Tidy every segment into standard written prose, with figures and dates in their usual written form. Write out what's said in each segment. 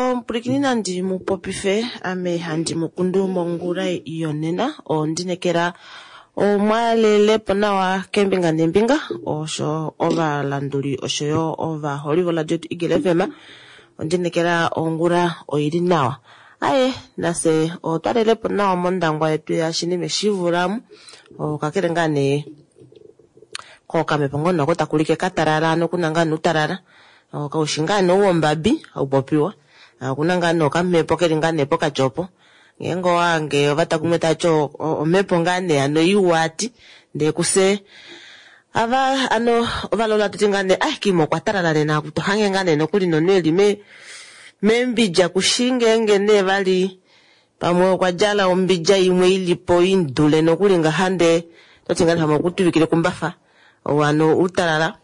Omupulikini nandi mu popife ame handi mu kundu mongula yonena ondinekela omwalelepo nawa keembinga neembinga osho ovalanduli oshoyo ovaholi voradio yetu Eagle FM ondinekela ongula oili nawa. Aye nafye otwa lelepo nawa mondangwa yetu yashinime shivulamu kakele ngaa nee kokamhepo ngoo nako takulike katalala ano kuna ngaa nuutalala kaushi ngaa nee ouwombabi haupopiwa okuna ngaa nee okamhepo keli ngaa nee pokati opo ngeenge owahange ovatakume tavati omhepo ngaa nee hano iwa ati ndee kufye ava ano ovalola hatuti ngaa nee ai kiima okwa talala nena tohange ngaa nee nokuli nomunhu eli meembidja kushi ngeenge nee vali pamwe okwa djala ombidja imwe ilipo imudule nokuli ngaha ndee toti ngaa nee pamwe okutuvikila ekumbafa ou hano outalala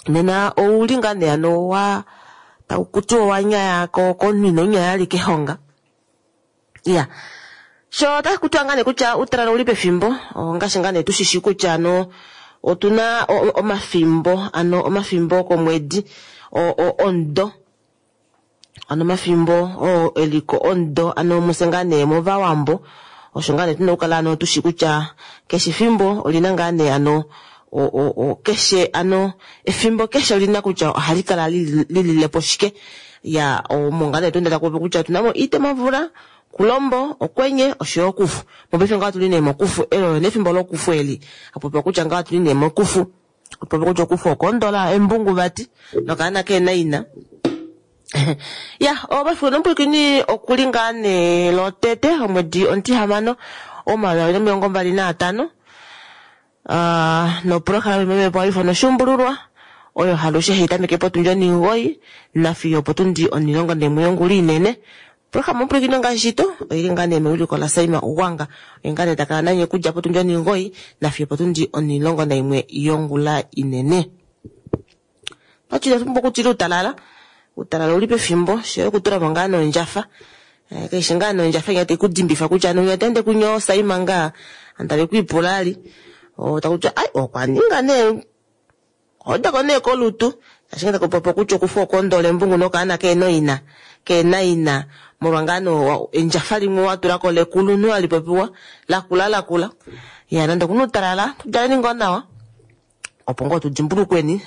nena ouli ngaa nee hano wa takutiwa owanyaya komunhu ino nyaya vali kehonga. Iya sho otaku tiwa ngaa nee kutya uutalala ouli pefimbo ongaashi ngaa nee tushishi kutya ano otuna omafimbo ano omafimbo okomwedi omudo ano omafimbo oo eliko omudo ano mufye ngaa nee movawambo osho ngaa nee tuna okukala ano tushi kutya keshe efimbo olina ngaa nee ano keshe ano efimbo keshe olina kutya ohali kala lililepo shike ya omo ngaa nee tuna takupopi kutya otunamo iitemamvula, kulombo, okwenye oshoyo okufu. Mopaife ngaha otuli nee mokufu eli olo nee efimbo lokufu eli hakupopiwa kutya ngaha otuli nee mokufu. Popi kutya okufu okoondola embungu vati nokaana keena ina. Ya omafiku nomupwilikini okuli ngaa nee lotete omwedi omutihamano 2025 noprograma imwe imwepo hayi ifanwa oshuumbululwa oyo halushe hayi tameke potundi onhimugoyi nafiyo opotundi onhilongo naimwe yongula inene. Oprograma omupwilikini ongaashi shito oili ngaa nee mewiliko laSaima Ugwanga oye ngaa nee takala nanye okudja potundi onhimugoyi nafiyo opotundi onhilongo naimwe yongula inene. Okwati ina pumbwa okutila uutalala, uutalala ouli pefimbo shoye okutulamo ngaa nondjafa kaishi ngaa nee ondjafa inya taikudimbifa kutya ano winya otaende kunya osaima ngaa ovanhu tave kwiipula ali takutiwa ai okwa ninga nee Ohodako nee kolutu, shaashi ngee taku popiwa kutya okufa okoondola embungu nokaana keena oina, keena ina, molwa ngaa nee endjafa limwe wa tulako lekulunhu hali popiwa, lakula lakula. Iya nande okuna uutalala, tu djaleni ngoo nawa, opo ngoo tu dimbulukweni,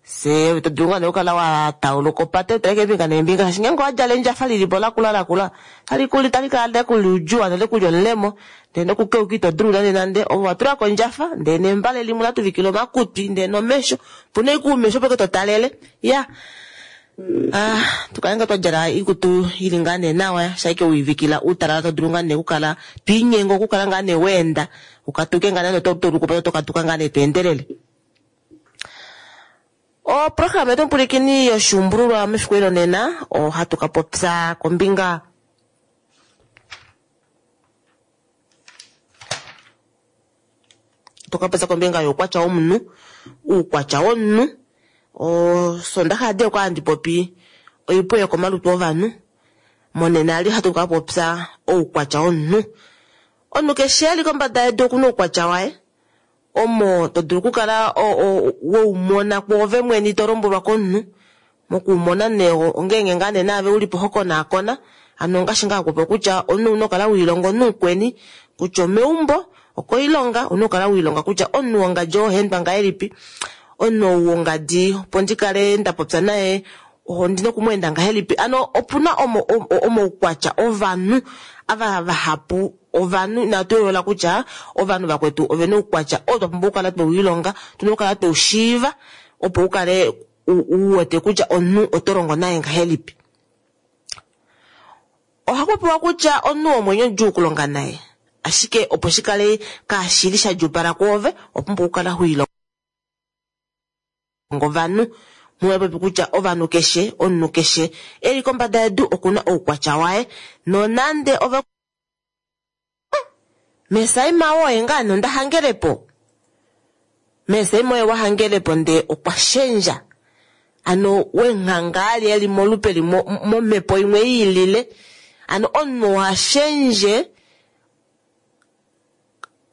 fyee ove to dulu ngaa nee okukala wa tauluka opate utale keembinga neembinga, shaashi ngeenge owa djala endjafa lilipo lakula lakula, otali tali kala lekuliudjuwa nolekuli omulemo. Ndee nokukeuka ito dulu nande nande. Ove owa tula ko ondjafa ndee nembale limwe la tuvikila omakutwi ndee nomesho. Opu na ashike oumesho opo ashike to talele. Iyaa, ah tu kale ngaa twa djala oikutu ili ngaa nee nawa shaike wiivikila uutalala to dulu ngaa nee okukala to inyenge okukala ngaa nee weenda ukatuke ngaa nande oto tauluka opate oto katuka ngaa nee to endelele. Oprograma yetu omupwilikini yoshuumbululwa mefiku eli lonena ohatu ka popya kombinga Toka popya kombinga youkwatya womunhu, uukwatya womunhu. Osondaxa yadi okwali handi popi oipwe yokomalutu ovanhu, monena eli ohatu ka popya oukwatya womunhu. Omunhu keshe eli kombada yedu okuna oukwatya waye omo to dulu okukala weumona kwoove mwene ito lombwelwa komunhu. Mokuumona nee ongeenge ngaa nee naave ulipo ho konaakona, hano ongaashi ngaa hakupopiwa kutya omunhu ouna okukala wiilonga omunhu mukweni kutya omeumbo, okoilonga ouna okukala wiilonga kutya omunhu wongadi oo ohaendwa ngahelipi, omunhu ou wongadi opo ndi kale nda popya naye ondina oku mu enda ngahelipi. Hano opuna omaukwatya ovanhu ava vahapu ovanhu inatu yoolola kutya ovanhu vakwetu ovena oukwatya oo twa pumbwa okukala twewiilonga, tuna okukala tweushiiva opo ukale u wete kutya omunhu oto longo naye ngahelipi. Ohaku popiwa kutya omunhu womwenyo odjuu okulonga naye, ashike opo shi kale kaashili sha djuupala kwoove, owa pumbwa okukala ho ilongo ovanhu. Muwa popi kutya ovanhu keshe, omunhu keshe e li kombada yedu oku na oukwatya waye, nonande ove Mesaima woye ngaa nee onda hangelepo? Mesaima oye wa hangelepo ndee okwa shendja. Ano wenghanga ali eli molupe limwe momhepo imwe yiilile. Ano omunhu oha shendje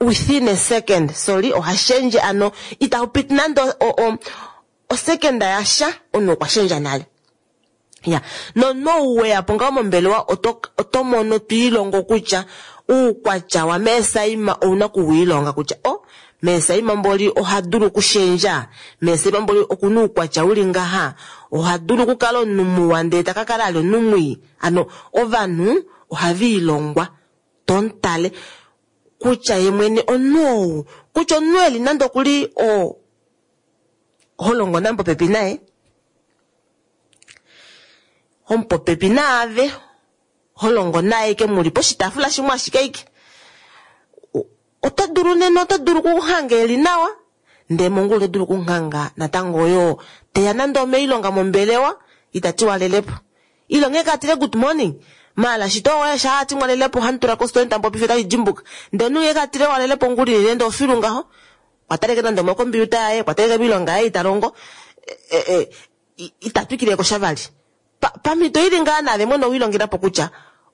within a second, sorry, oha shendje ano itapu piti nande osekenda yasha omunhu okwa shendja nale. Ya, nomunhu ou weya po ngaho mombelewa oto oto mono to ilongo kutya uukwatya wameesaima ouna okuwiilonga kutya o meesaima mboli oha dulu okushendja, meesaima mboli okuna uukwatya uli ngaha, oha dulu okukala omunhu muwa ndee ta ka kala ali omunhu mwii. Hano ovanhu ohava ilongwa to mutale kutya ye mwene omunhu ou, kutya omunhu eli nande okuli o ho longo naye popepi naye, Omupopepi naave ho longo naye ike muli poshitaafula shimwe ashike ike. Oto dulu nena oto dulu okuhanga eli nawa ndee mongula oto dulu okuhanga natango oyoo teya nande omoilonga mombelewa ita ti walelepo. Ile onghee ka tile good morning maala shito oye shaa ati mwalelepo ohamu tula kositola tamu popifa otashi dimbuka. Ndee omunhu ngee ka tile walelepo ongula inene ndee ofilu ngaho okwa taleke nande omokombiyuta yaye okwa taleke moilonga yaye ita longo ita twikile ko sha vali. Pa, pamhito ili ngaa naave mwene owiilongela po kutya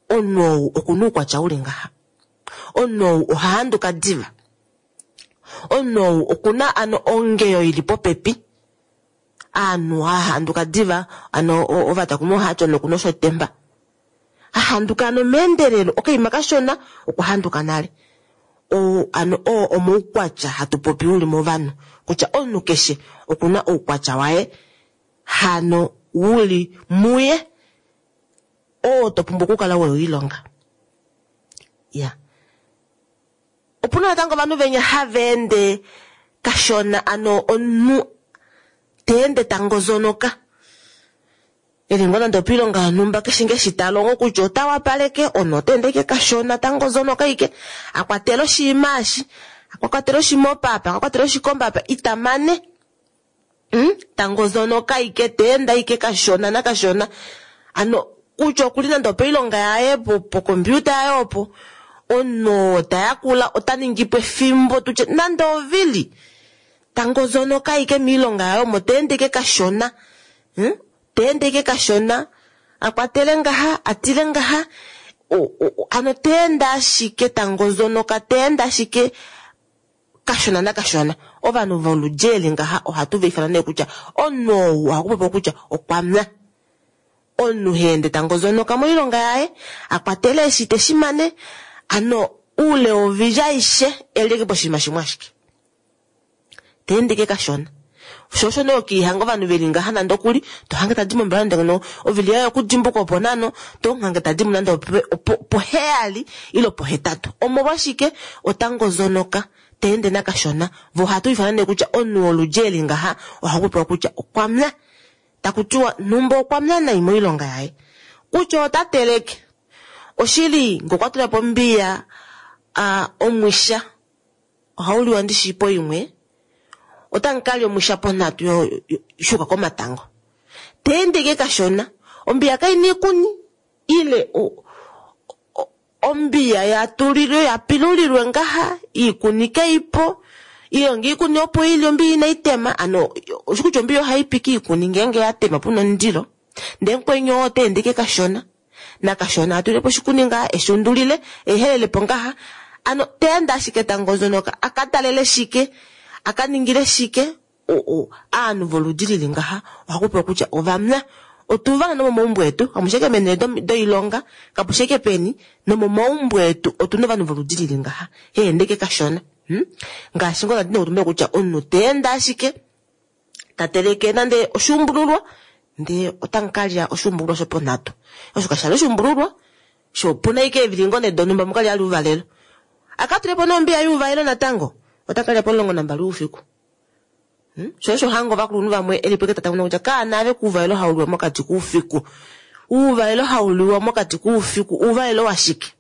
omunhu ou oku na oukwatya uli ngaha. Omunhu ou oha handuka diva. Omunhu ou oku na ano ongeyo ili popepi. Aanhu ha handuka diva, ano ovatakumi ohava ti omunhu oku na oshotemba. Ha handuka ano meendelelo, okaima kashona okwa handuka nale. Oo ano oo omoukwatya hatu popi uli movanhu kutya omunhu keshe oku na oukwatya waye hano wuli muye oo to pumbwa okukala wewiilonga. Ya. Opuna natango ovanhu venya hava ende kashona ano omunhu ta ende ta ngozonoka. Eli ngoo nande opiilonga yonhumba keshe nge eshi ta longo kutya ota wapaleke omunhu ota ende ashike kashona ta ngozonoka ashike a kwatela oshinima eshi a kwatela oshimopa apa a kwatela oshikombe apa ita mane hmm? ta ngozonoka ashike ta ende ashike kashona nakashona ano kutya okuli nande opoilonga yaye pokompiuta yaye opo omunhu oo ta yakula ota ningi po efimbo tutye nande ovili ta ngozonoka ashike miilonga yaye omo ta ende ashike kashona Hmm? Ta ende ike kashona, a kwatele ngaha, a tile ngaha, ano ta ende ashike ta ngozonoka, ta ende ashike kashona nakashona. Ovanhu voludi eli ngaha ohatu va ifana nee kutya omunhu ou ohaku popiwa kutya okwa mya. Omunhu ha ende ta ngozonoka moilonga yaye, a kwatele eshi te shi mane, ano oule wovili aishe e li poshinima shimwe ashike. Ta ende ike kashona. Sho osho nee okiihanga ovanhu veli ngaha nande okuli, to hange tadi mombelewa nande ngeno ovili yaye okudimbuka opo nano, to hange tadi mo nande opoheyali ile opohetatu. Omolwashike? Ota ngozonoka, ta ende nakashona. Vo ohatu ifana nee kutya omunhu woludji eli ngaha ohaku popiwa kutya okwa mya. Taku tiwa nhumba okwa mya nai moilonga yaye. Kutya ota teleke. Oshili ngee okwa tula po ombiya omwisha Ohau liwa ndi shii poimwe, otamu ka lya omwisha ponhatu shuuka komatango. Ta ende ike kashona, ombiya kai na iikuni ile ombiya ya tulilwe ya pilulilwe ngaha iikuni kai po ile ngee iikuni opo ili ombiya inai tema ano oshi kutya ombiya ohai pi kiikuni ngeenge ya tema puna omundilo ndee mukweni oo ota ende ike kashona. Nakashona a tulepo oshikuni ngaa eshi undulile ehelele po ngaha ano ta ende ashike ta ngozonoka a ka talele shike a ka ningile shike aanhu voludi lili ngaha ohaku popiwa kutya ovamya. Otu va na nomomaumbo etu kamushi ashike meenhele doilonga kapushi ashike peni nomomaumbo etu otu na ovanhu voludi lili ngaha ha ende ashike kashona hmm? Ngaashi ngoo ndati nokutumbula kutya omunhu ta ende ashike ta teleke nande oshuumbululwa ndee otamu ka lya oshuumbululwa shoponhatu. Osho kasha li oshuumbululwa, sho opu na ashike eevili ngoo nee donhumba mu ka lya ouvalelo. A ka tule po nee ombiya youvalelo natango, ota ka lya pomulongo nambali woufiku. Hmm? Sho osho hanga ovakulunhu vamwe e li po tata kutya kaana ave kuuvalelo hau liwa mokati koufiku. Uuvalelo hau liwa mokati koufiku, uuvalelo washike?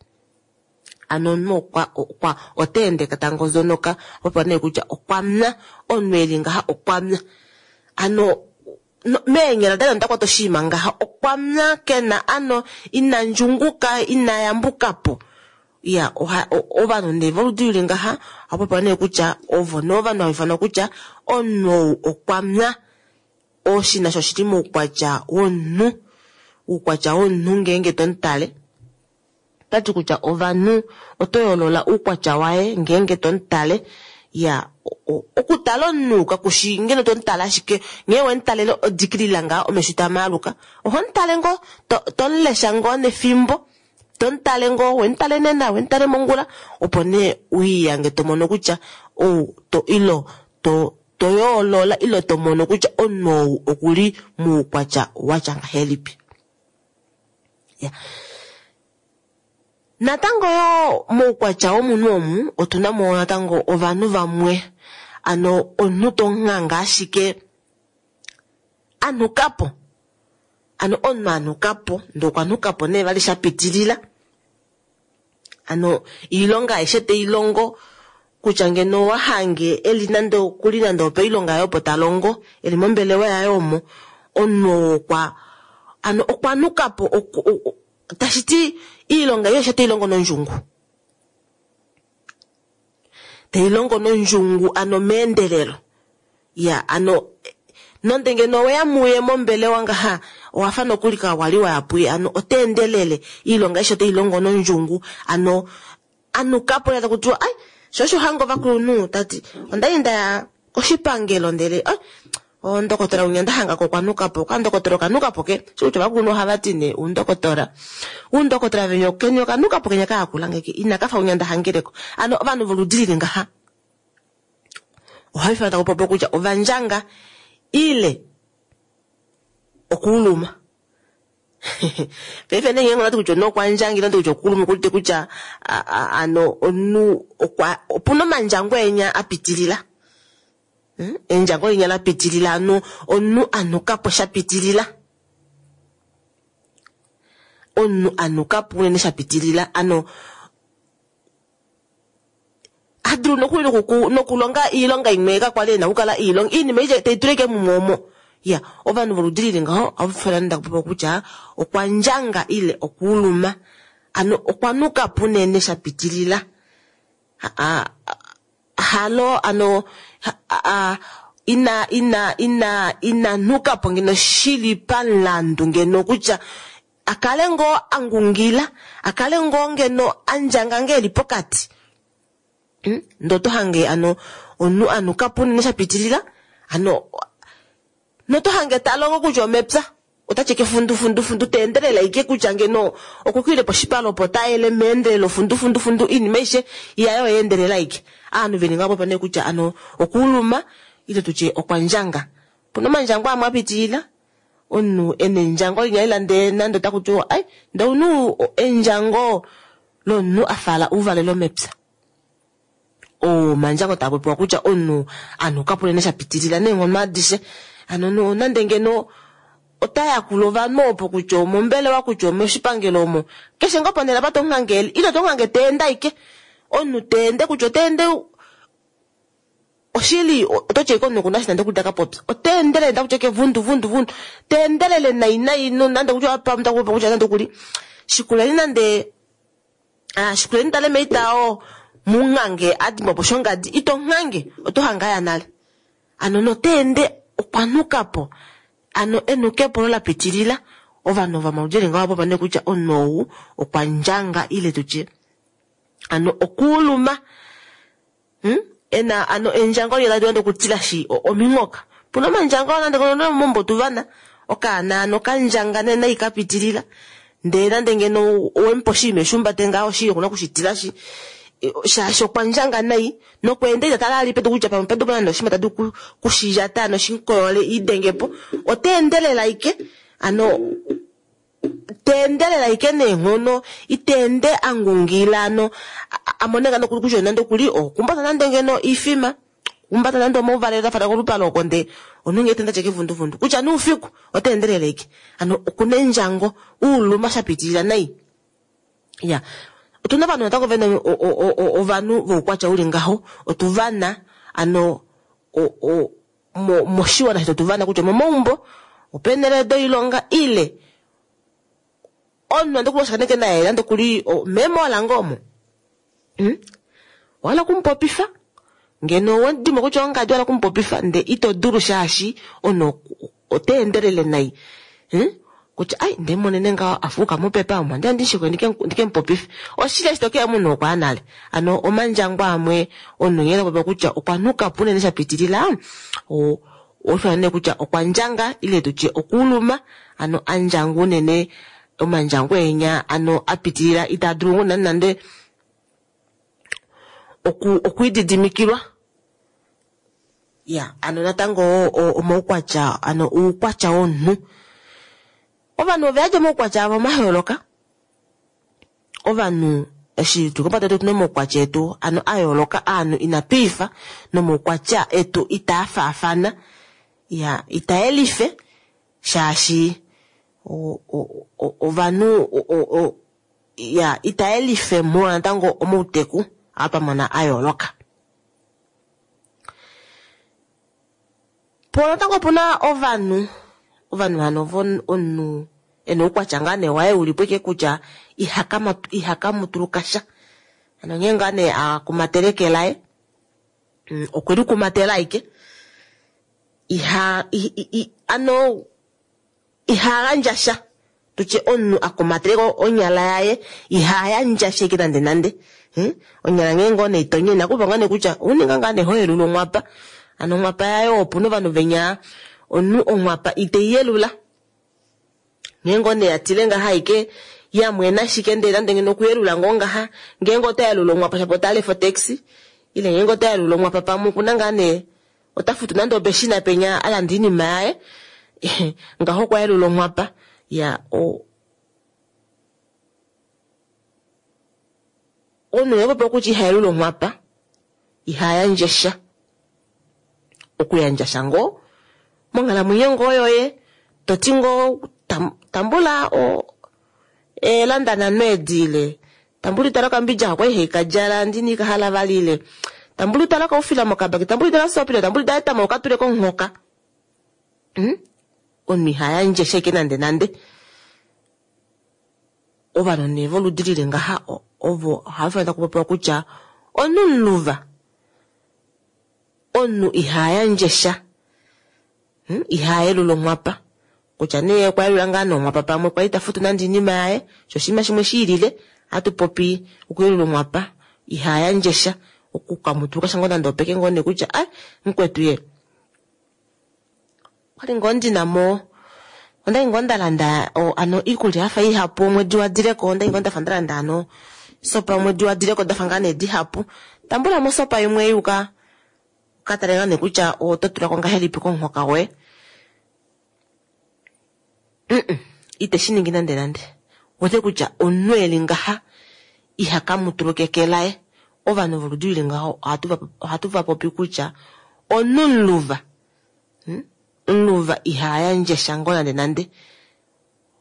Ano omunhu okwa, okwa, ota ende ta ngozonoka, popiwa nee kutya okwa mya. Omunhu e li ngaha okwa mya. Ano meenyala daye ota kwata oshinima ngaha, okwa mya, ke na ano, ina ndjunguka, ina yambuka po. Iya, oha, ovanhu nee voludi lili ngaha, oha popiwa nee kutya ovo nee ovanhu hava ifanwa kutya omunhu ou okwa mya. Oshinima osho oshili moukwatya womunhu, oukwatya womunhu ngeenge to mu tale. Ota ti kutya ovanhu oto yoolola uukwatya waye ngeenge to mu tale. Ya, okutala omunhu kakushi ngeno to mu tale ashike nghee we mu talele odikilila ngaa omesho taa maaluka. Oho mu tale ngoo to mu lesha ngoo nefimbo, to mu tale ngoo, we mu tale nena, we mu tale mongula, opo nee uiyange to mono kutya ou to ilo to to yoolola ile to mono kutya omunhu ou okuli moukwatya watya ngahelipi. Ya. Natango yoo moukwatya womunhu omu otu na mo natango ovanhu vamwe ano omunhu to nghanga ashike a nhuka po. Ano omunhu a nhuka po ndee okwa nhuka po nee vali sha pitilila. Ano iilonga aishe tei longo kutya ngeno owa hange eli nande okuli nande opoilonga yaye opo ta longo eli mombelewa yaye omo omunhu oo okwa ano okwa nuka po tashi ti iilonga aishe tei longo nondjungu. Tei longo nondjungu ano meendelelo. Ya ano nonde ngeno oweya muye mombelewa ngaha owa fa nokuli ka wali waya puye ano ota endelele iilonga aishe oteyi longo nondjungu ano anuka po lela taku tiwa ai sho osho hanga ovakulunhu tati ondali ndaya koshipangelo ndele ai ondokotola winya nda hangako okwa nuka po okandokotola okanuka po ke shi kutya ovakulunhu ohava ti nee oundokotola oundokotola venya keni okanuka po kenya kayakula ngeke inaka fa winya nda hangeleko ano ovanhu voludi lili ngaha ohava ifana taku popiwa kutya ovandjanga ile okuuluma. Paife nee ngeenge ondati kutya omunhu okwa ndjanga ile ondati kutya okuuluma okuudite kutya ano omunhu okwa opuna omandjango enya a pitilila. Hmm? Endjango linya la pitilila ano omunhu a nuka po sha pitilila. Omunhu a nuka po unene sha pitilila ano a dulu nokuli nokulonga iilonga imwe ka kwali e na okukala e i longa iinima aishe tei tula ashike mumwe omo ya ovanhu voludi lili ngaho ohava fala nda kupopa kutya okwa ndjanga ile okuuluma ano okwa nuka po unene sha pitilila halo ano ina ina ina ina nuka po ngeno shili pamulandu ngeno kutya A kale ngoo a ngungila, a kale ngoo ngeno a ndjanga nge eli pokati. Hmm? Ndee oto hange ano omunhu a nuka po unene sha pitilila, ano noto hange ta longo kutya omepya ota tyeke fundu fundu fundu ta endelele aike kutya ngeno okukile poshipale opo ta ele meendelelo fundu fundu fundu iinima aishe yaye oya endelela aike. Aanhu veli ngaho popa nee kutya ano okuuluma ile tutye okwa ndjanga. Opuna omandjango amwe a pitilila Omunhu e na endjango linya lela ndee nande otaku tiwa ai ndee omunhu endjango lomunhu a fala ouvalelo mepya. Oo omandjango taa popiwa kutya omunhu a nuka po unene sha pitilila neenghono adishe. Hano nande ngeno ota yakula ovanhu opo kutya omombelewa kutya omoshipangelo omo, keshe ngoo ponhele apa to mu hange eli ile to mu hange ta ende ashike. Omunhu ta ende kutya ota ende Oshili, oto ti ashike omunhu oku na eshi nande okuli ta ka popya. Ota endelele taku ti ashike vundu vundu vundu. Ta endelele nai nai nande kutya pamwe taku popi kutya nande okuli shikuleni nande ah, shikuleni tale meitao munghange a dimbwa po shongadi ito nghange oto hange aya nale. Ano nota ende okwa nuka po. Ano enukepo olo la pitilila ovanhu vomaludi eli ngaho popa nee kutya omunhu ou okwa ndjanga ile tutye ano okuuluma. Hmm? Ena ano endjango liya tali dulu nande okutilashi ominghoka. Puna omandjango nande kono mombo tuvana okaana ano kandjanga nee nai ka pitilila. Ndee nande ngeno owemupa oshinima eshumbate ngaho oshili okuna okushitilashi shaashi okwa ndjanga nai nokweenda ita tala ali pedu kutya pamwe pedu puna nande oshinima ta dulu kushiyata ano shinkoyole iidenge po. Ota endelele aike ano Ta endelele ashike neenghono, ita ende a ngungila ano a mone ngaa nokuli kutya nande okuli okumbata nande ngeno iifima, okumbata nande omauvalelo ta fala kolupale oko ndee omunhu ngee ta ende atya kevunduvundu kutya nee oufiku ota endelele ashike. Hano okuna endjango, uuluma sha pitilila nai. Iya, otuna ovanhu natango vena ovanhu voukwatya uli ngaho, otu vana ano moshiwana shetu otu vana kutya omomaumbo, opeenhele doilonga ile omunhu nande okuli washakeneke naye nande okuli meemola ngoo omo. Hmm? Owa hala okumupopifa ngeno owe dimo kutya ongadi wa hala okumupopifa ndee ito dulu shaashi omunhu ota endelele nai. Hmm? Kutya ai nde monene ngaho afuuka mopepa omo ndi andi shikwe ndike mupopife. Oshili eshi tokeya munhu okwa nale. Ano omandjango amwe omunhu nghee popiwa kutya okwa nuka po unene sha pitilila, oufana nee kutya okwa ndjanga ile tutye okuuluma, ano andjanga unene omandjango enya ano a pitilila itaa dulu ngoo nande nande okwiididimikilwa. Ya, ano natango omaukwatya, ano uukwatya womunhu. Ovanhu ove yadi omaukwatya avo mayooloka. Ovanhu eshi tuli kombada yedu otuna omaukwatya etu ano a yooloka, aanhu inatu ifa nomaukwatya etu itaa faafana. Ya, ita yelife shaashi ovanhu ya ita yelife molwa natango omauteku aa twa mona a yooloka. Po natango opuna ovanhu, ovanhu hano ovo omunhu ena oukwatya ngaa nee waye ulipo ashike kutya ihakamutuluka sha. Hano nghee ngaa nee akumatele eke laye, okwe likumatela ashike. Iha, ano iha gandja sha. Tutye omunhu akumatele onyala yaye, iha yandja sha ashike nande nande. Onyala nghee ngoo nee itonye inakupa ngaa nee kutya ouninga ngaa nee hoyelula onghwapa. Ano onghwapa yaye opuna ovanhu venya omunhu onghwapa itei yelula. Nghee ngoo nee yatile ngaha ashike yamwena ashike ndele nande ngeno okuyelula ngoo ngaha, ngeenge ota yelula onghwapa shapo ota lefa otaxi, ile ngeenge ota yelula onghwapa pamwe okuna ngaa nee ota futu nande opeshina penya alanda oinima yaye ngaho okwa yelula onghwapa. Ya, omunhu oye popiwa kutya iha yelula onghwapa, iha yandje sha. Okuyandja sha ngoo monghalamwenyo ngoo yoye, toti ngoo tambula eelanda nhano edi ile tambula itala okambidja ako kwali haikadjala ndini kahala vali ile tambula itala okaufila mokabaki, tambula itala soap ile tambula itala etama ukatule komuhoka. Omunhu iha yandje sha ashike nande nande. Ovanhu nee voludi lili ngaha ovo ohava fanekwa kupopiwa kutya omunhu muluva. Omunhu iha yandje sha. Iha yelula onghwapa. Kutya nee okwa yelula ngaa nonghwapa pamwe kwali ta futu nande oinima yaye, sho oshinima shimwe shi ilile, ohatu popi okuyelula onghwapa, iha yandje sha. Okukamutuluka sha ngoo nande opeke ngoo nee kutya ai mukwetu ye. Okwali ngoo ndina mo, ondali ngoo nda landa ano iikulya yafa ihapu omwedi wa dileko, ondali ngoo ndafa nda landa ano sopa omwedi wa dileko dafa ngaa nee dihapu. Tambula mo sopa imwe yuka ka tale ngaa nee kutya oto tulako ngahelipi komuhoka woye. Ite shi ningi nande nande. Wete kutya omunhu eli ngaha iha kamutuluka eke laye. Ovanhu voludi lili ngaho ohatu va popi kutya omunhu muluva. Muluva iha yandje sha ngoo nande nande.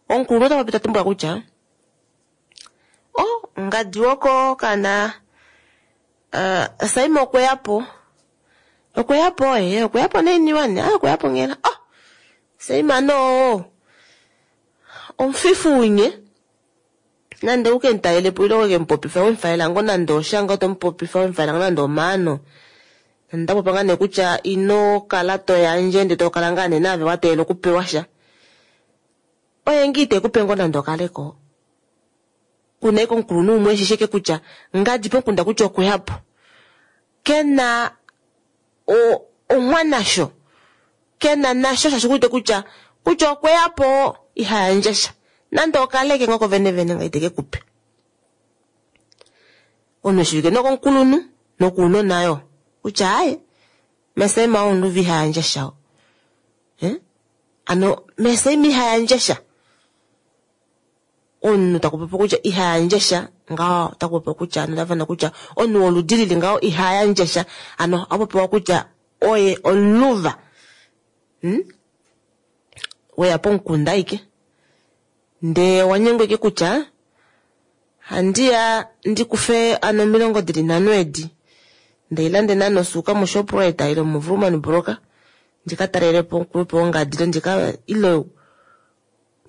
Omukulunhu ota popi ta tumbula kutya ngadi woko kana Saima okweya po. Okweya po ye, okweya po neiniwani, okweya po nghela. Saima no omufifu unye. Nande uke mutalele po ile uke mupopifa, wemufalela ngoo nande oshanga oto mupopifa, wemufalela ngoo nande omaano. Nda popa ngaa nee kutya ino kala to yandje ndele to kala ngaa nee naave wa teelela okupewa sha. Oye ngii te kupe ngoo nande okaleko. Kuna eke omukulunhu umwe eshi sheke kutya ngadi pomukunda kutya okweya po. Kena onghwa nasho. Kena nasho shaashi okuwete kutya kutya okweya po iha yandje sha. Nande okaleke ngoo kovene vene nga iteke kupe. Omunhu eshivike nokomukulunhu nokuunona yo. Kutya aye, Meseima omunhu iha yandje sha. Ano Meseima iha yandje sha. Omunhu taku popi kutya iha yandje sha, ngaho taku popi kutya ano tavana kutya omunhu woludi lili ngaho iha yandje sha. Ano ohapopiwa kutya oye omuluva. Weya pomukunda ashike. Ndee wanyengwa ashike kutya handiya ndikufe ano 35 edi. Ndeilande nano osuuka moShoprite ile moVoerman Brock ndika talelepo omukulupe wongadi ile ndika ile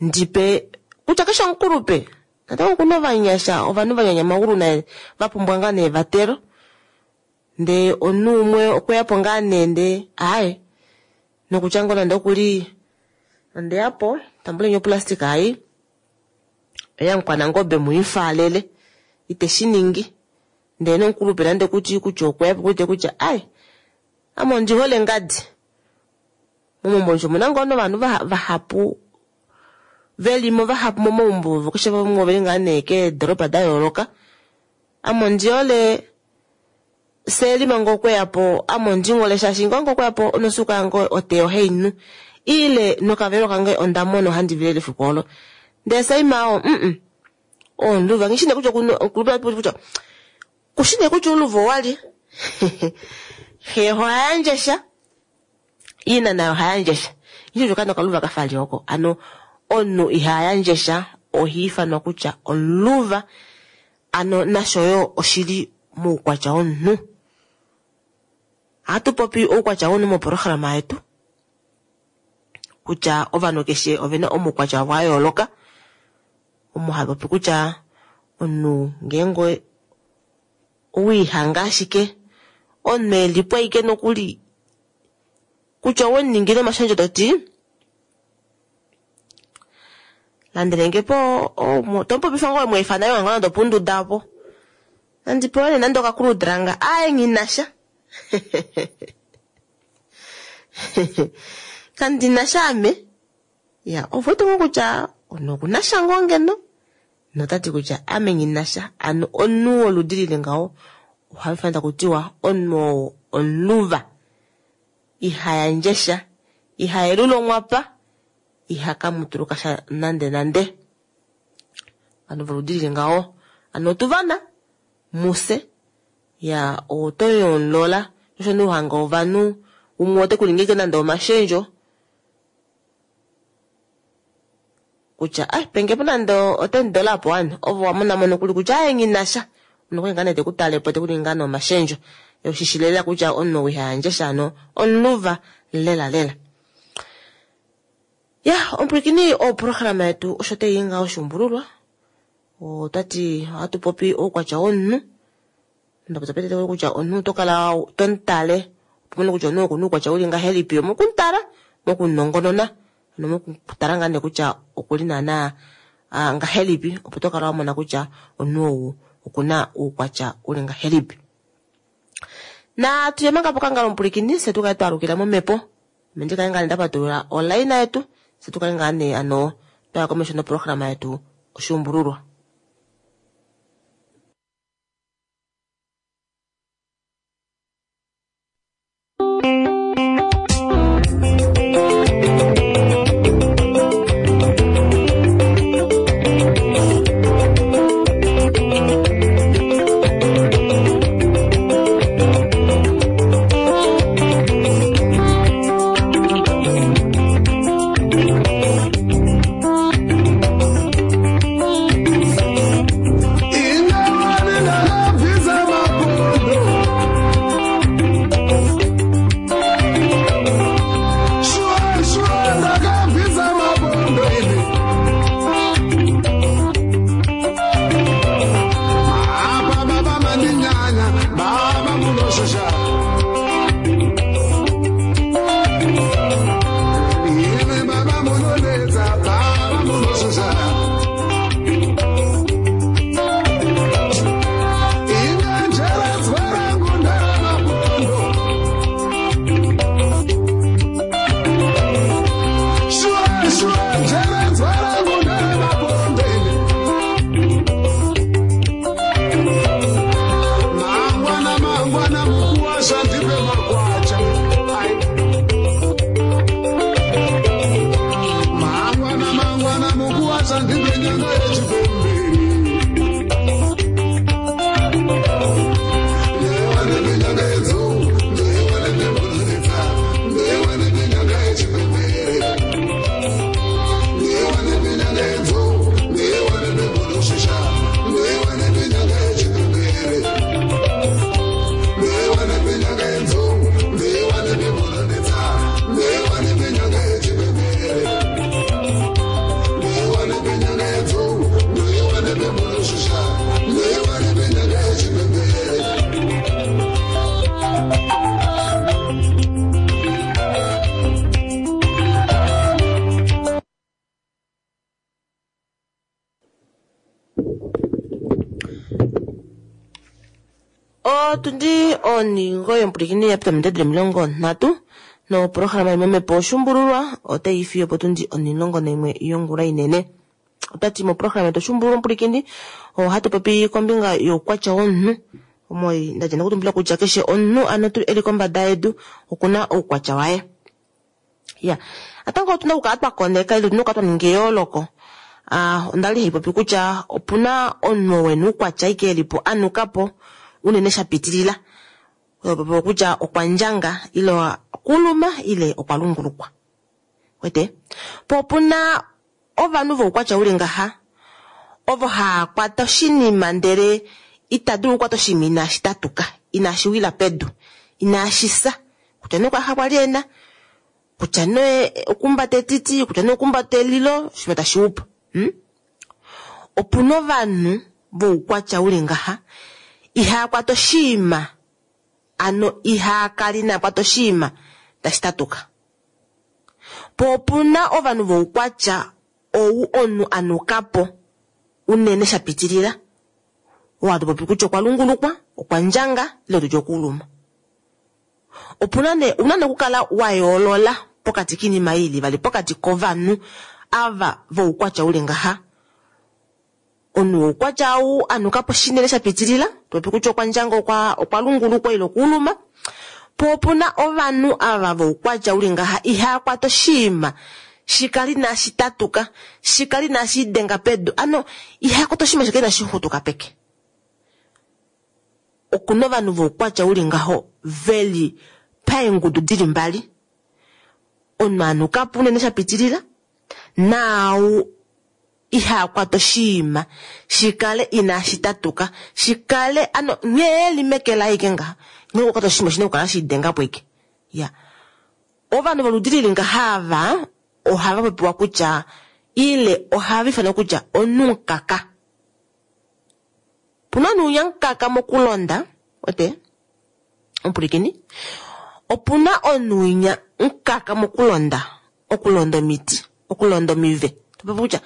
ndipe kutya keshe omukulupe. Natango okuna ovanyasha, ovanhu va nyanya naye va pumbwa ngaa nee evatelo. Ndee omunhu umwe okweya po ngaa nee ndee aaye nokutya ngoo nande okuli ondeya po. Tambuleni oplastika ai oyamukwanangobe muifaalele ite shi ningi. Ndele nomukulupe nande kuti kutya okweya po kuwete kutya ai ame ondi hole ngadi. Momaumbo osho omuna ngoo novanhu vahapu velimo vahapu momaumbo ovo keshe vamwe oveli ngaa nee keedoropa da yooloka. Ame ondi hole Selima ngoo okweya po ame ondi hole shaashi ngoo okweya po onosuuka yange otee ohainu ile nokavelo kange onda mona ohandi vilele efiku olo. Ndele Saima oo oomuluva nghi shi nee kutya kutya kushi nee kutya ouluva owalye. Xe oha yandje sha, ina naye oha yandje sha. Nghi shi kutya okaana okaluva kafa li oko. Ano omunhu iha yandje sha oha ifanwa kutya omuluva. Ano nasho yo oshili moukwatya womunhu. Ohatu popi oukwatya womunhu moprograma yetu kutya ovanhu keshe ovena omaukwatya wavo a yooloka. Omo hatu popi kutya omunhu ngeenge owiihanga ashike omunhu elipo ashike nokuli kutya owemuningile omashendjo toti landelenge po tomupopifa ngoo wemweefana yo nande opunduda opo nandi pewe nee nande okakuludrang aaye nghinasha kandinasha ame. Ya ovu wete ngoo kutya omunhu okunasha ngoo ngeno notati kutya ame nghinasha. Ano omunhu woludi lili ngaho oha ifana takutiwa omunhu oo omuluva iha yandje sha, iha yelula onghwapa, iha kamutuluka sha nande nande. Ovanhu voludi lili ngaho ano otuvana muse ya oto yomulola osho nuhanga ovanhu umwe ote kuningi nande omashendjo kutya ai penge po nande $10 apo wani ovo wamona mo nokuli kutya ai nghinasha nokuli ngaa nee tekutale po tekuningi ngaa nee omashendjo oshishilela kutya omunhu iha yandje sha ano omuluva lela lela. Ya omupwilikini oprograma yetu osho tayi nga oshuumbululwa otati ohatu popi oukwatya womunhu. Ndapopya petete kutya omunhu oto kala tomutale opo mone kutya omunhu okuna oukwatya uli ngahelipi omokumutala mokumunongonona ano mokutala ngaa nee kutya okuli naana ngahelipi opo tokala wamona kutya omunhu ou okuna oukwatya uli ngahelipi. Na tuye manga pokangalo omupwilikini fye tukale twalukila momhepo ame ndikale ngaa nee ndapatulula olaina yetu fye tukale ngaa nee ano twaya komesho noprograma yetu oshuumbululwa. Otundi oningo yomupulikini ya pita ominute 30 noprograma yomomhepo Oshuumbululwa otai fiyo potundi 11 yongula inene. Otwati moprograma yetu Oshuumbululwa omupulikini ohatu popi kombinga youkwatya womunhu. Omo ndadja nokutumbula kutya keshe omunhu ano eli kombada yedu okuna oukwatya waye. Ya, natango otuna okukala twa koneka ile otuna okukala twa ninga eyooloko. Onda li haipopi kutya opuna omunhu oo ena oukwatya ashike elipo anukapo unene shapitilila. Oyo kutya okwa ndjanga ile okuluma ile okwa lungulukwa. Wete? Po opuna ovanhu voukwatya uli ngaha ovo haa kwata oshinima ndele ita dulu okukwata oshinima inashi tatuka, inashi wila pedu, inashi fya. Kutya nee okwaha kwali ena, kutya nee okumbata etiti, kutya nee okumbata elilo, oshinima tashi upo. Opuna ovanhu voukwatya uli ngaha ihaa kwata oshinima, ano ihaa kala ina kwata oshinima tashi tatuka. Po opuna ovanhu voukwatya ou omunhu anukapo unene shapitilila, oo hatu popi kutya okwa lungulukwa, okwa ndjanga ile tutye okuuluma. Opuna nee una nee okukala wa yoolola pokati kiinima ei ili vali pokati kovanhu ava voukwatya uli ngaha. Omunhu woukwatya ou anukapo shinene shapitilila, topopi kutya okwa ndjanga okwa lungulukwa ile okuuluma. Po opuna ovanhu ava voukwatya uli ngaha ihaa kwata oshinima shikale inashi tatuka, shikale inashi lidenga pedu, ano iha kwata oshinima shikale inashi xutuka peke. Okuna ovanhu voukwatya uli ngaho veli paengudu dili mbali. Omunhu anukapo unene shapitilila naau iha kwata oshinima shikale inashi tatuka, shikale ano nghee eli meke laye ike ngaha, nghee okukwata oshinima oshina okukala shiidengapo ike. Ya, ovanhu voludi lili ngaha ava ohava popiwa kutya ile ohava ifanwa kutya omunhu-mukaka. Opuna omunhu unyamukaka mokulonda, wete omupulikini, opuna omunhu winya mukaka mokulonda, okulonda omiti, okulonda omive. Topopi kutya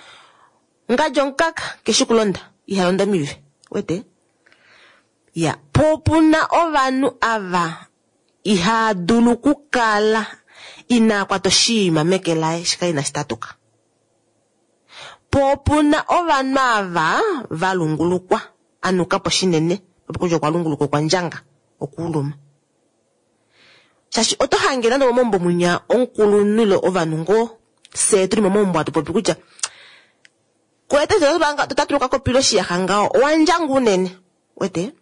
ngadja omukaka keshi kulonda, iha londa omive, wete. Ya, po opuna ovanhu ava iha dulu okukala ina kwata oshinima meke laye shikale inashi tatuka. Po opuna ovanhu ava va lungulukwa, anukapo shinene, topopi kutya okwa lungulukwa okwa ndjanga, okuuluma. Shaashi oto hange nande momaumbo munya omukulunhu ile ovanhu ngoo fyee tuli momaumbo hatu popi kutya kwete totatuluka kopila oshiyaxa ngaho owa ndjanga unene, wete?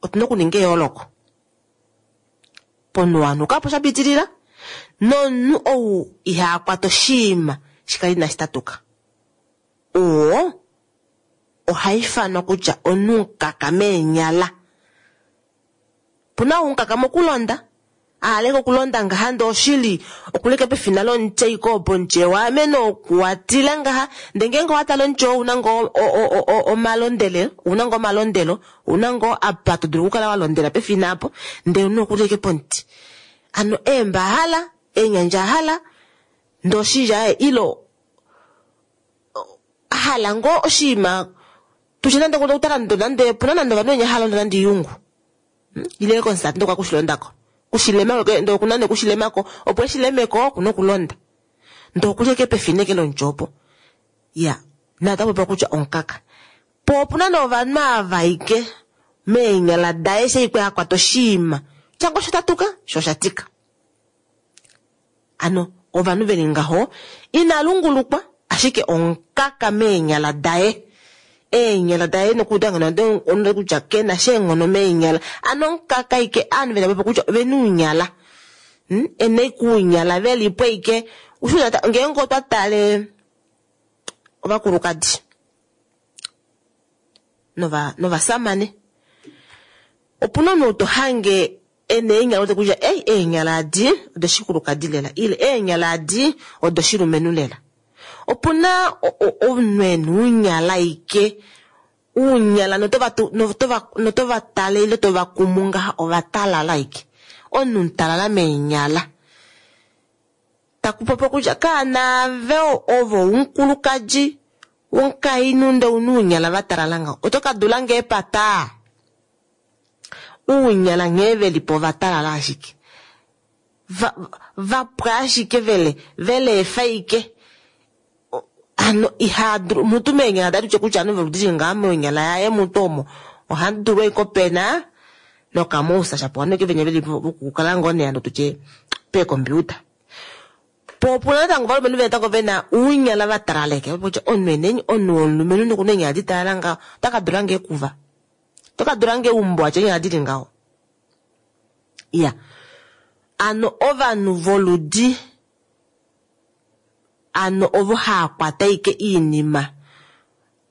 Otuna okuninga eyooloko pomunhu wanukapo shapitilila nomunhu ou iha kwata oshinima shikale inashi tatuka. Oo oha ifanwa kutya omunhu mukaka meenyala. Opuna ou mukaka mokulonda, ahaleke okulonda ngaha ndee oshili okuleke pefina lomuti ashike opo omuti ewaameno okuwatila ngaha, ndee ngeenge owatale omuti oo ouna ngoo omalondele, ouna ngoo omalondelo, ouna ngoo apa to dulu okukala walondela pefina apo, ndee omunhu okuli ashike pomuti. Hano eemba ahala, eenyandja ahala, ndee oshili aaye ile ahala ngoo oshinima tutye nande okutala nande opuna nande ovanhu venya halonda nande iyungu. Ile konsati ndee okwa kushilondako. Kushilema ndee okuna nee kushilemako, opo eshilemeko okuna okulonda. Ndee okuli ashike pefina eke lomuti opo. Ya, naye ota popiwa kutya omukaka. Po opuna nee ovanhu ava ashike meenyala daye eshi ashike akwata oshinima, kutya ngoo shatatuka shoo oshatika. Ano ovanhu veli ngaho ina lungulukwa ashike omukaka meenyala daye. Eenyala daye nokuuda ngeno kutya kena sha eenghono meenyala. Ano omukaka ashike ovanhu vena popi kutya ovena ounyala. Ena ashike ounyala velipo ashike. Ngeenge otwa tale ovakulukadi novasamane, opuna omunhu to hange ena eenyala wete kutya ei eenyala adi odoshikulukadi lela ile eenyala adi odoshilumenhu lela. Opuna omunhu ena ounyala ashike, ounyala notova tale ile tova kumu ngaha ovatalala ashike. Omunhu mutalala meenyala. Taku popiwa kutya kaanaave ovo omukulukadi, Womukainhu nde una uunyala va talala ngaho, oto ka dula nge epata? Uunyala nghee ve li po va talala ashike. Va, va pwa ashike vele, vele efaike. Ano iha dulu, mutu meenyala daye tutye kutya ano veludili ngaa monyala yaye mutu omo. Oha dulu ashike opena nokamousa shapo ano ke venya veli vokukala ngoo nee ano tutye peekompiuta. Po opuna natango ovalumenhu natango ve na uunyala va talaleke. Kutya omunhu enenyi, omunhu womulumenhu nokuna eenyala di talala ngaho, ota ka dula ngee ekuva. Oto ka dula ngee eumbo atya eenyala dili ngaho. Iya. Ano ovanhu voludi ano ovo haa kwata ike iinima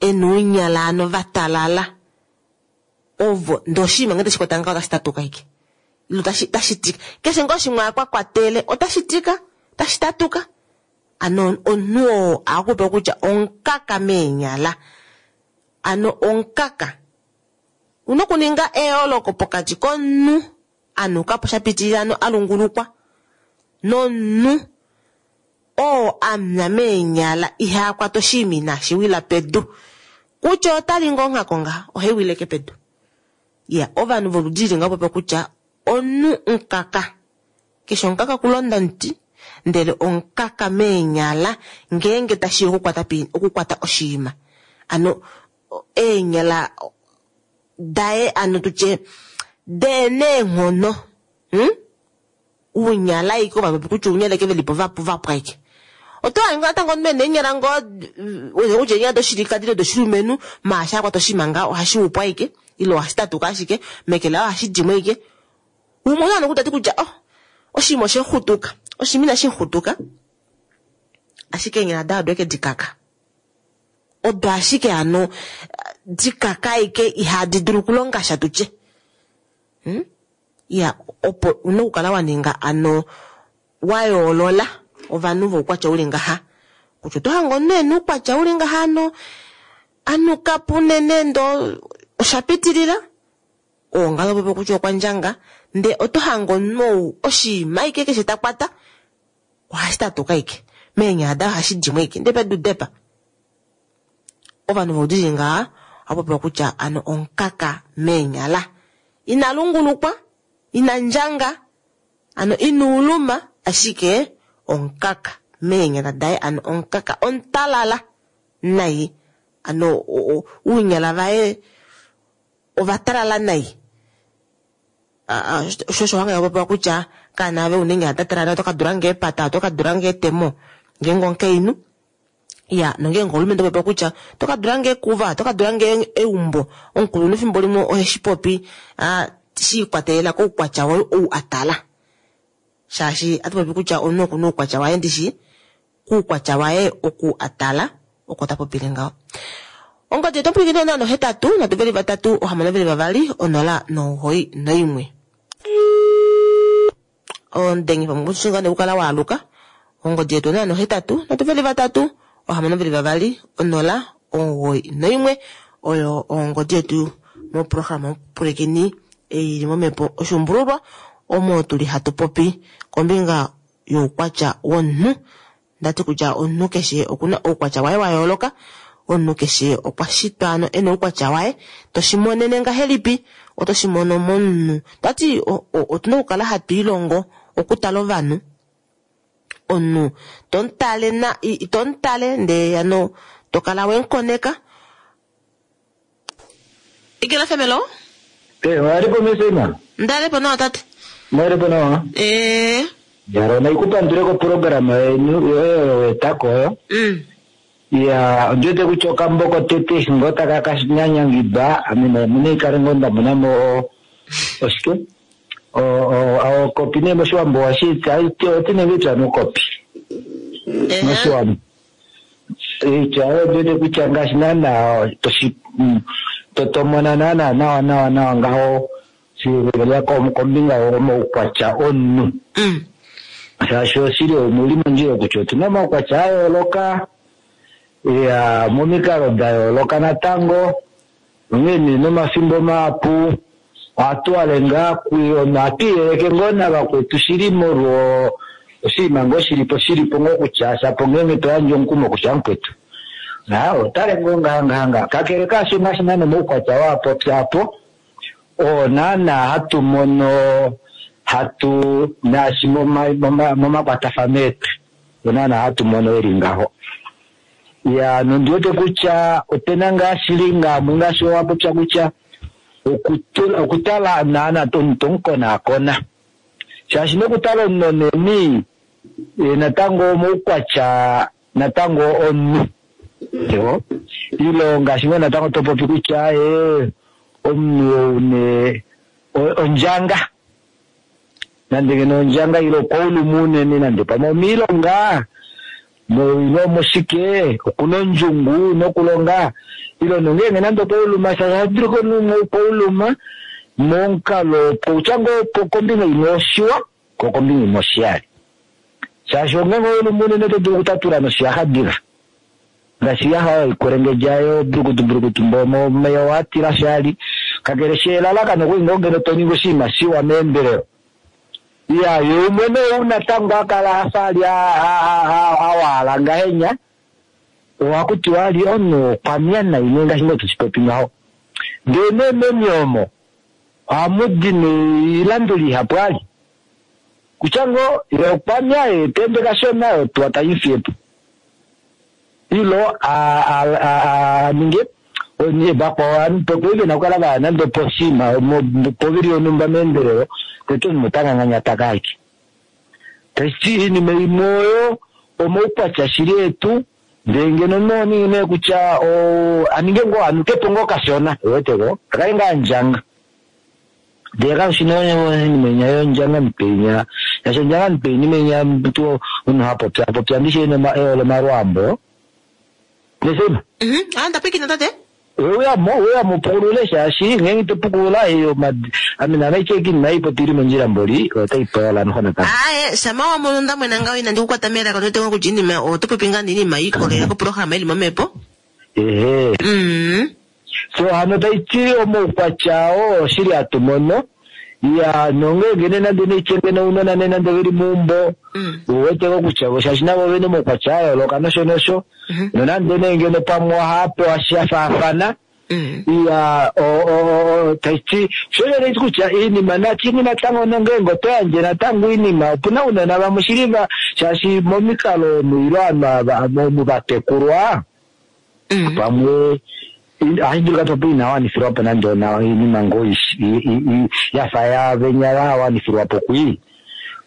ena uunyala ano va talala ovo ndee oshinima ngee tashi kwata ngaho otashi tatuka ike ile otashi otashi tika keshe ngoo shimwe akwa kwatele otashi tika otashi tatuka ano omunhu oo akupe kutya omukaka meenyala ano omukaka una okuninga eyooloko pokati komunhu anuka po sha pitilila ano a lungulukwa nomunhu oo amya meenyala iha kwata oshinima inashi wila pedu kutya otali ngoo onghako ngaha ohai wileke pedu. Iya, ovanhu voludi lili ngaho popya kutya omunhu mukaka keshe omukaka okulonda omuti ndele omukaka meenyala ngeenge tashiya okukwata okukwata oshinima ano eenyala daye ano tutye deeneenghono hmm? Uunyala ike ovanhu kutya uunyala ike velipo vapu vapwa ike. Oto hange natango omunhu ena eenyala ngoo wete kutya eenyala doshilikadi ile doshilumenhu maasha akwata oshinima ngaho ohashi upwa ike ile ohashi tatuka ashike meke laye ohashi dimo ike. Umwe oto hange tati kutya oh oshinima osheexutuka oshinima inashi xutuka ashike eenyala daye odo eke dikaka. Odo ashike hano dikaka ike ihadi dulu okulonga sha tutye. Hmm? Ya, opo una okukala wa ninga ano wa yoolola ovanhu voukwatya uli ngaha. Kutya oto hange omunhu ena oukwatya uli ngaha ano anuka po unene ndo osha pitilila oo ngaho popi kutya okwa ndjanga ndee oto hange omunhu ou oshinima ike keshe ta kwata ohashi tatuka ike meenyala daye ohashi dimo ike ndee pedu depa. Ovanhu voudili ngaha oha popiwa kutya ano omukaka meenyala. Ina lungulukwa, ina ndjanga, ano ina uluma, ashike omukaka meenyala daye ano omukaka omutalala nai. Ano ounyala vaye ova talala nai. Osho osho hanga popiwa kutya kaana ave una eenyala da talala oto ka dula nge epata, oto ka dula nge etemo ngeenge omukainhu. Ya, nongeenge omulumenhu oto popi kutya oto ka dula nge ekuva, oto ka dula nge eumbo. Omukulunhu efimbo limwe oheshi popi shi ikwatelela koukwatya waye ou a tala. Shaashi atu popi kutya omunhu okuna oukwatya waye ndishi, kuukwatya waye oku a tala oko ta popile ngaho. Ongodi yetu omupwilikini onola nohetatu, nhatu veli vatatu, ohamano veli vavali, onola nomugoyi noimwe. Omudengi pamwe ushinga nekukala waaluka. Ongodi yetu onola nohetatu, nhatu veli vatatu, ohamano veli vavali, onola, omugoyi noimwe oyo ongodi yetu moprograma omupwilikini ei ili momhepo oshuumbululwa omo tuli hatu popi kombinga youkwatya womunhu. Ndati kutya omunhu keshe okuna oukwatya waye wa yooloka. Omunhu keshe okwa shitwa ano ena oukwatya waye. Toshi monene ngahelipi? Oto shi mono momunhu. Tati otuna okukala hatu ilongo okutala ovanhu. Omunhu tomutale na tomutale ndee ano tokala wemukoneka. Ikela femelo? Eh, walipo mesema? Ndalipo nawa tate. Mwalipo nawa? Eh. Yaro naikupandule ko programa yenu yoyo wetako oyo. Ya, ondiwete kutya okambo kotete ngo taka ka nyanyangidwa ame namene ikale ngo nda mona mo oshike okopi nee moshiwambo ohashi oti nenge itya nokopi moshiwambo itya ondiwete kutya ngaashi naana toshi totomona naana nawa nawa nawa ngaho shilya kombinga yomaukwatya omunhu. Shaashi oshili omuli mondjila kutya otuna omaukwatya a yooloka ya momikalo da yooloka natango onghee nee nomafimbo mahapu ohatu wale ngaa ohatu iyeleke ngoo navakwetu shili molwo oshinima ngoo shilipo shilipo ngoo kutya shapo ngeenge to yandje omukumo kutya mukwetu. Na otale ngoo ngaha ngaha ngaha. Kakele kaasho ngaashi naana omaukwatya oo a popya apo, oo naana hatu mono hatu naashi momakwatafano etu, oo naana hatu mono eli ngaho. Ya, nondi wete kutya opena ngaa shili ngamwe ngaashi wa popya kutya okutala naana omuntu tomukonaakona. Shaashi nokutala omunhu neni natango omaukwatya natango omunhu. Ilo ngaashi ngoo natango topopi kutya omunhu ou ne ondjanga. Nande ngeno ondjanga ilo okwauluma unene nande pamwe omiilonga ilo omoshike okuna ondjungu nokulonga ilo nongeenge nande okwauluma shaashi okwauluma momukalo kutya ngoo kombinga imwe oshiwa ko kombinga imwe oshiyali. Shaashi ongeenge ouluma unene oto dulu okutatula noshiyaxa diva. Ngaashi yaha oyo ikulengedja brukutu brukutu mbomo watila shali. Kakele shi elalakano okuli ngoo ngeno to ningi oshinima shiwa meendelelo. Ya, ye umwe nee ou natango akala afa ali awaala ngahenya, ohaku tiwa ali omunhu okwamya nai nee ngaashi ngoo tushipopi ngaho. Ndee nee meni omo, ohamu di noilanduli ihapu ali. Kutya ngoo, ye okwamya, ye ta ende kashona, otuwa tai mu fiye po. Ilo aninge vakwao pokuli vena okukala vaya nande oposhiima povili yonhumba meendelelo, tete omunhu ota nganganyata kaake. Tashi iinima imwe oyo omaukwatya shili etu, ndee ngeno noningi nee kutya aninge ngoo anukepo ngoo kashona, uwete ko, akale ngaa andjanga. Ndee kaushi nee oinima inya yondjanga mupenya, shaashi ondjanga mupenya inima inya omuntu hapopya popya ndishi ehole omalwaambo. Nesema? Ndapwiikina tate. Weya mupukulule shaashi ngeenge to pukulula ame naana icheki inima ipopi ili mondjila mboli otai pola noho natango. Aye, shama wa mono ndamwena ngaho inandi kukwata melaka ndote ngo kutya inima oto popi ngaa iinima iikolelela koprograma ili momhepo. Ehe. So hano taiti omaukwatya oo oshili hatu mono. Ya, nongeenge nee nande neichenge nounona nee nande veli meumbo, uwete ko kutya shaashi navo vene omaukwatya a yooloka nosho nosho. Nonande nee ngeno pamwe ohava pewa sha faafana. Ya, taiti sho taiti kutya iinima nachimwe natango nongeenge oto yandje natango iinima, opuna ounona vamwe shili va shaashi momikalo omu ilo ovanhu omu vatekulwa, pamwe ohashi dulika topo ina wanifilwa po nande ona iinima ngoo yafa yavenya ya wanifilwa po kwii.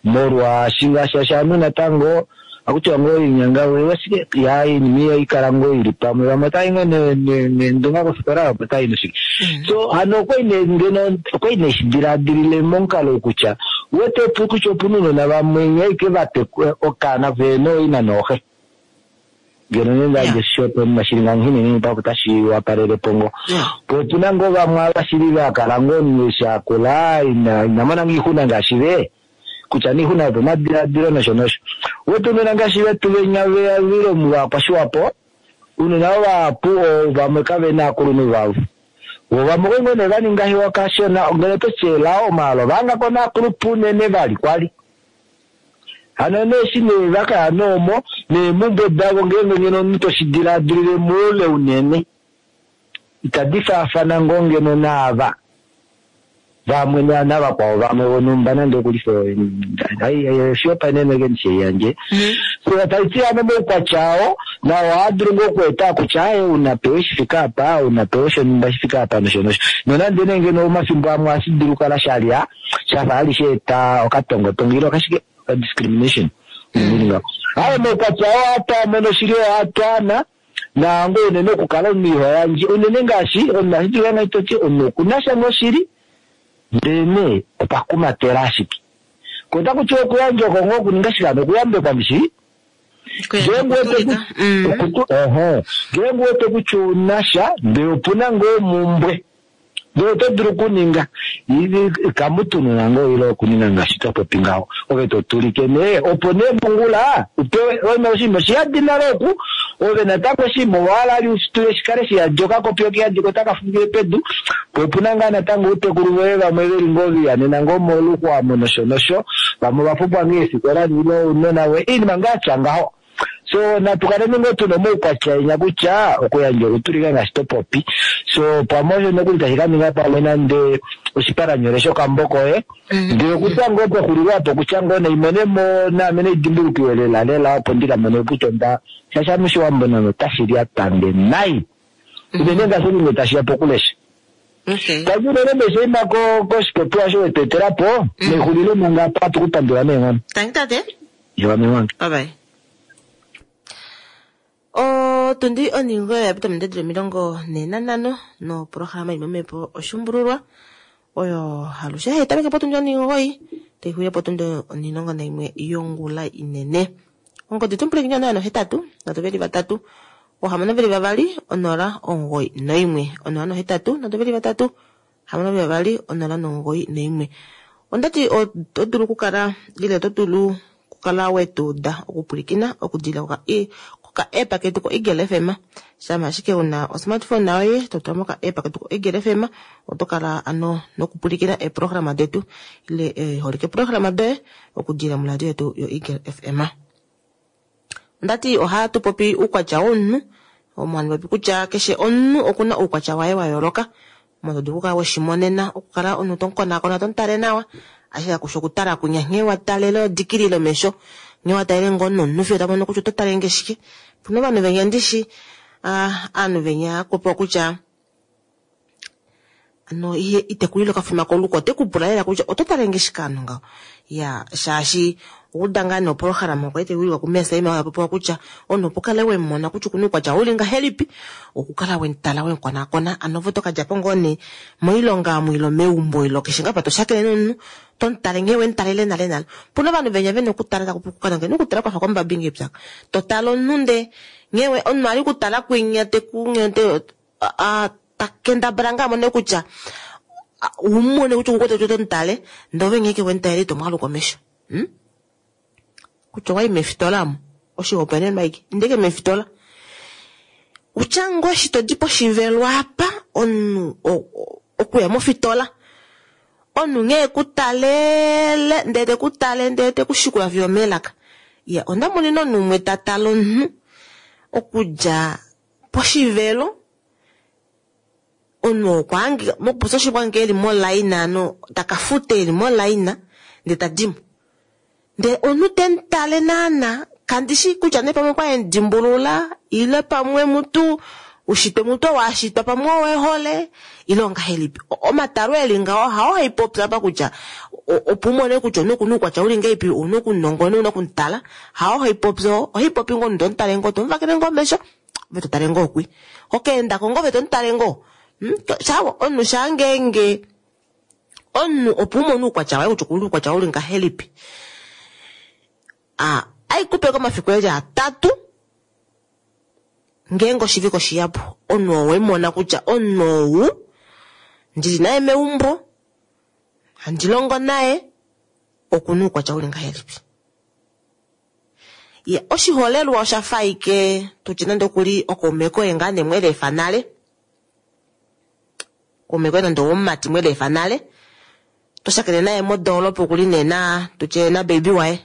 Molwaashi ngaashi ovanhu natango akutiwa ngoo inyanga washike ya iinima iyo ikala ngoo ili pamwe vamwe otai ngoo neendunga kofikola opo tai noshike. So hano okwali nee ngeno okwali nee shidiladilile momukalo kutya uwete kutya opuna ounona vamwe nyaike vatekula okaana vena ooina nooxe. Ngeno nee ndadje shopo shili nganghini papo tashi wapalele po ngoo. Po opuna ngoo vamwe ava shili vakala ngoo omunhu eshi akula ina mona ngoo oixuna ngaashi ve. Kutya niixuna yopomadiladilo nosho nosho. Uwete ounona ngaashi vetu venya vile omu vakwashiwapo, ounona vahapu vamwe kavena aakulunhu vavo. Vo vamwe okwali ngoo nee vaninga hiwa kashona, ngeno oto elao omaalo vahangako naakulupe unene vali kwali. Hano nee eshi nee vakaya noomo, neemumbwe davo ngeenge ngeno omunhu toshi diladilile moule unene, itadi faafana ngoo ngeno naava vamwe navakwao vamwe vonhumba nande okulifa oshihopaenenwa eke ndishi yandje. So taiti hano moukwatya oo nao ohaa dulu ngoo okweeta kutya aye unapewa shifika apa, unapewa shonhumba shifika apa nosho nosho. Nonande nee ngeno omafimbo amwe ohashi dulu kukala shalya shafa hali sheeta okatongotongo ile okashike discrimination. Aye moukwatya oo ohatu mono shili ohatwaana naango unene okukala omunhu iho yandje unene ngaashi omunhu ohashi dulu ngaa toti omunhu okuna sha ngoo shili ndele nee okwa kumatela ashike. Ko otaku tiwa okuyandja oko ngoo okuninga shike hano okuyambekwa ndishi? Ngeenge uwete kutya ouna sha ndele opuna ngoo omumbwe ndele oto dulu okuninga kamutununa ngoo ile okuninga ngaashi twa popi ngaho ove to tulike nee opo nee mongula upewe oshinima oshiyadi nale oku ove natango oshinima owahala ali usitule shikale shiyadi okakopi okiyadi ko otaka fungile pedu po opuna ngaa natango outekulu voye vamwe veli ngoo vihanena ngoo moluxwa nosho nosho vamwe ovapumbwa ngoo eefikola ile ounona voye iinima ngaa tya ngaho. So natu kaleni ngoo tuna omaukwatya enya kutya okuyandja okutulika ngaashi to popi. So pamwe osho nokuli tashi ka ninga pamwe nande oshipalanyole shokambo koye. Ndele okutya ngoo pexulilo apo okutya ngoo naimonemo naame naidimbulukiwe lela lela opo ndi ka mone kutya onda shaashi ame Oshiwambo nande otashi lyatange nai. Unene ngaashi nge tashi ya pokulesha. Okay. Tangi unene meshaima koshipopiwa osho wetu etela po, nexulilo manga apa atu ku pandula neenghono. Tangi tate. Iwa mewange. Bye bye. Otundi oningo ya pita ominute 45 noprograma imwe mepo oshumbululwa oyo halushe hai tameke potundi 9 tai xuya potundi 11 yongula inene. Ongodi tumpulekenya 083 323 622 0 91 083 323 622 091. Ondati oto dulu okukala ile oto dulu okukala wetuuda okupwilikina okudila koka app ketu ko Eagle FM. Shama ashike una osmartphone yoye to tula moka app ketu ko Eagle FM, oto kala ano nokupwilikina eeprograma detu ile eeholike programa doye okudila moladio yetu yo Eagle FM. Ondati ohatu popi uukwatya womunhu, omo handi popi kutya keshe omunhu okuna uukwatya waye wa yooloka. Omo to dulu okukala weshimonena okukala omunhu to mukonakona to mutale nawa, ashike kakushi okutala kunya nghee wa talele odikilile omesho, nghee wa talele ngoo nomunhu fiyo ta mono kutya oto tale nge shike. Opuna ovanhu venya ndishi, aanhu venya hakupopiwa kutya ano ihe itekulile okafima koluko, ote ku pula lela kutya oto tale nge shike aanhu ngaho. Ya, shaashi okuda ngaa noprograma okwa itekulilwa kuMesaima oyo popiwa kutya omunhu opo kale we mona kutya okuna uukwatya uli ngahelipi, okukala we mutala we mukonakona, ano ove oto ka dja po ngoo nee moilonga omu ile meumbo ile keshe ngaa pa to shakene nomunhu, to mutale nghee we mutalele nale nale. Opuna ovanhu venya vena okutala taku kala ngeno okutala kwafa kwambabi ngee pyaka. To tale omunhu ndee nghee we omunhu ali kutala kwinya teku ta kendabala ngaa mone kutya umone kutya okukwete kutya oto mutale ndee ove nghee ke we mutalele ito mwaluka omesho. Kutya owayi mefitola omo oshihopaenenwa aike ndeke mefitola utya ngoo eshi todi poshivelo apa omunhu okuya mofitola omunhu nghee ekutalele ndee tekutale ndee tekushikula fiyo omelaka. Ya onda monene omunhu umwe ta tale omunhu okudja poshivelo omunhu okwa hangika mokupopya oshili okwa hangika eli molaina ano taka futa eli molaina ndee tadimo. Ndee omunhu temutale naana kandishi kutya nee pamwe okwa emudimbulula ile pamwe mutu ushitwe mutu owashitwa pamwe owehole ile ongahelipi. Omatalo eli ngaho hao haipopya apa kutya opo umone kutya omunhu okuna uukwatya uli ngahelipi ouna okunongona ouna okumutala, hao haipopya oo, ohaipopi ngoo omunhu tomutale ngoo tomuvakele ngoo omesho ove totale ngoo kwi. Hokeendako ngoo ove tomutale ngoo. Omunhu shaa ngeenge omunhu opo umone uukwatya waye kutya okuna uukwatya uli ngahelipi. Aikupe komafiku eli atatu ngeenge oshivike oshiyapu omunhu oo wemona kutya omunhu ou ndili naye meumbo handi longo naye okuna uukwatya uli ngahelipi. Ya, oshiholelwa osha fa ike tutye nande okuli okaume koye ngaa nee mwelefa nale, kaume koye nande owomumati mwelefa nale, to shakene naye modoolopa okuli nee na tutye na baby waye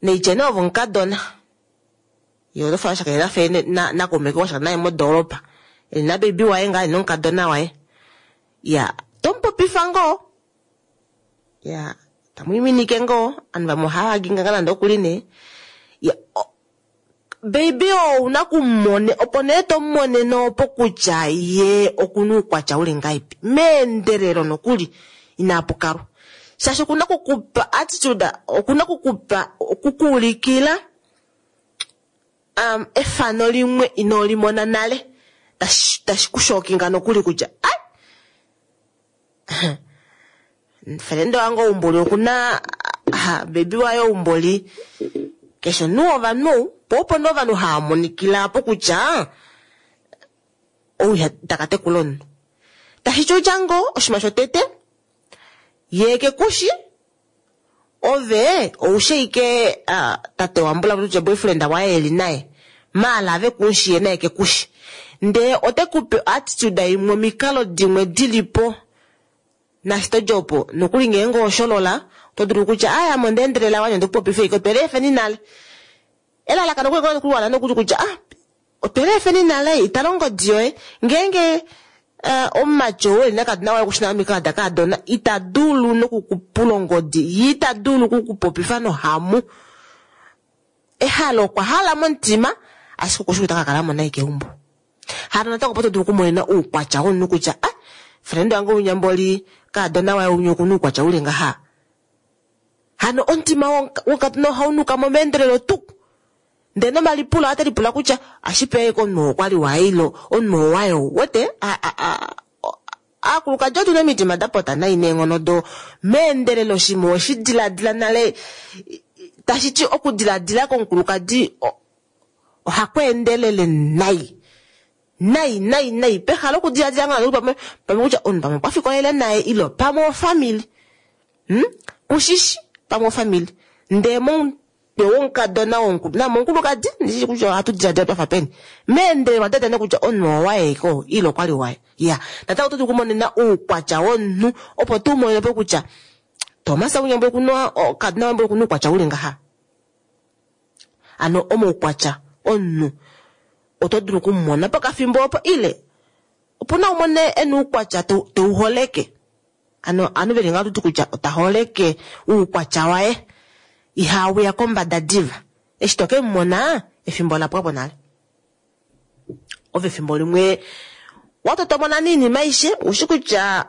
neitye nee ove omukadona ye oto fa shakene nafe nakaume koye washakena naye modoolopa eli na baby waye ngaa nomukadona waye. Ya, tomupopifa ngoo, ya tamwiiminike ngoo, ovanhu vamwe ohava haginga ngaa nande okuli nee. Ya, baby oo ouna kumone opo nee tomumonene opo kutya ye okuna uukwatya uli ngahelipi meendelelo nokuli inapukalwa, shaashi okuna okukupa attitude, okuna okukupa okukuulikila efano limwe ino limona nale tashi kushokinga nokuli kutya ai felende wange oumboli okuna baby waye oumboli keshe omunhu wovanhu po opo nee ovanhu hava monikila apo kutya ou taka tekula omunhu. Tashi ti utya ngoo oshinima shotete ye kekushi ove oushe ike tate wambula kutya boyfriend waye eli naye maala ave kushi ye naye kekushi ndee ote kupe attitude imwe omikalo dimwe dilipo nashito djopo nokuli ngeenge osholola oto dulu kutya aya ame onda endelela wanye ndikupopife ike otwele efeni nale. Elalakano kwe kuwana nokuli kutya ah otweleefeni nale itala ongodi yoye ngeenge omumati oo eli nakadona waye okushina omikalo dakadona ita dulu nokukupula ongodi ye ita dulu okukupopifa nohamu. Ehalo okwa hala momutima ashike okushi kutya ota ka kala mo nai keumbo. Hano natango opo to dulu okumonena oukwatya womunhu kutya ah friend wange unyamboli kadona waye unya okuna oukwatya uli ngaha. Hano omutima wokadona ohau nuka mo meendelelo tuu. Ndele nomalipulo ate lipula kutya ashipe komunhu oo kwali waye ilo omunhu oo waye ou wete aakulukadi otu na omitima da pota nai neenghono do meendelelo shimwe oweshi diladila nale tashi ti okudiladila komukulukadi ohaku endelele nai nai nai nai pehala okudiladila ngoo pamwe pamwe kutya omunhu pamwe okwa fikolele naye ilo pamwe ofamili kushishi pamwe ofamili ndee momutwe womukadona namomukulukadi ndishi kutya ohatu diladila twafa peni meendelelo wadadane kutya omunhu owaye ko ile okwali waye ya natango oto dulu okumonena oukwatya womunhu opo tu monene po kutya Thomas unyambo okuna kadona wambo okuna oukwatya uli ngaha. Ano omaukwatya omunhu oto dulu okumumona pokafimbo opo ile opuna umone ena oukwatya teuholeke. Ano ovanhu veli ngaho oto ti kutya ota holeke oukwatya waye ihauya kombada diva. Eshi to ke mumona efimbo ola pwapo nale. Ove efimbo limwe watotomona niinima aishe ushi kutya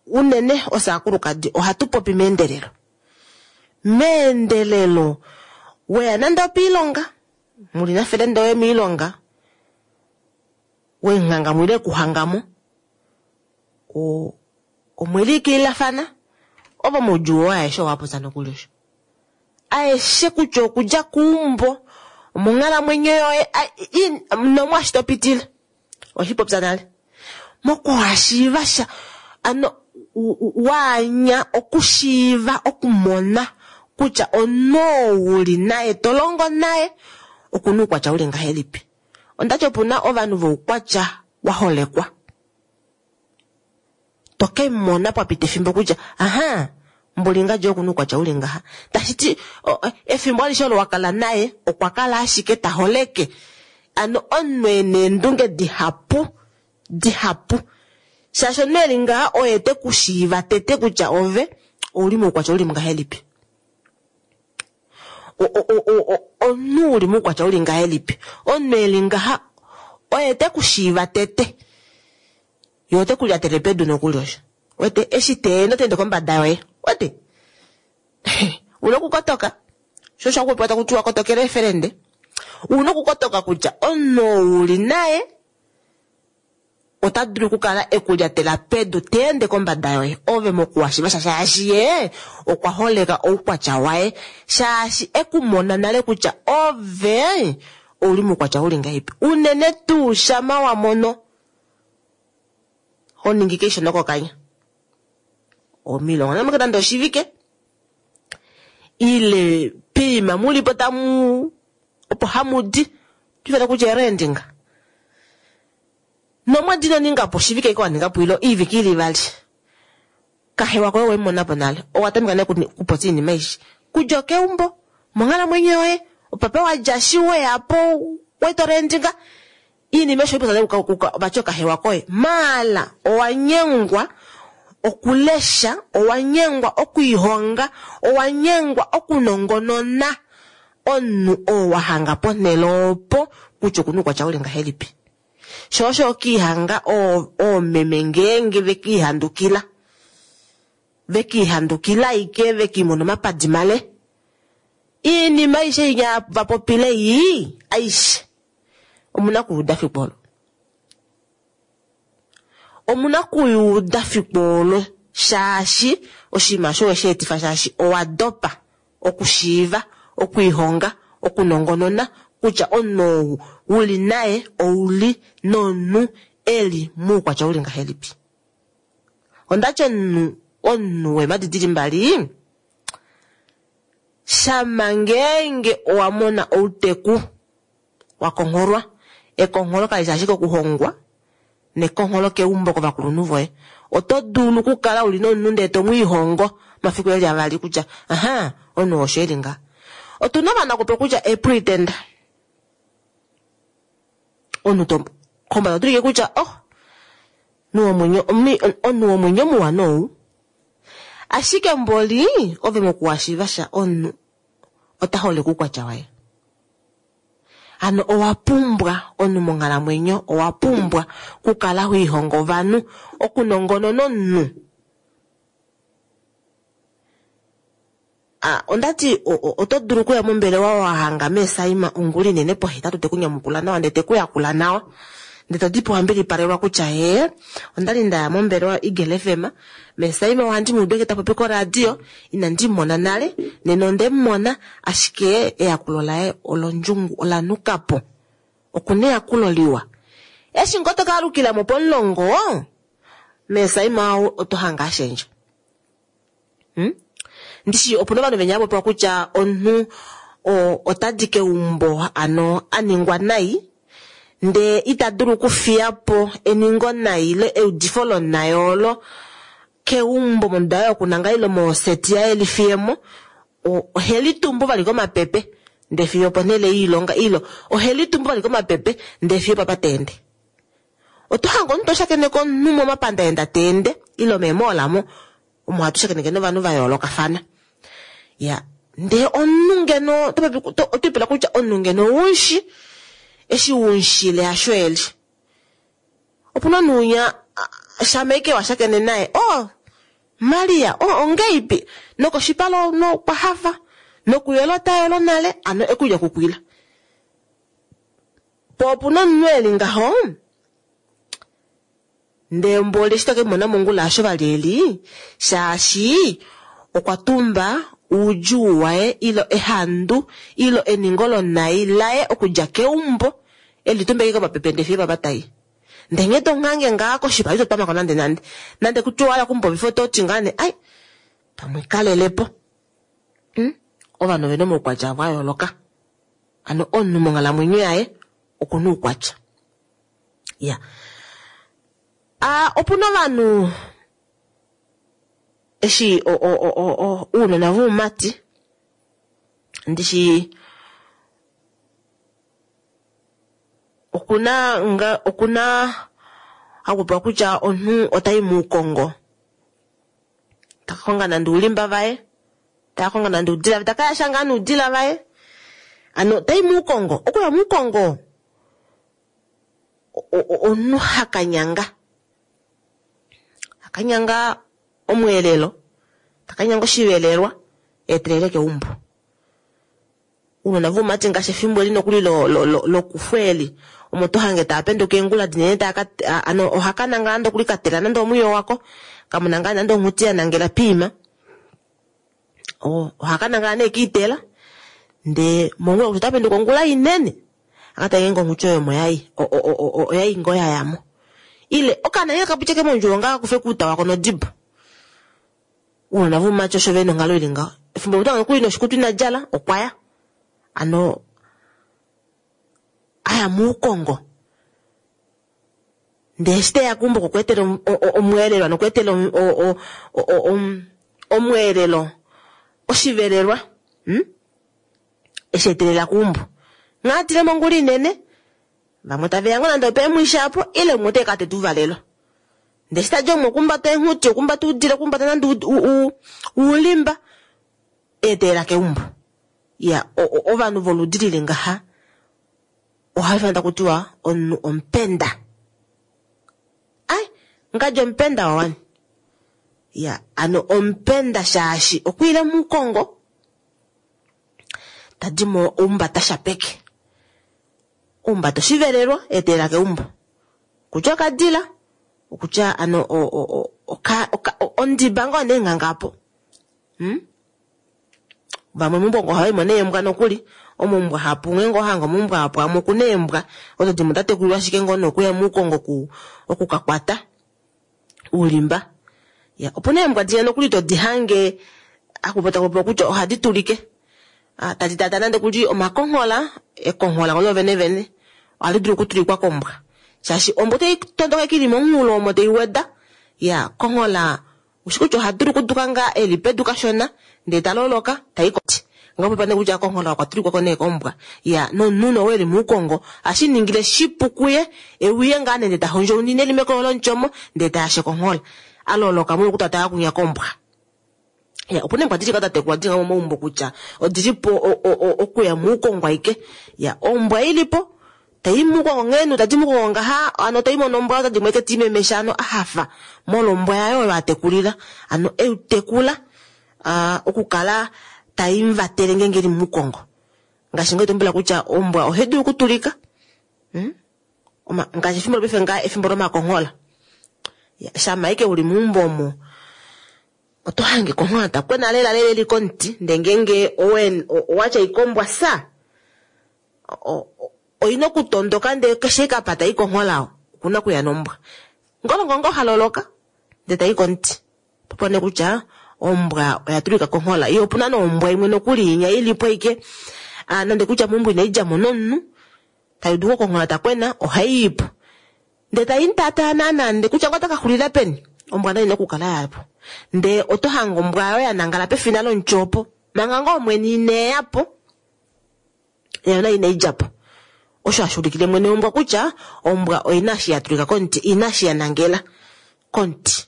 unene osaakulukadi ohatu popi meendelelo. Meendelelo weya nande opiilonga muli nafelende oye miilonga wemuhanga mo ile ekuhangamo omweliikililafana ovo moudjuu woye aeshe owa popya nokuli osho. Aeshe kutya okudja keumbo omonghalamwenyo yoye nomwaashi to pitile oshipopya nale. Mokuhashiiva sha ano waanya okushiiva okumona kutya omunhu oo uli naye to longo naye okuna oukwatya uli ngahelipi. Ondati opuna ovanhu voukwatya wa holekwa. To ke mona pwapita efimbo kutya aha mboli ngadji okuna oukwatya uli ngaha. Tashi ti efimbo alishe olo wa kala naye okwa kala ashike ta holeke. Ano omunhu ena eendunge dihapu dihapu. Shaashi omunhu eli ngaha oye te ku shiiva tete kutya ove ouli moukwatya uli ngahelipi. Omunhu uli moukwatya uli ngahelipi. Omunhu eli ngaha oye te ku shiiva tete. Ye ote ku lyatele pedu nokuli osho. Wete eshi te ende kombada yoye. Wete una okukotoka. Sho osho haku popiwa taku tiwa kotokela eefelende. Una okukotoka kutya omunhu oo uli naye ota dulu okukala ekulyatela pedu te ende kombada yoye ove mokuwashiva sha shaashi ye okwa holeka oukwatya waye shaashi ekumona nale kutya ove ouli moukwatya uli ngahelipi. Unene tuu shama wa mono ho ningi keisho nokokanya omilongo namwe nande oshivike ile piima mulipo tamu opo hamudi tifana kutya erendinga nomwedi ino ninga po oshivike ike waninga po ilo iivike ili ivali kahewa koye wemona po nale owa tameka nale kupopya iinima aishe kudja okeumbo monghalamwenyo yoye opapa wadja shi weyapo wetorendinga iinima aishe oipopya vati okahewa koye maala owanyengwa okulesha owanyengwa okwiihonga owanyengwa okunongonona omunhu oo wahanga ponhele opo kutya okuna oukwatya uli ngahelipi. Sho osho okiihanga oomeme ngeenge vekiihandukila vekiihandukila ike vekiimona omapadi male iinima aishe inya vapopile yii aishe omuna okuyuuda fiku olo. Omuna okuyuuda fiku olo shaashi oshinima osho weshi etifa shaashi owa dopa okushiiva okwiihonga okunongonona kutya omunhu ou uli naye ouli nomunhu eli moukwatya uli ngahelipi. Ondati omunhu weemadi dili mbali shama ngeenge owa mona outeku wa kongholwa ekongholo kali ashike okuhongwa nekongholo keumbo kovakulunhu voye. Oto dulu okukala uli nomunhu ndele to mwiihongo mafiku eli avali kutya aha omunhu osho eli ngaha. Otuna ovanhu akupe kutya e-pretender. Omunhu to kombada otulike kutya oh omunhu womwenyo muwa nou. Ashike mboli ove mokuwashiiva sha omunhu ota holeke oukwatya waye. Hano owa pumbwa omunhu monghalamwenyo, owa pumbwa okukala ho lihongo ovanhu, okunongonona omunhu. Onda ti oto dulu okuya mombelewa wa hanga meesaima ongula inene pohetatu te ku nyamukula nawa ndele te ku yakula nawa. Ndele to di po wa mbilipalelwa kutya hee onda li nda ya mombelewa Eagle FM, meesaima ohandi mu udu ashike ta popi koradio, inandi mu mona nale, nena onde mu mona ashike eyakulo laye olondjungu ola nuka po. Okuna eyakulo liwa. Eshi ngoo to ka alukila mo pomulongo, meesaima ou oto hange a shendja. Ndishi opuna ovanhu venya vapopiwa kutya omunhu ota di keumbo ano a ningwa nai ndee ita dulu okufiya po eningo nai ile eudifo lonai olo keumbo monduda yaye yokunangala ile moseti yaye lifiyemo, ohe litumbu vali komapepe ndee fiyo oponhele yoilonga ile ohe litumbu vali komapepe ndee fiyo opapa ta ende. Oto hange omunhu to shakeneke omunhu momapandaenda ta ende ile meemoola mo omo hatu shakeneke novanhu va yoolokafana. Ya, ndee omunhu ngeno oto ipula kutya omunhu ngeno oumushi, eshi umushile hasho eli. Opuna omunhu unya shama ashike wa shakene naye, oh Maria, oh ongeipi, nokoshipala okwa hafa, nokuyola ota yolo nale, ano ekulya kukwila. Po opuna omunhu eli ngaho, ndee mboli eshi toke mona mongula asho vali eli, shaashi okwa tumba oudjuu waye ilo ehandu ilo eningo lonai laye okudja keumbo eli tumba ashike komapepe ndee fiyo papa tai. Ndee nghee to ngange ngaa koshipala ito twamako nande nande. Nande kutya owa hala okumupopifa oto ti ngaa nee ai pamwe kalelepo. Ovanhu ovena omaukwatya avo a yooloka. Ano omunhu monghalamwenyo yaye okuna oukwatya. Ya. Opuna ovanhu eshi ounona voumati ndishi okuna nga okuna hakupewa kutya omunhu otai muukongo taka konga nande oulimba vaye taka konga nande oudila vaye taka yasha ngaa noudila vaye ano tai muukongo okuya muukongo omunhu hakanyanga hakanyanga omweelelo takanyanga oshivelelwa eetelele keumbo. Ounona voumati ngaashi efimbo eli nokuli lokufu eli omo to hange tava penduka eengula dinene tava ka ano ohaka nangala nande okuli katela nande omwiyo wako kamuna ngaa nande onghuti ya nangela piima ohaka nangala nee kiitela ndee mongula kutya ota penduka ongula inene akatale ngeenge onghuti oyo omo yai oyai ngoo yayamo ile okaana ngee kapitye ke mondjuwo ngaa kakufe kuuta wako nodibo. Ounona voumati osho vena onghalo ili ngaho. Efimbo limwe oto nokuli noshikutu ina djala okwa ya. Ano aya muukongo. Ndee eshi teya keumbo okwa etela omweelelo ano okwa etela omweelelo oshivelelwa eshi etelela keumbo. Nghee atile mongula inene vamwe taveya ngoo nande opeemwishi apo ile umwe ote ka teta ouvalelo. Ndee eshi tadi omo okumbata eenghuti, okumbata oudila, okumbata nande oulimba eetelela keumbo. Ya ovanhu voludi lili ngaha ohava ifanwa taku tiwa omunhu omupenda. Ai, ngadi omupenda wawani. Ya, ano omupenda shaashi okwiile muukongo tadi mo oumbata shapeke. Oumbata oshivelelwa eetelela keumbo. Kutya okadila okutya ano ondiba ngoo nee nghanga apo. Vamwe meumbo ohava imo neembwa nokuli, omoumbwa hapu ngeenge owa hanga omoumbwa hapu amwe okuna eembwa odo dimwe oda tekulilwa ashike ngoo nokuya muukongo oku ka kwata oulimba. Ya, opuna eembwa dinya nokuli todi hange haku popiwa kutya ohadi tulike. Tadi tata nande kuli omakonghola, ekonghola ngoo vene vene ohali dulu okutulikwa kombwa. Shaashi ombwa otai tondoka ashike ili momunghulo omo tai weda. Ya, konghola ushi kutya oha dulu okuduka ngaa eli pedu kashona ndee ta loloka tai koti. Ongapopa nee kutya konghola okwa tulikwa ko nee kombwa. Ya, nomunhu oo eli muukongo, ohashi ningile shipu kuye, euye ngaa nende ta hondjounine eli mekoyo lomuti omo, ndee ta yashe konghola. A loloka molwoku tata kunya kombwa. Ya, opuna eembwa dili da tekulwa dili momaumbo kutya odili po okuya muukongo aike. Ya, ombwa ilipo tai muukongo nghee tadi muukongo ngaha, ano tai mono ombwa otadi mweke ti memesha ano a hafa molwa ombwa yaye oyo a tekulila. Ano eu tekula okukala tai muvatele ngeenge eli muukongo. Ngaashi ngoo tumbula kutya ombwa ohai dulu okutulika. Ngaashi efimbo lopaife ngaa efimbo lomakonghola. Shama aike uli meumbo omo, oto hange konghola ta kwena lela lela eli komuti, ndee ngeenge owatya ikombwa sa, oina okutondoka ndee keshe ikapa tai konghola okuna okuya nombwa. Ngolongongo haloloka ndee tai komuti. Popo nee kutya ombwa oya tulika konghola. Iyo opuna nombwa imwe nokuli inya ilipo aike, nande kutya meumbo inai djamo nomunhu, tai udu konghola ta kwena, ohai ipo. Ndee tai mutaataa naana, ndee kutya ngoo otaka xulila peni, ombwa nayo ina okukala yapo. Ndee oto hange ombwa oyo ya nangala pefina lomuti opo, manga ngoo omwene ineya po, nayo nayo inai djapo. Osho hashi ulikile mwene wombwa kutya ombwa oina eshi ya tulika komuti, ina eshi ya nangela komuti.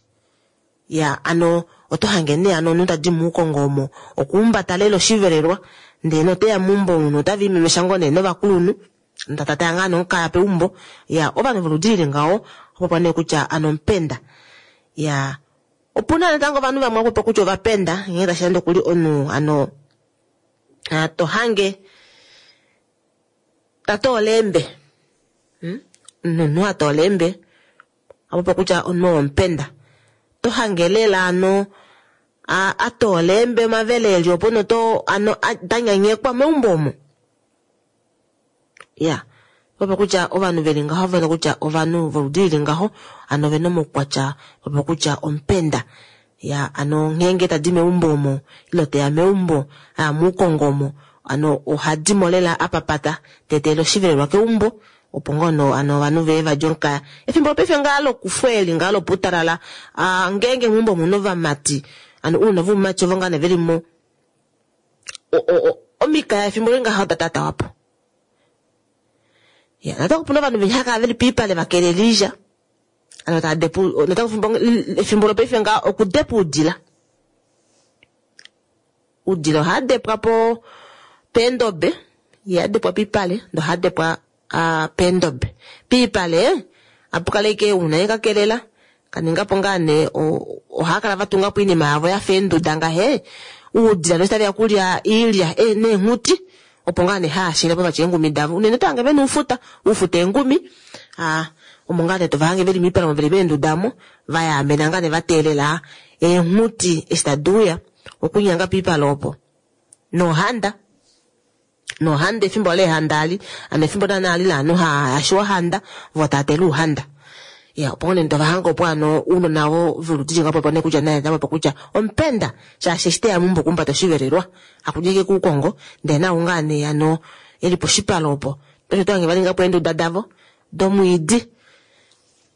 Ya, ano oto hange nee ano omunhu tadi muukongo omo okuumbata lela oshivelelwa, ndee noteya meumbo omunhu ota viimemesha ngoo nee novakulunhu, ndatata ngaa nomukaya peumbo. Ya, ovanhu voludi lili ngaho opopa nee kutya ano omupenda. Ya, opuna natango ovanhu vamwe opopa kutya ovapenda, nghee tashi ende okuli omunhu ano to hange tatoola eembe. Omunhu atoola eembe opopa kutya omunhu omupenda. To hange lela ano atoola eembe omavele eli opo noto ano danyanyekwa meumbo omo. Ya, popa kutya ovanhu veli ngaho, vena kutya ovanhu voludi lili ngaho, ano vena omaukwatya, popa kutya omupenda. Ya, ano ngeenge tadi meumbo omo, ilo teya meumbo, muukongo omo, ano ohadimo lela apapata, teetele oshivelelwa keumbo, opo ngono ano ovanhu veye vadje omukaya. Efimbo lopaife ngaa lokufwa eli ngaa loputalala, ngeenge meumbo omuna ovamati, ano ounona voumati ovo ngaa nee veli mo, omikaya efimbo li ngaho oda tatawa po. Ya, natango opuna ovanhu venya hava kala veli piipale va kelela oilya. Ano tava depu, natango efimbo lopaife ngaa okudepa oudila. Oudila ohaa depwa po peendobe, iha depwa piipale, ndee ohaa depwa peendobe. Piipale apu kala ashike una ye ka kelela, kaninga po ngaa nee ohaa kala va tunga po oinima yavo yafa eenduda ngahe, oudila noshi taveya okulya oilya neenghuti, opo ngaa nee haashile po vatya eengumi davo. Unene oto hange vena oufuta, oufuta eengumi, omo ngaa nee tova hange veli moipale omo veli meenduda omo, va yaamena ngaa nee va teelela eenghuti eshi tadi uya okunyanga piipale opo. Nohanda, nohanda efimbo leehanda ali, ano efimbo naana ali laanhu haashiwa ohanda, vo tava tele ouhanda. Ya, opo nee tova hange opo ano ounona vo voludi li ngaho opo nee kutya naye opo kutya omupenda, shaashi eshi teya meumbo okumbata oshivelelwa, hakudja kuukongo, ndee nau ngaa nee ano eli poshipale opo. Tosho to hange va ninga po eenduda davo domwiidi.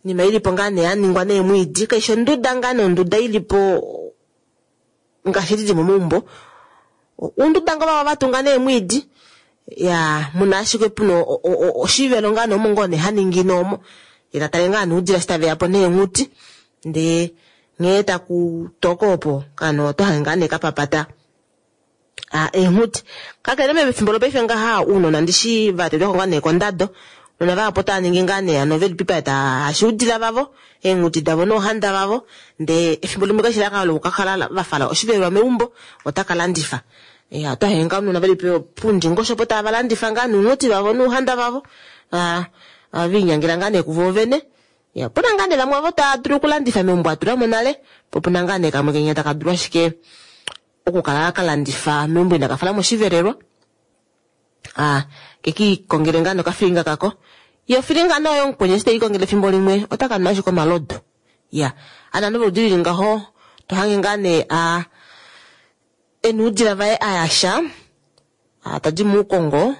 Nima ilipo ngaa nee yaningwa neemwiidi, kaishi onduda ngaa nee onduda ilipo ngaashi dili momaumbo. Ounduda ngoo vavo vatunga neemwiidi, ya muna ashike puna oshivelo ngaa nee omo ngoo nee haningi noomo. Ye ta tale ngaa nee oudila eshi taveya po neenghuti, ndee nghee taku toko opo ano oto hange ngaa nee kapapata eenghuti. Kakele mefimbo lopaife ngaha ounona ndishi va tetwako ngaa nee kondado, ounona vahapu otava ningi ngaa nee ano veli pipa tava hashi oudila vavo, eenghuti davo nouhanda vavo, ndee efimbo limwe kashi la lokukakala va fala oshivelelwa meumbo, otaka landifa. Ya, oto hange ngaa ounona veli pundingosho opo tava landifa ngaa nounghuti vavo nouhanda vavo, viinyangela ngaa nee kuvo vene. Ya, opuna ngaa nee vamwe ovo tava dulu okulandifa meumbo atulamo nale, po opuna ngaa nee kamwe kenya taka dulu ashike okukala ka landifa meumbo inaka fala moshivelelwa. Keki kongele ngaa nokafilinga kako. Yo ofilinga nayo omukweni eshi tei kongele efimbo limwe otaka nwa ashike omalodu. Ya, ano ovanhu voludi lili ngaho to hange ngaa nee ena oudila vaye ayasha, tadi muukongo,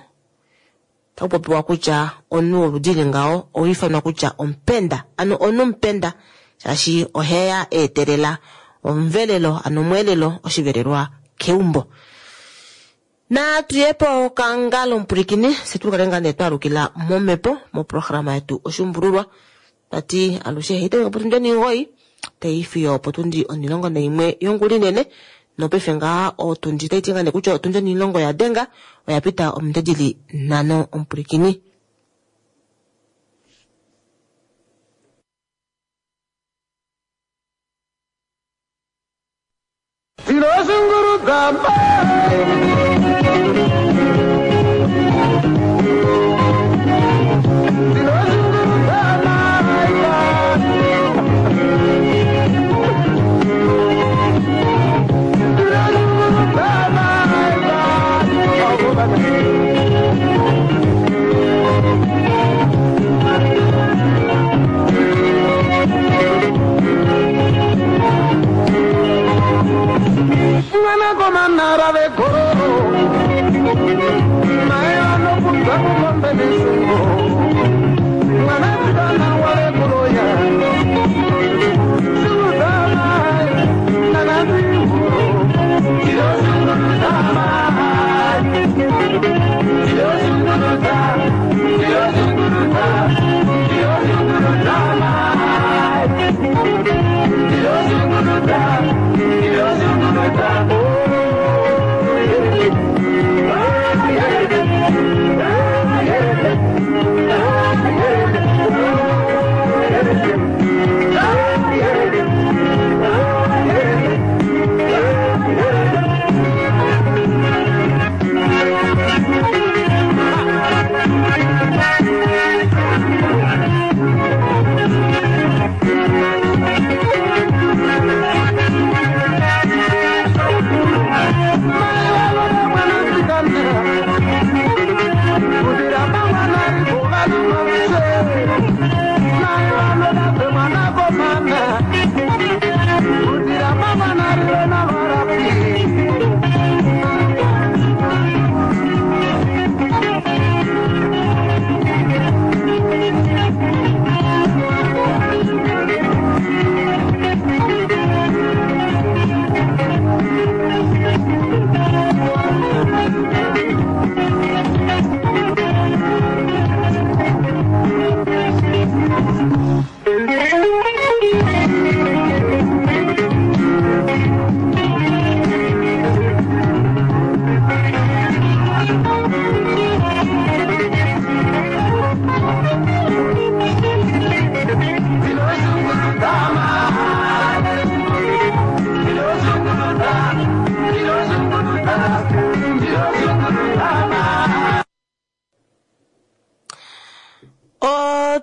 taku popiwa kutya omunhu woludi lili ngaho oha ifanwa kutya omupenda. Ano omunhu omupenda shaashi oheya eetelela omuvelelo, ano omweelelo, oshivelelwa keumbo. Natu ye po kangalo omupulikini se tu kale ngaa nee twalukila momhepo moprograma yetu oshumbululwa. Tati alushe haitameke potundi 9 tai fiyo potundi 11 yongula inene. Nopaife ngaa otundi tai ti ngaa nee kutya otundi 10 ya denga oya pita ominute dili 5 omupulikini.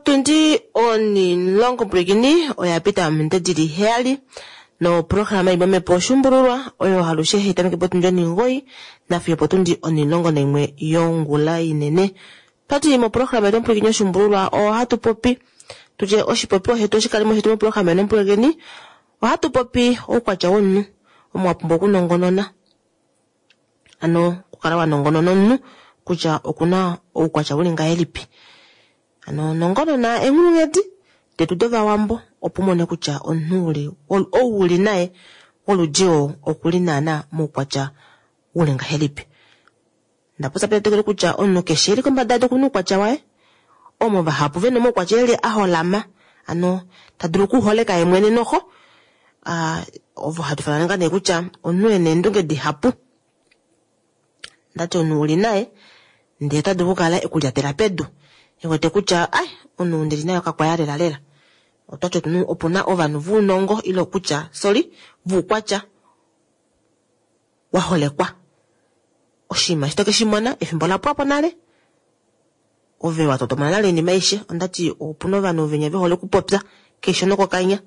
Otundi 10 pwilikini oya pita ominute dili 7 no programa imwe oshumbululwa oyo halushe hitameke potundi 9 nafiyo potundi 11 yongula inene. Twati mo programa yetu pwilikini oshumbululwa ohatu popi tuje oshipopiwa shetu oshikalimo shetu mo programa yetu pwilikini ohatu popi oukwatya womunhu omo wa pumbwa okunongonona, ano okukala wa nongonona omunhu kutya okuna oukwatya uli ngahelipi. Ano nongonona enghulunghedi detu dovawambo opo umone kutya omunhu uli ou uli naye woludi oo okuli naana moukwatya uli ngahelipi. Ndapopya petetekelo kutya omunhu keshe eli kombada yedu okuna oukwatya waye, omo vahapu vena omaukwatya eli a holama, ano ta dulu okuholeka ye mwene noho. Ovo hatu fanana ngaa nee kutya omunhu ena eendunge dihapu, ndati omunhu uli naye ndee ota dulu okukala ekulyatela pedu ewete kutya ai omunhu ndili naye okakwaya lela lela. Otwati opuna ovanhu vounongo ile kutya sorry voukwatya wa holekwa. Oshinima eshi toke shi mona efimbo la pwapo nale, ove wa totomona nale oinima aishe. Ondati opuna ovanhu venya vehole okupopya keshe nokokanya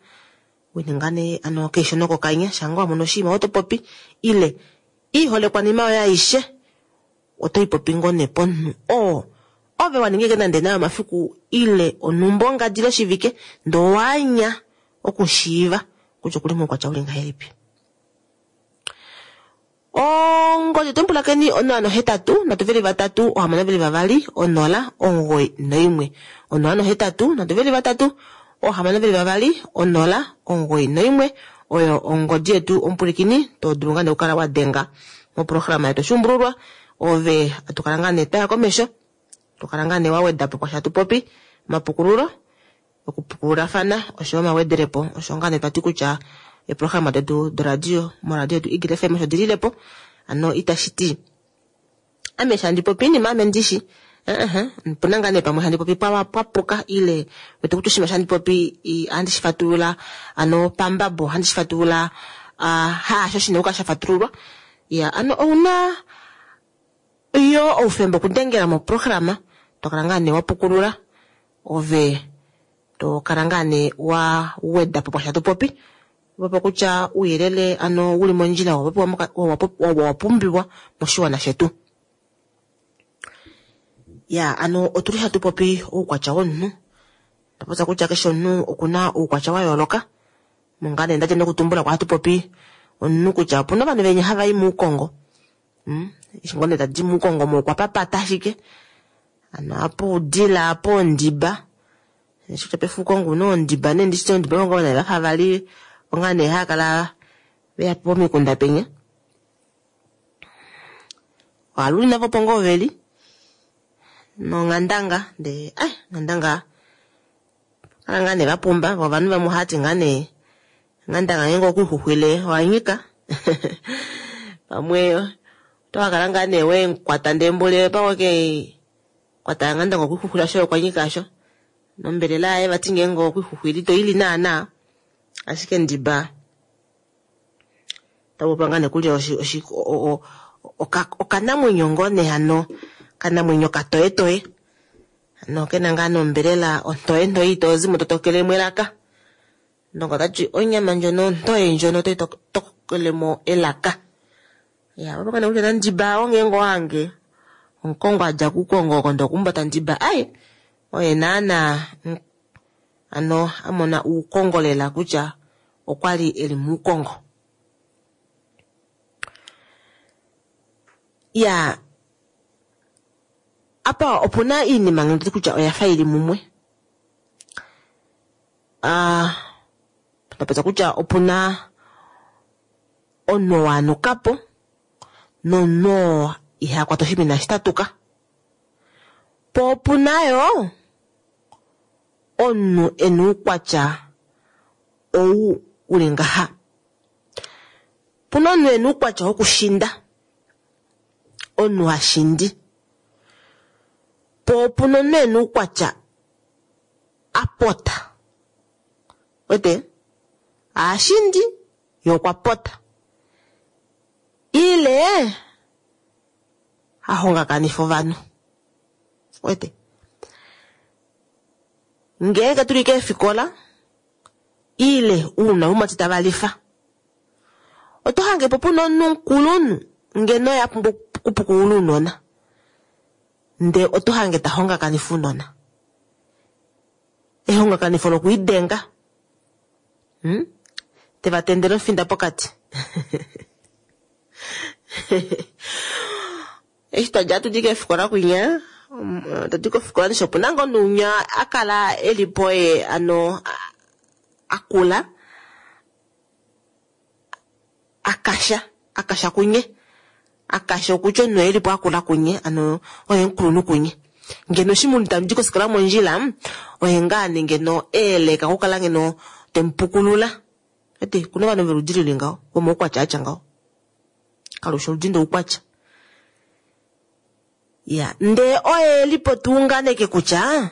wininga nee ano keshe nokokanya shanga wa mona oshinima oto popi ile iholekwa nima yoye aishe oto ipopi ngoo nee pomunhu oo ove wa ninga nande nayo omafiku ile onhumba ongadi loshivike ndoo waanya okushiiva kutya okuli moukwatya uli ngahelipi. Ongodi tumpulakeni 083 323 622 0 91 083 323 622 0 91 oyo ongodi yetu omupulikini to dulu ngaa nee okukala wa denga moprograma yetu oshumbululwa Ove atu kala ngaa nee twaya komesho, to kala ngaa nee wa weda po kwasha tupopi, omapukululo, okupukululafana oshoyo omawedelepo, osho ngaa nee twati kutya eeprograma detu doradio moradio yetu Eagle FM osho dililepo. Ano itashi ti ame shandi popi iinima ame ndishi opuna ngaa nee pamwe handi popi pwapuka ile wete kutya oshinima shandi popi ohandi shi fatulula ano pambabo, ohandi shi fatulula haasho shina okukala sha fatululwa. Ya ano ouna yo oufemba okudengela moprograma, to kala ngaa nee wa pukulula ove to kala ngaa nee wa weda po kwasha tupopi opo kutya uuyelele ano wuli mondjila wa pumbiwa moshiwana shetu. Ya ano otuli hatu popi oukwatya womunhu, tupopya kutya keshe omunhu okuna oukwatya wa yooloka. Monga nee ndadja nokutumbula kwa hatu popi omunhu kutya opuna ovanhu venya hava i muukongo. Eshi ngoo nee tadi muukongo mo okwa papata ashike ano apo udila apo ondiba, eshi kutya pefukongo una ondiba nee ndishi ondiba ngoo nee vafa vali onga nee haakala veya pomikunda penya. Ohaluli navo po ngoo veli nonghandanga ndee nghandanga kala ngaa nee vapumba vo ovanhu vamwe ohati ngaa nee nghandanga ngeenge okuixuxwile owanyika pamwe otokakala ngaa nee wenkwata ndee mbule pamwe ke kwata nghandanga okuixuxwila shoye okwanyika asho nombelela yaye vati ngeenge okuixuxwila ito ili naana ashike ndiba tapopa ngaa nee kulya okanamwenyo ngoo nee hano kanamwenyo katoyetoye ano kena ngaa nombelela ontoye ntoye itozimo totokelemo elaka. Ndongo otati onyama ndjono ontoye ndjono otoyi tokelemo elaka. Ya opo kana kutya nandiba ongeenge owange omukongo adja kukongo oko ndokumbata ndiba ai oye naana ano amona uukongo lela kutya okwali eli muukongo. Ya apa opuna iinima ngeno kutya oya fa ili mumwe. Tapetsa kutya opuna omunhu wanukapo nomunhu iha kwata oshinima shitatuka. Po opuna yo omunhu ena uukwatya ou uli ngaha. Puna omunhu ena uukwatya wokushinda, omunhu ha shindi. Po opuna omunhu ena uukwatya apota. Wete ashindi ye okwa pota ile ahongakanifa ovanhu. Wete ngeenge tuli keefikola ile uuna umati tavalifa oto hange po puna omunhu mukulunhu ngeno ya pumbwa okupukulula uunona nde oto hange ta hongakanifa uunona. Ehongakanifo lokuidenga teva tendele ofinda pokati. Eshi twadja tudi keefikola kwinya tadi kofikola nisho opuna ngoo nuunya akala elipo ye ano akula akasha akasha kunye akasha okutya omunhu elipo akula kunye ano oye mukulunhu kunye ngeno shimunhu tamudi kofikola mondjila oye ngaa nee ngeno eeleka okukala ngeno temupukulula. Ete kuna ovanhu veludi lili ngaho vomaukwatya atya ngaho kalusha oludi ndoukwatya. Ya ndee oye lipo tuunganeke kutya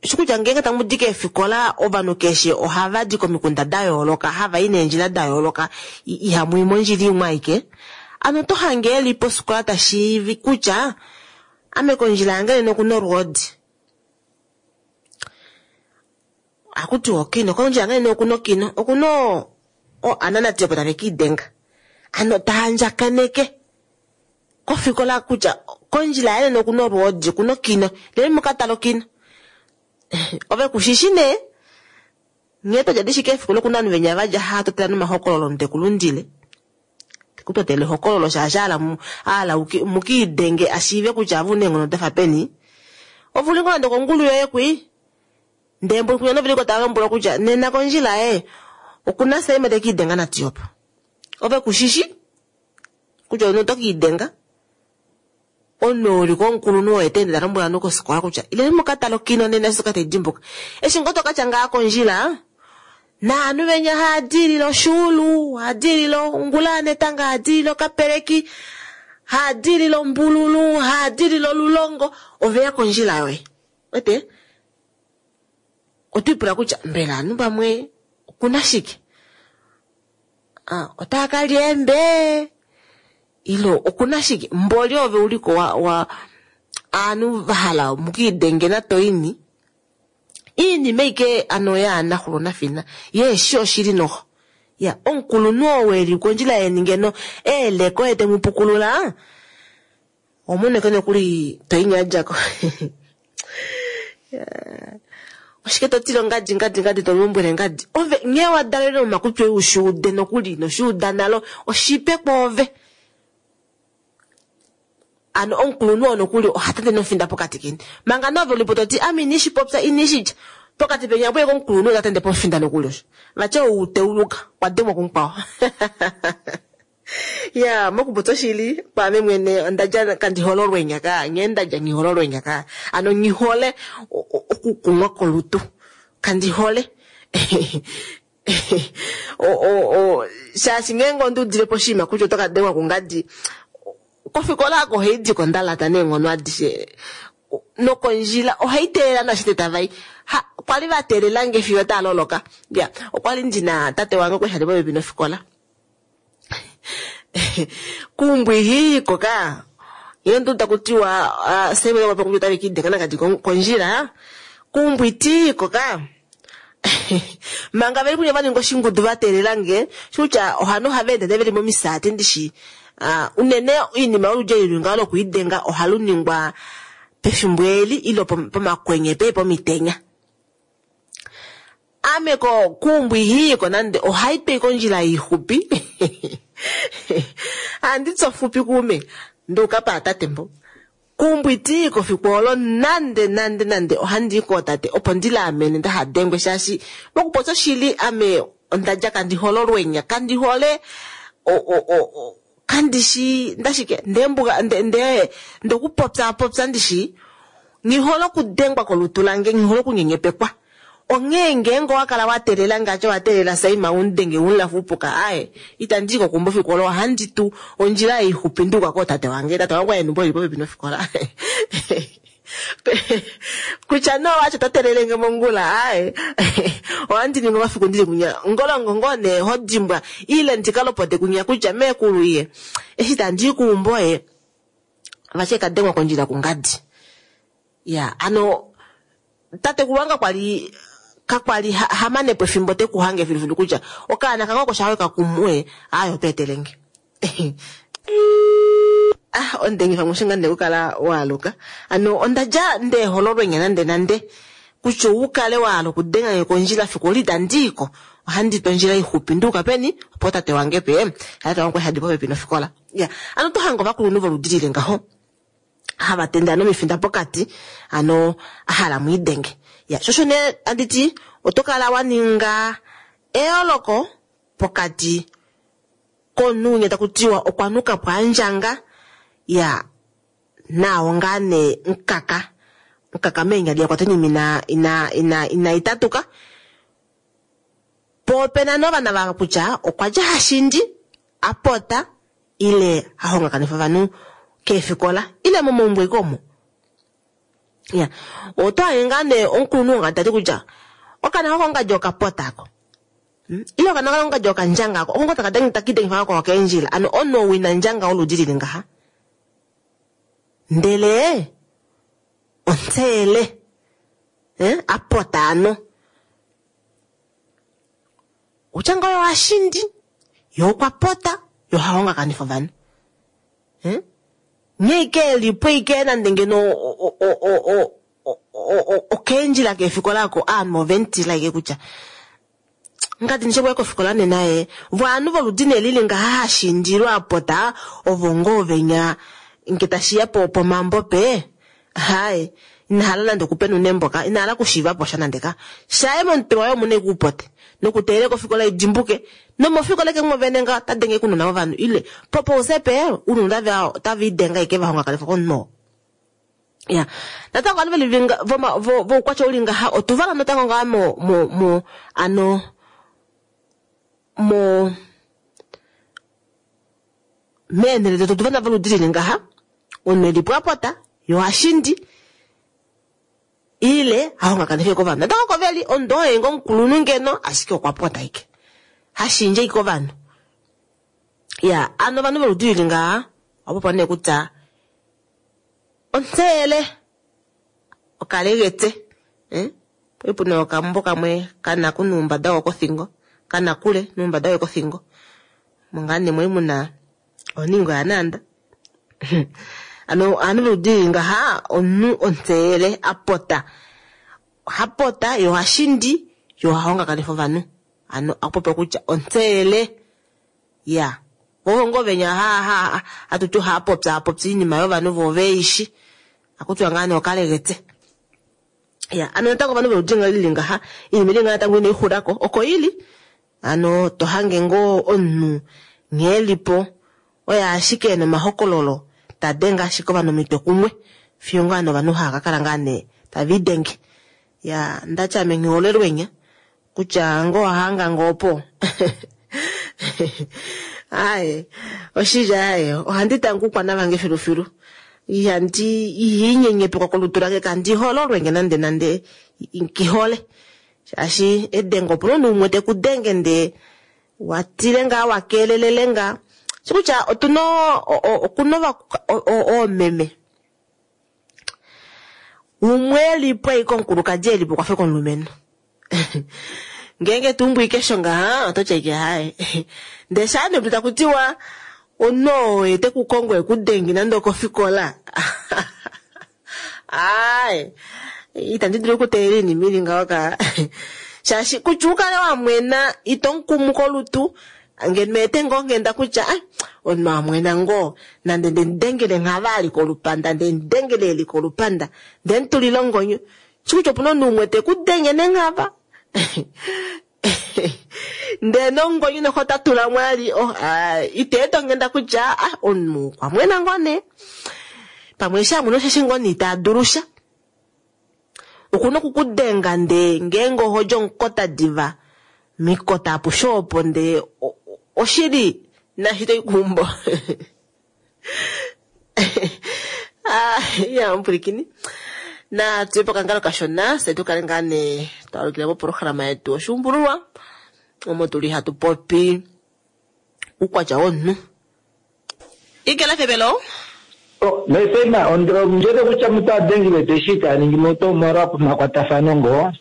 shikutya ngeenge tamudi keefikola ovanhu keshe ohava di komikunda da yooloka hava i neendjila da yooloka ihamu i mondjila imwe aike. Ano oto hange eli posikola tashiivi kutya ame kondjila yange nena okuna olwoodi. Akutiwa okino kondjila yange nena okuna okino okuna ananati opo tave kiidenga. Ano taandjakaneke kofikola kutya kondjila yange nena okuna olwoodi okuna okino leli mukatala okino. Ove kushishi nee nghee twadja dishi keefikola okuna ovanhu venya vadja haatotela nomahokololo ndekulundile tekutotele ehokololo shaashi aala mukiidenge ashiive kutya ave una eenghono dafa peni. Ove uli ngoo nande kongulu yoye kwi ndee mboli kunya noveliko tava lombwelwa kutya nena kondjila ye okuna Saima tekiidenga natiyopo. Ove kushishi Kutya omunhu oto kiidenga. Omunhu ou li ko omukulunhu oye ta ende ta lombwele ovanhu kofikola kutya ileni mu ka tale okino nena eshi tai dimbuka. Eshi ngoo to ka tya ngaa kondjila, naanhu venya haa diilile oshuulu, haa diilile ongula yanetanga, haa diilile okapeleki, haa diilile ombululu, haa diilile olulongo, oveya kondjila yoye. Wete? Oto ipula kutya mbela ovanhu vamwe okuna shike? Otaa ka lya eembe? Ilo okuna shike? Mboli ove uliko wa aanhu va hala mukiidenge natoini. Iinima ike ano yaanaxulo nafina yeeshi oshili noho. Ya, omukulunhu oo eli kondjila yeni ngeno eeleko ye temu pukulula, omoneke nokuli toini adjako. Oshike to tile ngadi ngadi ngadi to lombwele ngadi? Ove nghee wa dalele omakutwi oye ushuude nokuli noshuuda nalo oshipe kwoove. Ano omukulunhu oo nokuli oha tete nofinda pokati keni. Manga nove ulipo to ti ame inishi popya inishi tya. Pokati peni apo omukulunhu ota tende pofinda nokuli osho. Vatya ou teuluka kwa dengwa kumukwao. Ya, mokupopya oshili kwaame mwene onda dja kandi hole olwenya ka, nghee nda dja nghi hole olwenya ka. Ano nghi hole okukumwa kolutu. Kandi hole. Shaashi ngeenge onda udile po oshinima kutya oto ka dengwa kungadi, kofikola oko ohai di ko nda lata neenghono adishe. Nokondjila ohai teelela nashite tava i. Kwali va teelela nge fiyo taa loloka. Ya, okwali ndina tate wange okwali hali popepi nofikola. Kuumbwihi koka nghee ndu taku tiwa Simon okwa popi otave kiidenga nakadi kondjila. Kuumbwiti koka manga veli kunya va ninga oshingudu va teelela nge, kutya ohano ohava ende veli momisaati ndishi. Unene oinima yoludji eli ngaho lokuidenga ohalu ningwa pefimbo eli ilo pomakwenye pe pomitenya. Ame ko kuumbwihi ko nande ohai twei kondjila ixupi. Andi tsofupi kuume nduuka paatate mbo. Kuumbwiti kofiku olo nande nande nande ohandi i kootate opo ndi laamene ndaha dengwe shaashi mokupopya oshili ame onda dja kandi hole olwenya, kandi hole kandi shi ndashike ndembuga nde ndokupopya popya ndishi nghi hole okudengwa kolutu lange, nghi hole okunyenyepekwa. Onghee ngeenge owa kala wa teelela ngaashi wa teelela Saima undenge unlafupuka, aye itandi kokumba fiku olo, ohandi tu ondjila ixupi nduka kootate wange. Tate wange waye numbo ili popepi nofikola. Kutya no wacho to teelele nge mongula, aye ohandi ningi omafiku ndili kunya ngolongo ngoo nee ho dimbwa ile ndikalopote kunya kutya meekulu ye eshi tandi kuumbo ye vache kadengwa kondjila kungadi. Ya, ano tatekulu wange kwali kakwali hamanepo efimbo tekuhange filufilu kutya okaana kange oko shawe kakumwe, aye oto etelenge. Ah, ondengifa mushinga nde kukala waaluka. Ano onda dja nde hololwenya nande nande kutya ukale wahala okudenga nge kondjila fiku oli itandi iko. Ohandi tu ondjila ixupi nduuka peni opo tate wange pe tate wange hadi popepi nofikola. Ya, ano to hanga ovakulunhu voludi lili ngaho hava tende ano omifinda pokati, ano ahala mwiidenge. Ya, shosho nee anditi oto kala wa ninga eyooloko pokati komunhu winya taku tiwa okwa nuka po andjanga, ya nao ngaa nee nkaka nkaka meenyali yakwata oinima ina ina ina itatuka. Po opena nee ovana va kutya okwa dja hashindi apota ile hahongakanifa ovanhu keefikola ile momaumbo ike omo. Ya, oto hange ngaa nee omukulunhu wongadi tati kutya okaana kako ongadi okapota ako. Ile okaana kako ongadi okandjanga ako. Oko taka dengi takidengifa kako keendjila. Ano omunhu ou ina ndjanga oludi lili ngaha. Ndele ontsele apota ano. Utya ngoo yo ashindi, yo okwa pota, yo hahongakanifa ovanhu. Nghee ike elipo ike nande ngeno okeendjila keefikola oko aanhu oventila ike kutya ngadi nishe kofikola nena ye vo aanhu voludi nee lili ngaha hashindilwa apota ovo ngoo venya nge tashiya po pomambo pe haye inahala nande okupenuna embo ka inahala okushiiva po sha nande ka shaye momutwe waye omuna ikuupote. Nokuteelela kofikola idimbuke nomofikola ke mwovene nga ota denge kunona ovanhu ile popousepe unona otava idenga ike vahongakanifa komunhu. Ya natango ovanhu veli voukwatya uli ngaha otuvala natango ngaa mo mo mo ano mo meenhele detu otuvana voludi lili ngaha omunhu eli pwapota yo hashindi ile hahongakanife kovanhu natango koveli omunhu oye ngo omukulunhu ngeno ashike okwa pota ike hashindje ike ovanhu. Ya ano ovanhu voludi lili ngaha opo nee kutya ontseyele okalegetse puna okambo kamwe kana ku nuumbada wokothingo kana kule nuumbada wokothingo mongaa nemwe muna oningo yanaanda ano aanhu voludi ngaha omunhu ontseyele apota hapota yo hashindi yo hahongakanifa ovanhu ano apopa kutya ontseyele ya vohongo venya ha hatuti hapopya hapopya iinima yovanhu vo veishi akutiwa ngaa nee okalegetse. Ya ano natango ovanhu voludi lili ngaha iinima ili ngaa natango inaixulako oko ili ano tohange ngoo omunhu nghee lipo oye ashike nomahokololo tadenga ashike ovanhu omitwe kumwe fiyo ngaa novanhu hava kakala ngaa nee tava idenge. Ya ndati ame nghiholelwenya kutya ngoo wahanga ngoo po aye oshili aye ohandi tangu kwana vange filufilu ihandi ihinyenyepekwa kolutu lange kandi hololwenge nande nande nkihole shaashi edengo opuna omunhu umwe tekudenge ndee watile ngaa wakelelele ngaa shikutya otuna okuna oomeme umwe elipo ashike omukulukadi elipo okwafa komulumenhu ngeenge tuumbwike sho ngaha ototya ike haye ndee shaa nee takutiwa omunhu oo tekukongo ekudenge nande okofikola aye itandi dulu okuteelela iinima ili ngaho ka shaashi kutya ukale wamwena ito mukumu kolutu ngeno ete ngoo nghenda kutya omunhu amwena ngoo nande ndemudengele nghava ali kolupanda ndemudengele eli kolupanda ndemutulile ongonyo shikutya opuna omunhu umwe tekudenge nenghava ndee nongonyo noho tatula mwali iteeta onghenda kutya omunhu okwa mwena ngoo nee pamwe eshi amwena osheshi ngoo nee ita dulusha okuna okukudenga ndee ngeenge ohodja omukota diva mikota apushe opo ndee oshili nashi toikumbo ya mpulikini na tuye pokangalo kashona se tukale ngaa nee twalukile moprograma yetu oshuumbululwa omo tuli hatu popi uukwatya womunhu ikela febelo. Nesema ondjede kutya mutu adengile teshi taningi mutu omolwa makwatafano ngoo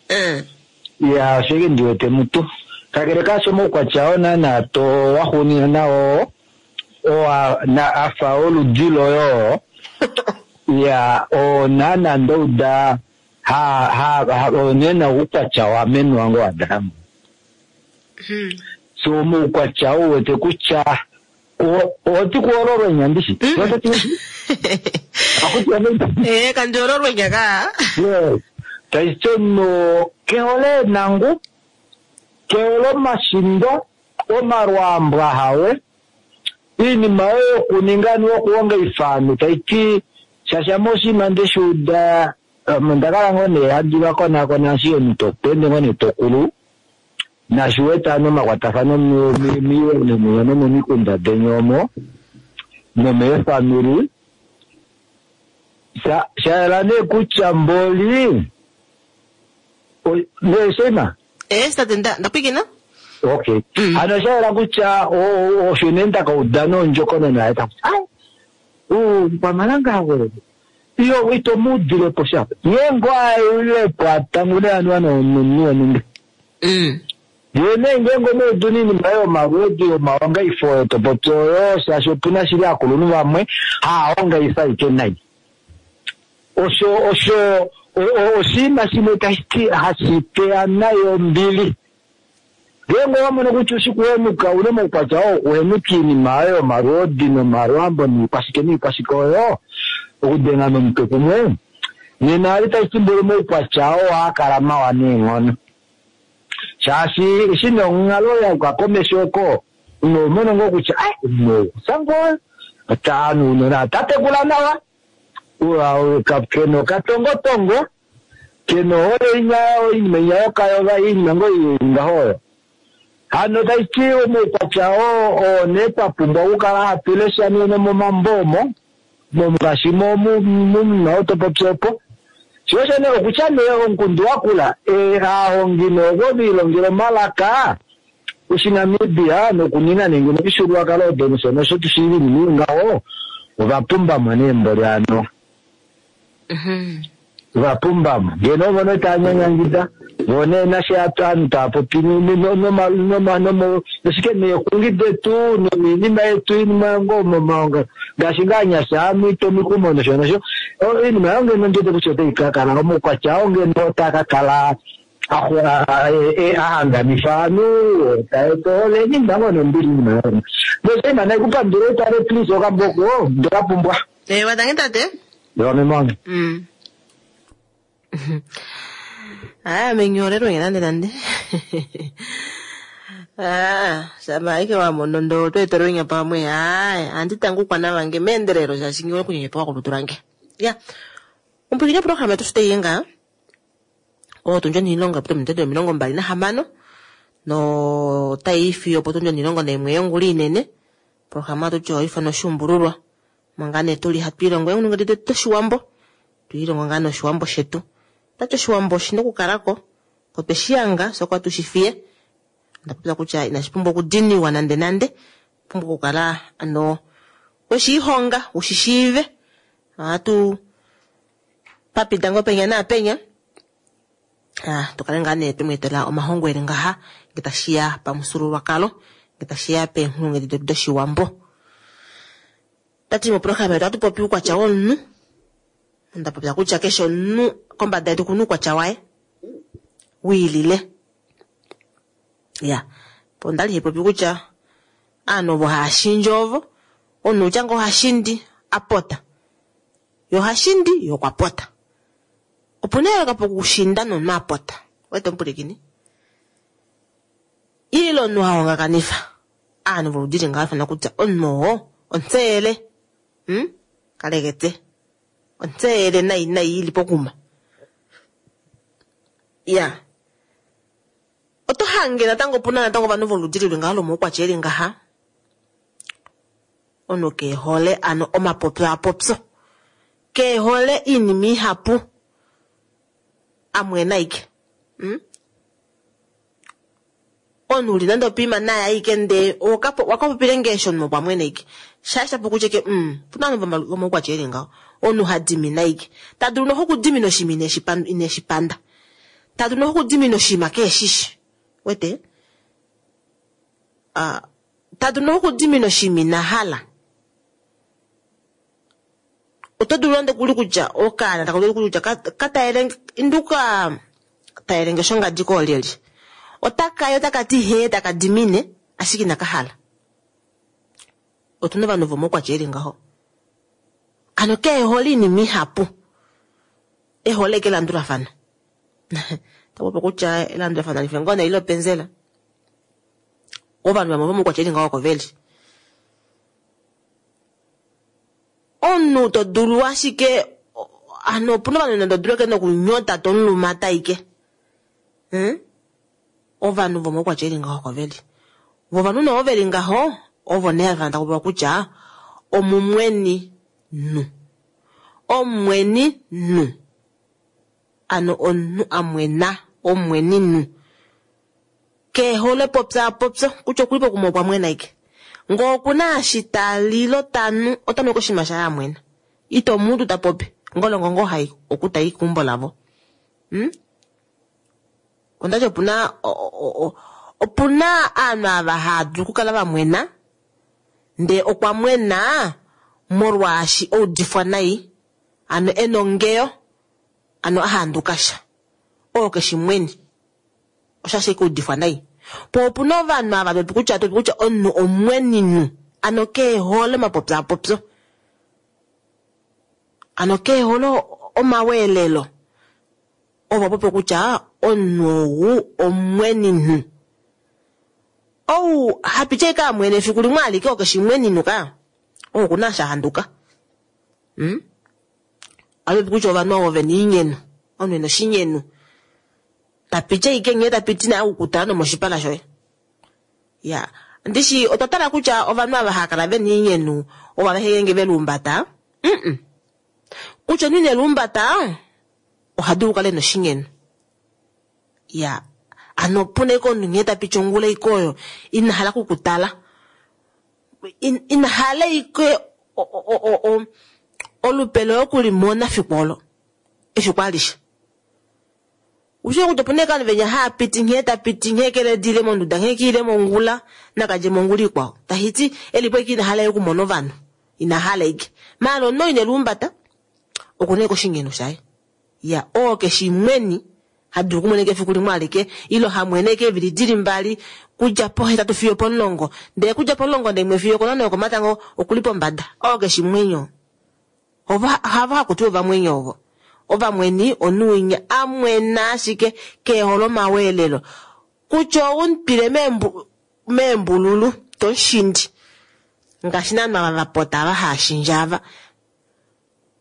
ya oshike ndiwete mutu kakele kasho moukwatya oo naana to waxuunina nao owa na afa oludi loyo ya oo naana ndouda ha ha onena oukwatya wamenwa ngo Adamu. So moukwatya ou wete kutya oti kuololwenya ndishi kandi ololwenya ka taitono kehole nangu kehole omashindo omalwambwa hawe iinima oyo yokuninga niwokuhonga ifano taiti shasha moshinima ndeshuuda ndakala ngoo nee handi vakonakona shi omuntu tokutende ngoo nee tokulu nashiweta nomakwatafano miiwene muyo nomomikunda deni omo nomeefamili shayela nee kutya mboli neeshema tate ndapwikina okay ano shayela kutya osho nee ndakauda nondjokonona yaye takuti kwamalanga we iyo ito mudilepo shapo ye ngo ailepo atangune anuwa nomunhu wonumba ye nee ngeenge omaudu niinima yomaludi yomahongaifo oyo topopi oyo shaashi opuna shili aakulunhu vamwe haahongaifa ike nai osho osho oshinima shimwe tashi hashi teya nayi ombili ngeenge owamono kutya ushikuhenuka une moukwatya oo okuhenuka iinima oyo yomalwoodi nomalwambo niikwashike niikwashike oyo okudenga nomutwe kumwe nena ali tashi timbole moukwatya oo haakala mawa neenghono. Shaashi eshi nee onghalo ya yuka komesho oko, omunhu oho mono ngoo kutya ai omunhu ou okutya ngoo ota ounona ota tekula nawa, ke na okatongotongo, ke na ohole inya oinima inya yokayoga oinima ngoo ili ngaho oyo. Hano tashi ti omaukwatya oo oo nee twa pumbwa okukala hatu lesha nee nomomambo omo, ngaashi momunhu oo to popi opo. Sho osho nee okutya nee omukundu wakula, aahongi nee ovo ve ilongela omalaka Oshinamibia nokunina nenge nomifyuululwakalo odo nosho nosho tu shiive oinima ili ngaho, ova pumbamo nee mboli hano. Ova pumbamo. Ngeno ovo nee tava nyanyangida, vo nee nashe ovanhu tava popi noshike neexungi detu noinima yetu iinima ngoo momaongalo ngaashi ngaa anyasha amwiita omikumo nosho nosho. Oinima oyo ngeno ndi wete kutya otai ka kala omaukwatya oo ngeno otaa ka kala a hanganifa ovanhu, ta eta ohole, iinima ngoo nombili iinima oyo. Noshinima nai kupandule utale please okamboko ndeka pumbwa. Ewa, tangi tate. Ewa meme wange. Aya menyorerwe nge nande nande. Ah, shama aike wa mono ndo tweetelwe nya pamwe. Aya, andi tangu kwana vange meendelelo shaashi ngiwe kunyenyepa kolutu lange. Ya. Ompwilikini programa yetu shitei nga. Otundi onilongo pominute 26 no tai fiyo potundi 11 yongula inene. Programa yetu oyo ifana oshuumbululwa. Manga nee tuli hatu ilongo eunongo detu doshiwambo. Tuilongo ngaa noshiwambo shetu. Tati oshiwambo oshina okukalako, otwe shi yanga, fye okwa tu shi fiye. Onda popya kutya inashi pumbwa okudiniwa nande nande, pumbwa okukala ano weshi ihonga, ushi shiive. Ohatu papida ngoo penya naapenya. Ah, tukale ngaa nee twemu etela omahongo eli ngaha, nge tashiya pamufyuululwakalo, nge tashiya peenghulunghedi detu doshiwambo. Tati moprograma yetu ohatu popi uukwatya womunhu. Onda popya kutya keshe omunhu kombada yetu okuna uukwatya waye wiilile. Ya, po ondali haipopi kutya aanhu ovo haya shindi ovo, omunhu utya ngoo oha shindi a pota, ye oha shindi ye okwa pota. Opuna eyooloko pokushinda nomunhu a pota. Wete omupulikini? Ile omunhu ha hongakanifa aanhu voludi li ngaho ifana kutya omunhu oo ontseyele. Kalekete. Ontseyele nai nai ili pokuma. Ya. Oto hange natango opuna natango ovanhu voludi lili ngaho lomaukwatya eli ngaha. Omunhu ke hole ano omapopyo apopyo. Ke hole iinima ihapu. Amwena aike. Omunhu uli nande opiima naye aike ndee wakapopile ngeesho omunhu okwa mwena aike. Shaasha po kutya ke, opuna ovanhu vomaukwatya eli ngaho. Omunhu ha dimina aike. Ta dulu noho okudimina oshinima ineshi panda. Ta dulu noho okudimina oshinima keeshishi. Wete? Ta dulu noho okudimina oshinima ina hala. Oto dulu nande kuli kutya okaana taka dulu kutya ka taelenge, induka taelenge shongadi koolyelye. Otaka yi otaka ti hee taka dimine, ashike inaka hala. Otuna ovanhu vomaukwatya eli ngaho. Ano keehole iinima ihapu. Ehole eke elandulafano. Tapopi kutya elandulafano alife ngoo nee ile openzela. Ovanhu vamwe vomaukwatya eli ngaho oko veli. Omunhu to dulu ashike, ano opuna ovanhu nande odulu eke nokunyota to mulumata aike. Ovanhu vomaukwatya eli ngaho oko veli. Vo ovanhu nee ovo veli ngaho, ovo nee hava takupewa kutya omumweni nu. Omumweni nu. Ano omunhu amwena, omumweni nu. Keehole popya popyo, kutya okuli pokuma okwa mwena aike. Ngoo okuna eshi ta lilo ta nu, ota nu koshinima shaye amwena. Ito mudu ta popi, ngolongo ngoo hai okuta i keumbo lavo. Ondati opuna opuna aanhu ava hava dulu okukala va mwena, ndee okwa mwena molwaashi oudifwa nai, ano ena ongeyo, ano a handuka sha. Oo keshi mweni. Osha kuudifwa nai. Po opuna ovanhu ava topi kutya topi kutya omunhu omweninu, ano keehole omapopyo apopyo. Ano keehole omaweelelo. Ovo popi kutya omunhu ou omweninhu. Ou hapiti ashike amwene efiku limwe alike okeshi mweninhu ka. Ou okuna eshi a handuka. Ohatu popi kutya ovanhu ovo vena oinyenu. Omunhu ena oshinyenu. Tapiti ashike nghee tapiti naye okukutala nomoshipala shoye. Ya, ndishi otwa tala kutya ovanhu ava hava kala vena oinyenu ovo aveshe ngeenge ve luumbata. Kutya omunhu ine luumbata oha dulu okukala ena oshinyenu. Ya, ano opuna ashike omunhu nghee ta piti ongula ashike oyo ina hala okukutala. Ina hala ashike olupe loye okulimona efiku olo. Efiku alishe. Ushi kutya opuna ashike ovanhu venya haa piti nghee ta piti nghee keledile monduda nghee kiile mongula nakadje mongula ikwao. Tahiti elipo ashike ina hala okumona ovanhu. Ina hala ashike. Maala omunhu ine luumbata okuna ashike oshinyenu shaye. Ya, oo keshi mweni ha dulu okumwena ashike efiku limwe alike ile ha mwene ashike eevili dili mbali kudja pohetatu fiyo opomulongo ndele kudja pomulongo naimwe fiyo okonhano yokomatango okuli pombada. Oo keshi mwenyo. Ovo havo haku tiwa ovamwenyo ovo. Ovamweni omunhu winya a mwena ashike keehole omaweelelo. Kutya ou mutwile meembululu to mushindi. Ngaashi naanhu ava va pota ava haa shindje ava.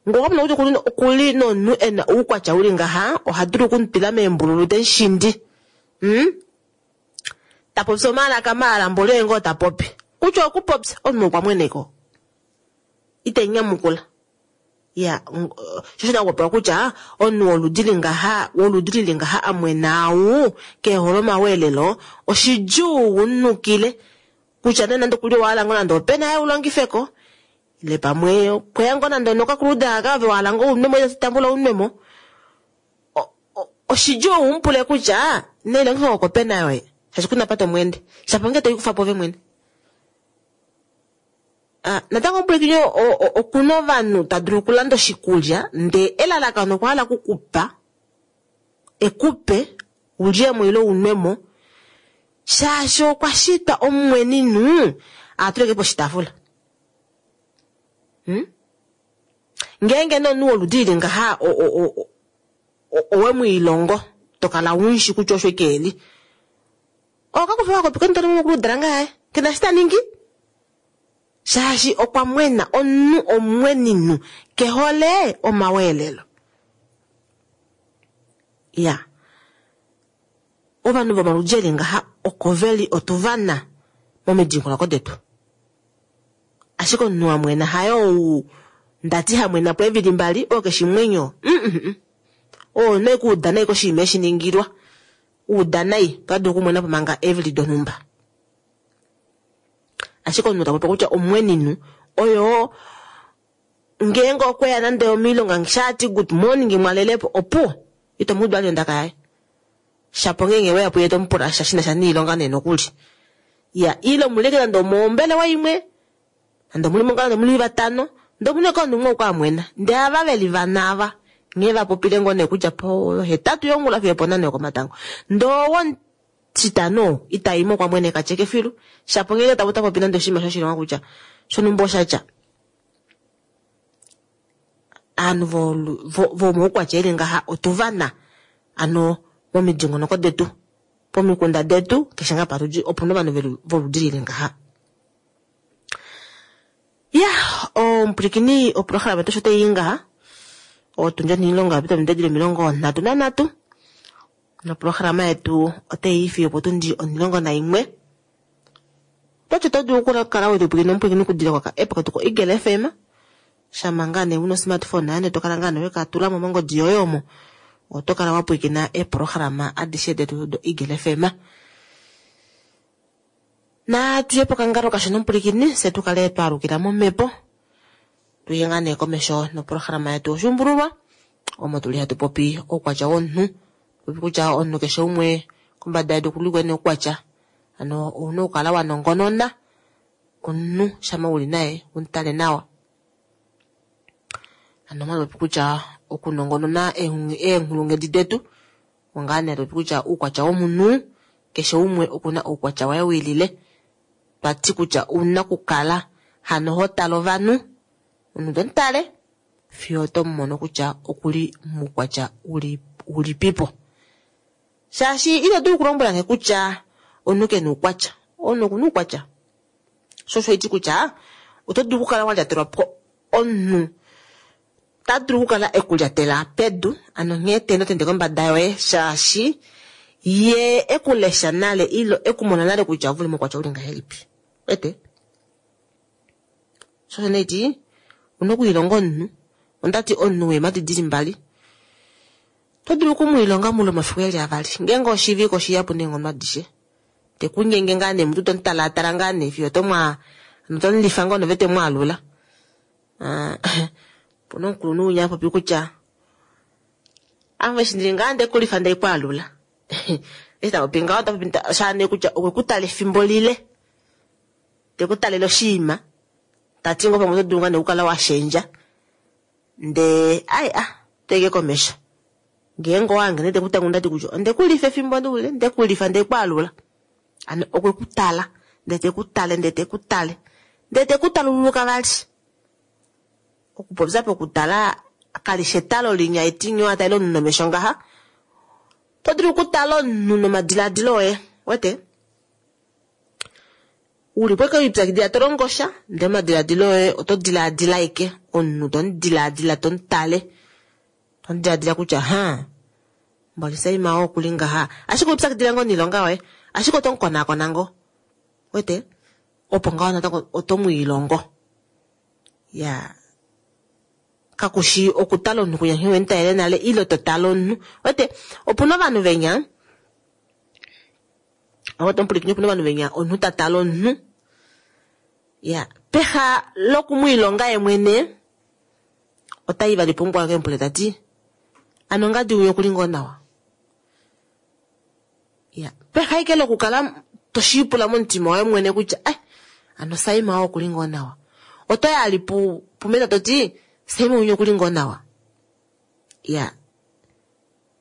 Ngee okwa mono kutya okuli nomunhu e na oukwatya uli ngaha, oha dulu oku mutwila meembululu te mushindi. Ta popi omalaka maala mboli oye ngoo ta popi. Kutya okupopya omunhu okwa mweneka. Ite nyamukula. Ya, sho osho nakupopiwa kutya omunhu woludi li ngaha, woludi lili ngaha a mwena au, keehole omaweelelo, oshidjuu u nukile kutya nee nande okuli owa hala ngoo nande opena yaye u longifeko, ile pamwe okweya ngoo nande onokakuluda aka ove wa hala ngoo unwemo ile tambula unwemo. Oshidjuu u mu pule kutya nei longifa ngoo kopena yoye, shaashi kuna apa to mu ende. Shapo ngee toikufa po ove mwene. Natango omupwilikini okuna ovanhu ta dulu okulanda oshikulya ndee elalakano okwa hala okukupa ekupe ulyemo ile unwemo shaashi okwa shitwa omumweninhu atuleke poshitaafula. Ngeenge nee omunhu woludi lili ngaha owe mwiilongo to kala unshi kutya osho ike eli. Okakufa okakopi kondolo mokuludala ngaye kena shi ta ningi. Shaashi okwa mwena omunhu omweninhu kehole omaweelelo. Ya, ovanhu vomaludi eli ngaha oko veli otuvana momidingonoko detu. Ashike omunhu a mwena haye ou ndati ha mwena po eevili mbali oo keshi mwenyo. Oo nee kuuda nai koshinima eshi ningilwa. Uda nai, ota dulu okumwena po manga eevili donhumba. Ashike omunhu ta popi kutya omweninhu oyo ngeenge okweya nande omiilonga shaati good morning mwalelepo opuwo ito mu udu vali ondaka yaye. Shapo ngeenge weya puye to mu pula sha shina sha niilonga nee nokuli. Ya ile omuleke nande omombelewa imwe nande omuli monga nande omuli vatano ndee omuna eke omunhu umwe okwa amwena ndee ava veli vana ava nghee va popile ngoo nee kutya po hetatu yongula fiyo oponhano yokomatango ndee owo Titano ita i mo kwa mwene ka tyeke filu. Shapo ngeenge ta ota popi nande oshinima shoshilonga kutya shonhumba osha tya. Aanhu vomoukwatya eli ngaha otu va na ano momidingonoko detu, pomikunda detu, keshe ngaa pa tu li opu na ovanhu voludi lili ngaha. Ya, omupwilikini oprograma yetu osho tai i ngaha. Otundi onhilongo ya pita ominute dili 33. Noprograma yetu otai i fiyo opotundi 11. Otwati oto dulu okukala we tupwilikina omupwilikini okudilila koka app ketu ko Eagle FM. Shama ngaa nee una osmartphone yoye to kala ngaa nee weka tula mo mongodi yoye omo. Oto kala wa pwilikina eeprograma adishe detu do Eagle FM. Natu ye pokangalo kashona omupwilikini fye tu kale twa alukila momhepo. Tuye ngaa nee komesho noprograma yetu Oshuumbululwa omo tuli hatu popi oukwatya womunhu. Popi kutya omunhu keshe umwe kombada yedu okuli kwene oukwatya. Ano ouna okukala wa nongonona omunhu shama uli naye umutale nawa. Ano omwa popi kutya okunongonona eenghulunghedi detu ongaa nee popi kutya oukwatya womunhu keshe umwe okuna oukwatya waye wiilile. Twati kutya ouna okukala hano ho tale ovanhu, omunhu to mutale fiyo oto mu mono kutya okuli muukwatya ulipipo. Shaashi ito dulu okulombwela nge kutya omunhu ke na oukwatya. Omunhu oku na oukwatya. Sho osho haiti kutya oto dulu okukala wa lyatelwa po omunhu ta dulu okukala e ku lyatela pedu, ano nghee te notende kombada yoye, shaashi ye e ku lesha nale ile e ku mona nale kutya ove uli moukwatya uli ngahelipi. Wete? Sho osho nee haiti una okwiilonga omunhu. Ondati omunhu weemhadi dili mbali. Oto dulu oku mu ilonga muule womafiku eli avali. Ngeenge oshivike oshihapu neenghono adishe. Te ku nyenge ngaa nee mutu to mu talaatala ngaa nee fiyo to mwa to mu lifa ngoo nove te mu alula. Ah, opuna omukulunhu winya a popi kutya ame eshi ndili ngaa nde ku lifa nde ku alula. Eshi ta popi ngaho ota popi sha nee kutya okwe ku tala efimbo lile. Te ku talele oshiima. Ta ti ngoo pamwe oto dulu ngaa nee okukala wa shendja. Ndee ai a teke komesho. Ngeenge owa hange nee te ku tangu ndati kutya onde ku lifa efimbo lile, nde ku lifa nde ku alula. Ano okwe ku tala, ndee te ku tale, ndee te ku tale, ndee te ku talululuka vali. Okupopya pokutala kali shi etalo linya etinyo a tale omunhu nomesho ngaha. Oto dulu okutala omunhu nomadiladilo oye, wete? U li po eke wipyakidila to longo sha, ndele omadiladilo oye oto diladila aike omunhu to mu diladila to mu tale. To mu diladila kutya ha mboli Saima oo okuli ngaha, ashike owipyakidila ngoo noilonga yoye, ashike oto mu konaakona ngoo. Wete? Opo ngaho natango oto mu ilongo. Ya kakushi okutala omunhu kutya nghee we mu talele nale ile to tale omunhu. Wete? Opuna ovanhu venya Oto mupwilikine opuna ovanhu venya omunhu ta tale omunhu. Ya peha loku mu ilonga ye mwene ota i vali pumukwao eke mu pule ta ti ano ngadi winya okuli ngoo nawa? Ya peha ashike lokukala to shiipula momutima woye mwene kutya eh ano Saima oo okuli ngoo nawa. Oto ya ali pu pumeta to ti Saima winya okuli ngoo nawa. Ya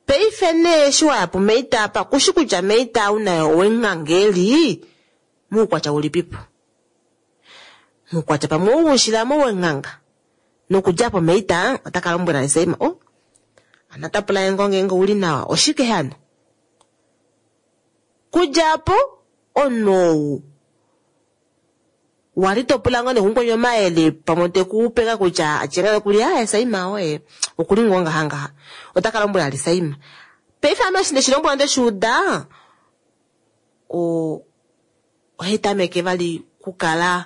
Paife nee eshi wa ya puMeita apa, ku shi kutya Meita ou naye owe mu hanga e li muukwatya ulipipo. Muukwatya pamwe ou woshilamo wenghanga. Nokudja po Meita ota ka lombwela Saima, oh, ano ota pula ye ngoo ngeenge ou li nawa, oshike hano? Kudja po, omunhu ou Wa li to pula ngoo nee kumukweni omayele pamwe te ku pe ngaa kutya atye ngaa nokuli aaye Saima oye okuli ngoo ngaha ngaha. Ota ka lombwela li Saima. Paife ame eshi ndeshi lombwelwa ndeshi uda o ohai tameke vali kukala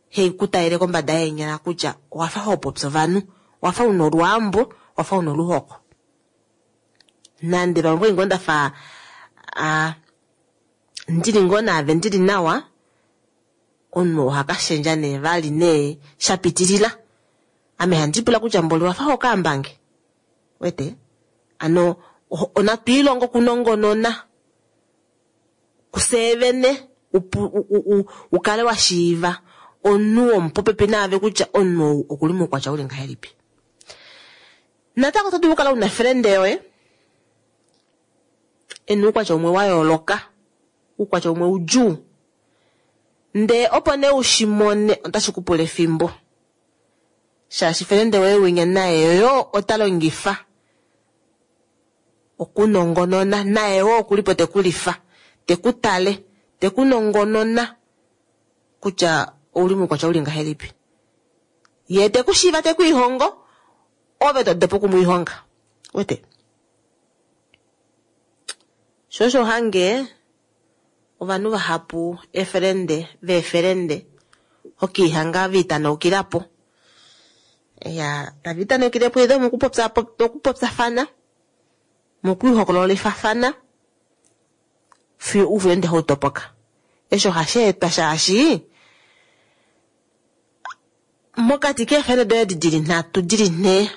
hei ku talele kombada yeenyala kutya owa fa ho popi ovanhu, owa fa una olwaambo, owa fa una oluhoko. Nande pamwe ngoo nda fa a ndili ngoo naave ndili nawa, omunhu oha ka shendja nee vali nee sha pitilila. Ame handi pula kutya mboli owa fa ho kaambange? Wete? Ano onatu ilongo okunongonona kufye vene u kale wa shiiva omunhu womupopepi naave kutya omunhu ou okuli moukwatya uli ngahelipi. Natango oto dulu okukala una friend yoye e na oukwatya umwe wa yooloka, oukwatya umwe udjuu. Ndee opo nee u shi mone otashi ku pula efimbo. Shaashi felende woye winya naye yo ota longifa okunongonona, naye wo okuli po te ku lifa, te ku tale, te ku nongonona kutya ouli moukwatya uli ngahelipi. Ye te ku shiiva te ku ihongo, ove to dopa oku mu ihonga. Wete? Sho osho hange ovanhu vahapu eefelende veefelende hokiihanga va itanaukila po. Ya tava itanaukile po either mokupopya mokupopyafana, mokwiihokololifafana fiyo oufelende hau topoka. Eshi ohashi etwa shaashi Mokati keefele doye edi di li nhatu, di li nhee,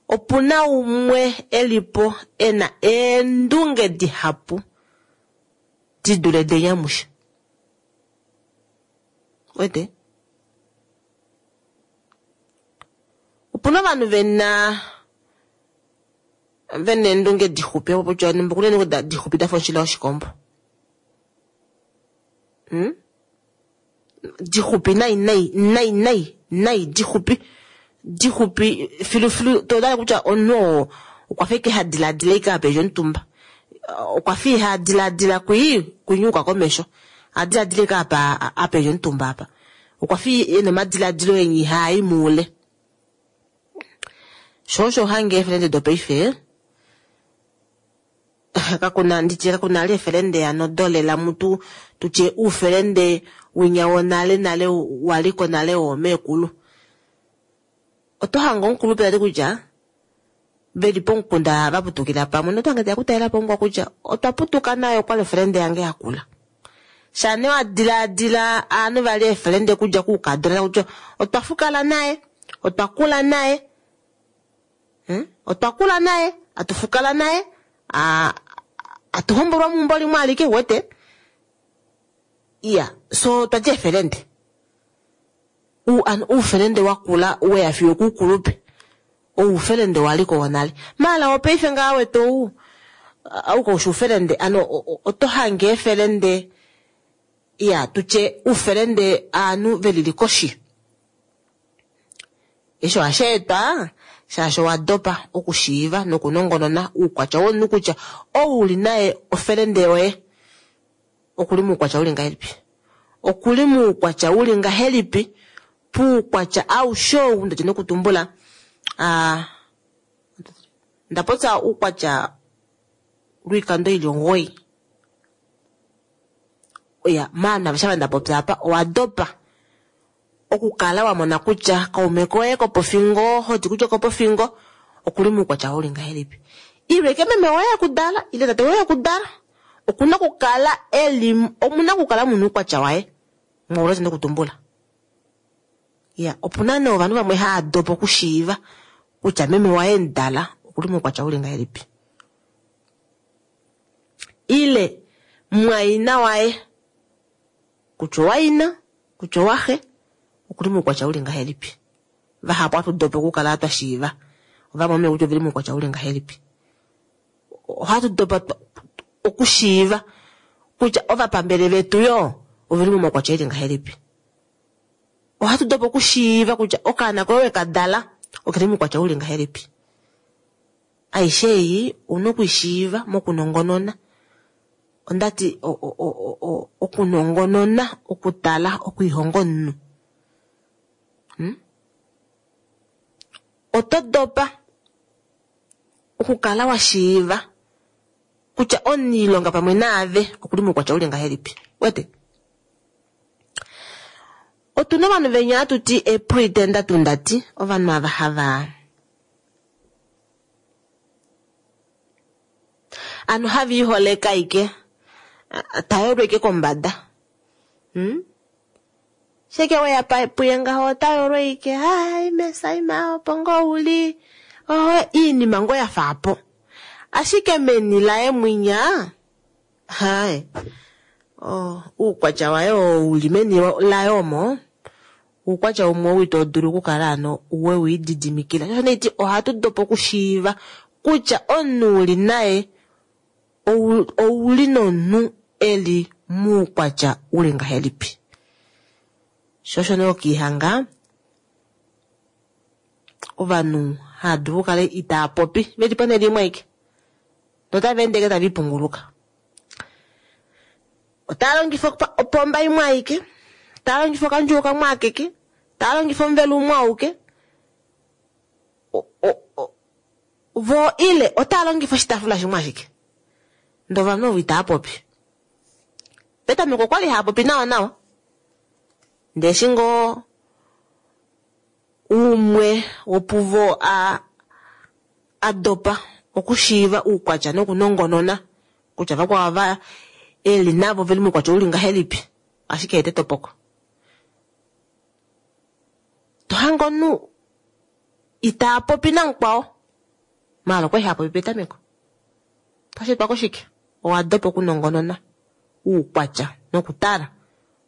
opu na umwe e li po e na eendunge dihapu di dule deni amushe. Wete? Opu na ovanhu ve na ve na eendunge dixupi, opo kutya oku na eendunge dixupi da fa omushila woshikombo. Hmm? Dixupi nai nai nai nai nai dixupi dixupi filufilu to dala kutya omunhu oo Okwa fa ike ha diladila ike apa eli omutumba. Okwa fa iha diladila kwii kwinyuka komesho. A diladila ike apa apa eli omutumba apa. Okwa fa e na omadiladilo enya ihaa i muule. Sho osho hange eefelende dopaife kakuna nditye kakuna ali efelende ano dolela mutu tutye uufelende winya wonale nale waliko nale woomeekulu. Oto hange omukulupe tati kutya veli pomukunda va putukila pamwe noto hange teya kutalela po mukwa kutya otwa putuka naye okwali ofelende yange yakula. Shane wa diladila aanhu vali eefelende kudja kuukadona kutya otwa fukala naye, otwa kula naye, otwa kula naye, atu fukala naye, atu hombolwa meumbo limwe alike, wete? Iya, so otwa dja eefelende. Uufelende wa kula weya fiyo okuukulupe. Oufelende waliko wonale. Maala wopaife ngaa wete ou, ou kaushi oufelende, ano oto hange eefelende, iya, tutye uufelende aanhu velili koshi. Eshi ohashi etwa shaashi owa dopa okushiiva nokunongonona uukwatya womunhu kutya ou uli naye ofelende yoye okuli muukwatya uli ngahelipi. Okuli muukwatya uli ngahelipi puukwatya aushe ou ndati nokutumbula. Nda popya uukwatya lwoikando ili 9. Oya, maana shava nda popya apa owa dopa okukala wa mona kutya kaume koye kopofingo, hoti kutya kopofingo, okuli muukwatya uli ngahelipi. Ile ke meme woye akudala, ile tate woye akudala, okuna okukala eli, omuna okukala muna uukwatya waye. Mwaulati nokutumbula. Ya, opuna nee ovanhu vamwe hava dopa okushiiva kutya meme waye mudala okuli muukwatya uli ngahelipi. Ile mwaina waye kutya owaina, kutya owaxe, okuli muukwatya uli ngahelipi. Vahapu ohatu dopa okukala twa shiiva ovamwameme kutya oveli muukwatya uli ngahelipi. Ohatu dopa okushiiva kutya ovapambele vetu yo oveli momaukwatya eli ngahelipi. Ohatu dopa okushiiva kutya okaana koye weka dala okeli muukwatya uli ngahelipi. Aishe ei ouna okuishiiva mokunongonona. Ondati okunongonona, okutala, okwiihonga omunhu. Oto dopa okukala wa shiiva kutya omuniilonga pamwe naave okuli muukwatya uli ngahelipi. Wete? Otuna ovanhu venya hatu ti eepretender tundati, ovanhu ava hava ano hava iholeka ike, tayolwa ike kombada. Sheke weya puye ngaho otayolwa ike, hai mesaima opo ngoo uli, oho iinima ngoo ya faapo. Ashike meni laye mwinya, hai, uukwatya waye oo uli meni laye omo, uukwatya umwe ou ito dulu okukala ano we u ididimikila. Shosho nee iti ohatu dopa okushiiva kutya omunhu uli naye ouli nomunhu eli muukwatya uli ngahelipi. Shosho nee okiihanga ovanhu hava dulu okukala itaa popi veli ponhele imwe aike notava ende ike tava ipunguluka. Otava longifa opomba imwe aike, tava longifa okandjuwo kamwe akeke, tava longifa omuvelo umwe auke, vo ile otava longifa oshitaafula shimwe ashike. Ndee ovanhu ovo itava popi. Petameko okwali hava popi nawa nawa, ndee eshi ngoo umwe wopuvo a dopa okushiiva uukwatya nokunongonona kutya vakwao ava eli navo veli muukwatya uli ngahelipi, ashike ete topoko. To hange omunhu itaa popi namukwao, maala okwali ha popi petameko. Otashi etwa koshike? Owa dopa okunongonona uukwatya nokutala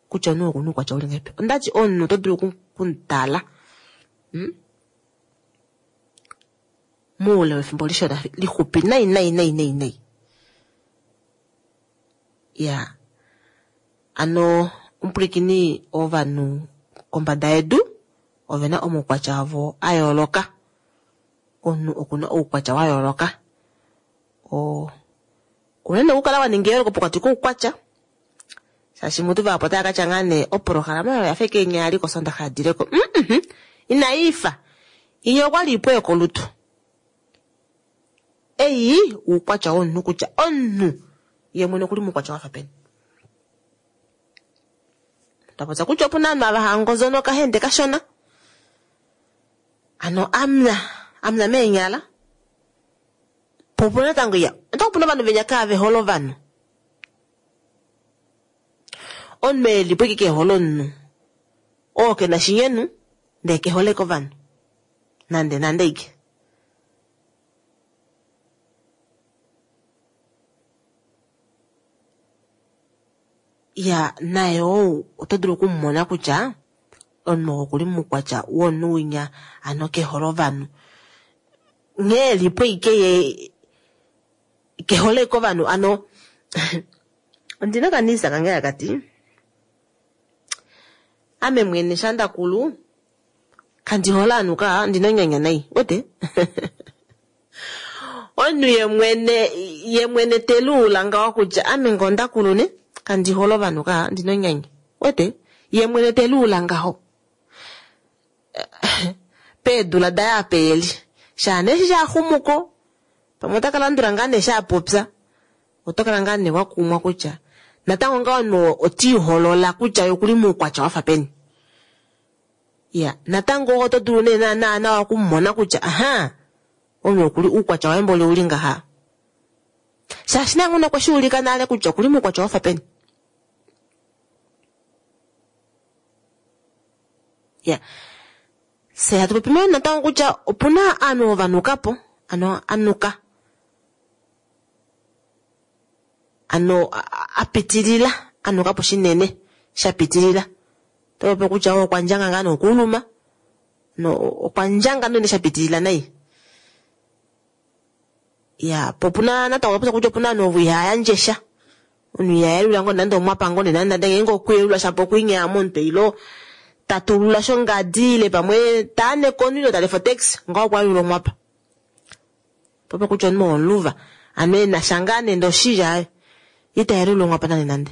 kutya omunhu okuna uukwatya uli ngahelipi. Ondati omunhu oto dulu okumutala muule wefimbo lishona lixupi nai nai nai nai nai. Ya, ano omupulikini ovanhu kombada yedu ovena omaukwatya avo a yooloka. Omunhu oku na oukwatya wa yooloka. Ouna nee okukala wa ninga eyooloko pokati koukwatya, shaashi mutu vahapu otava ka tya ngaa nee opolohalama oyo oya fa eke inya ya li kOsoondaxa ya dile ko. Mm-mm, inai fa. Inya okwa li ipu yokolutu. Ei oukwatya womunhu kutya omunhu ye mwene okuli muukwatya wa fa peni. Twa popya kutya opu na ovanhu ava hava ngozonoka hende kashona. Ano amna, amna meenyala. Po opu na natango iya, natango opu na ovanhu venya kaave hole ovanhu. Omunhu e li po ike ke hole omunhu. Oo ke na shinyenu, ndee ke hole kovanhu. Nande nande ike. Ya, naye ou oto dulu oku mu mona kutya omunhu oo okuli muukwatya womunhu winya, ano ke hole ovanhu. Nghee e li po ike ye ke hole ike ovanhu ano ondi na okaniisa kange haka ti ame mwene sha nda kulu kandi hole ovanhu ka ndi na onyanya nai wete omunhu ye mwene ye mwene te luula ngaho kutya ame ngoo nda kulu ne kandi hole ovanhu ka ndi na onyanya wete ye mwene te luula ngaho peedula daye apa eli shaa nee eshi sha xumuko pamwe ota ka landula ngaa nee sha popya oto kala ngaa nee wa kumwa kutya natango ngaa omunhu oti iholola kutya ye okuli muukwatya wafa peni. Ya, natango oto dulu nee naana nawa okumona kutya aha, omunhu okuli uukwatya waye mboli ouli ngaha. Shaashi naye mwene okwe shi ulika nale kutya okuli muukwatya wafa peni. Ya, fye hatu popi mo natango kutya opu na aanhu ovo va nuka po, ano a nuka. Ano a pitilila, a nuka po shinene, sha pitilila. Oto popi kutya okwa ndjanga ngaa nokuuluma, no okwa ndjanga nene sha pitilila nai. Ya, po opu na natango popya kutya opu na ovanhu ovo ihaya yandje sha. Omunhu iha yelula ngoo nande omwapa ngoo nande nande ngeenge okuyelula shapo okwiinyaa momutwe ilo ta tulula shongadi ile pamwe ta ane konhu ile ta lefa otaxi ngaho okwa yelula omwapa. Popya kutya omunhu womuluva ano e na sha ngaa nande oshilya aye ita yelula omwapa nande nande.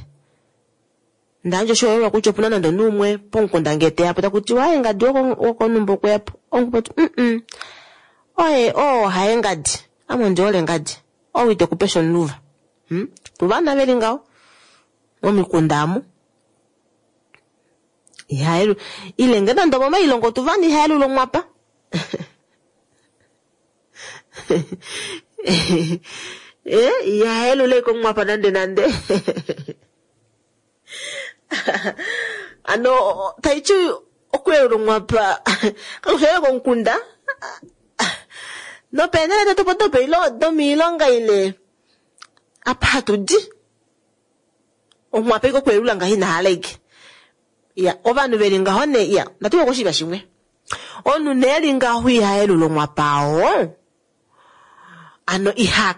Nda yandja oshiholelwa kutya opu na nande omunhu umwe pomukunda ngee te ya po taku tiwa aye ngadi wokonhumba okwe ya po. Omukwati mm oye oo haye ngadi ame ondi hole ngadi ou ite ku pe sha omuluva. Hmm? Tuvana ve li ngaho momikunda amu. Iha ile nge nande omomailongo tuvana iha yelula omwapa. Eh, iha yelula ike omwapa nande nande. Ano taiti okuyelula omwapa kakushi komukunda nopeenhele detu opo domiilonga ile apa hatu di omwapa ike okuyelula ngaho ina hala ike. Ya, ovanhu veli ngaho ne ya, ndatuka koshiva shimwe. Omunhu nee li ngaho iha yelula omwapa oo. Ano iha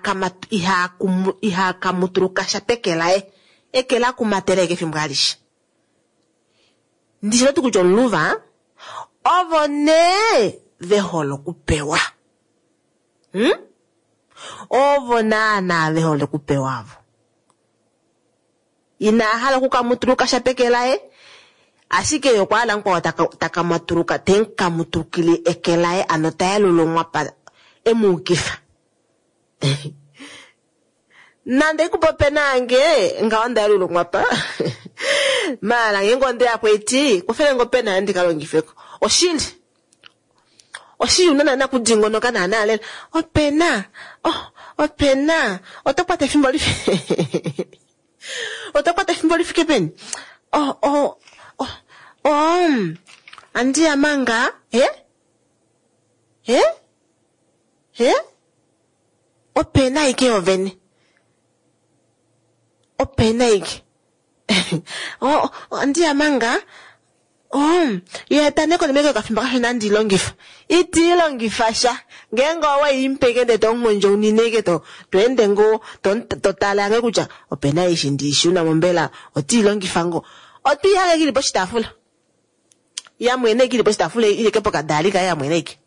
kamutuluka sha peke laye. Eke la kumatela eke efimbo alishe. Ndishi natu kutya omuluva, ovo nee ve hole okupewa. Ovo naana ve hole okupewa avo. Ina hala okukamutuluka sha peke laye, ashike ye okwa hala mukwao taka matuluka, te mu kamutulukile eke laye, ano ta yelula omwapa e mu ukifa. Nande ikupa opena yange, ngaho nda yelula omwapa. Maala ngeenge onde ya po eti, kufele ngo opena yange ndi ka longifeko. Oshili. Oshili una naana kudingonoka naana lela. Opena, oh, opena, oto kwata efimbo li oto kwata efimbo li fike peni? Oh, oh, oh, oh, andi ya manga, he? He? He? Opena ike yovene. Opena ike. Oh, andi ya manga. Oh, ye ta neko nemeke okafimbo kashona andi longifa. Iti longifa sha. Ngeenge owe impeke ndele to ngondjo unine ke to to ende ngo to to tala nge kutya opena eshi ndi shuna mombela oti longifa ngo. Oti yange kili poshitaafula. Ya mwene kili poshitaafula ile ke pokadaali kaye ya mwene ike.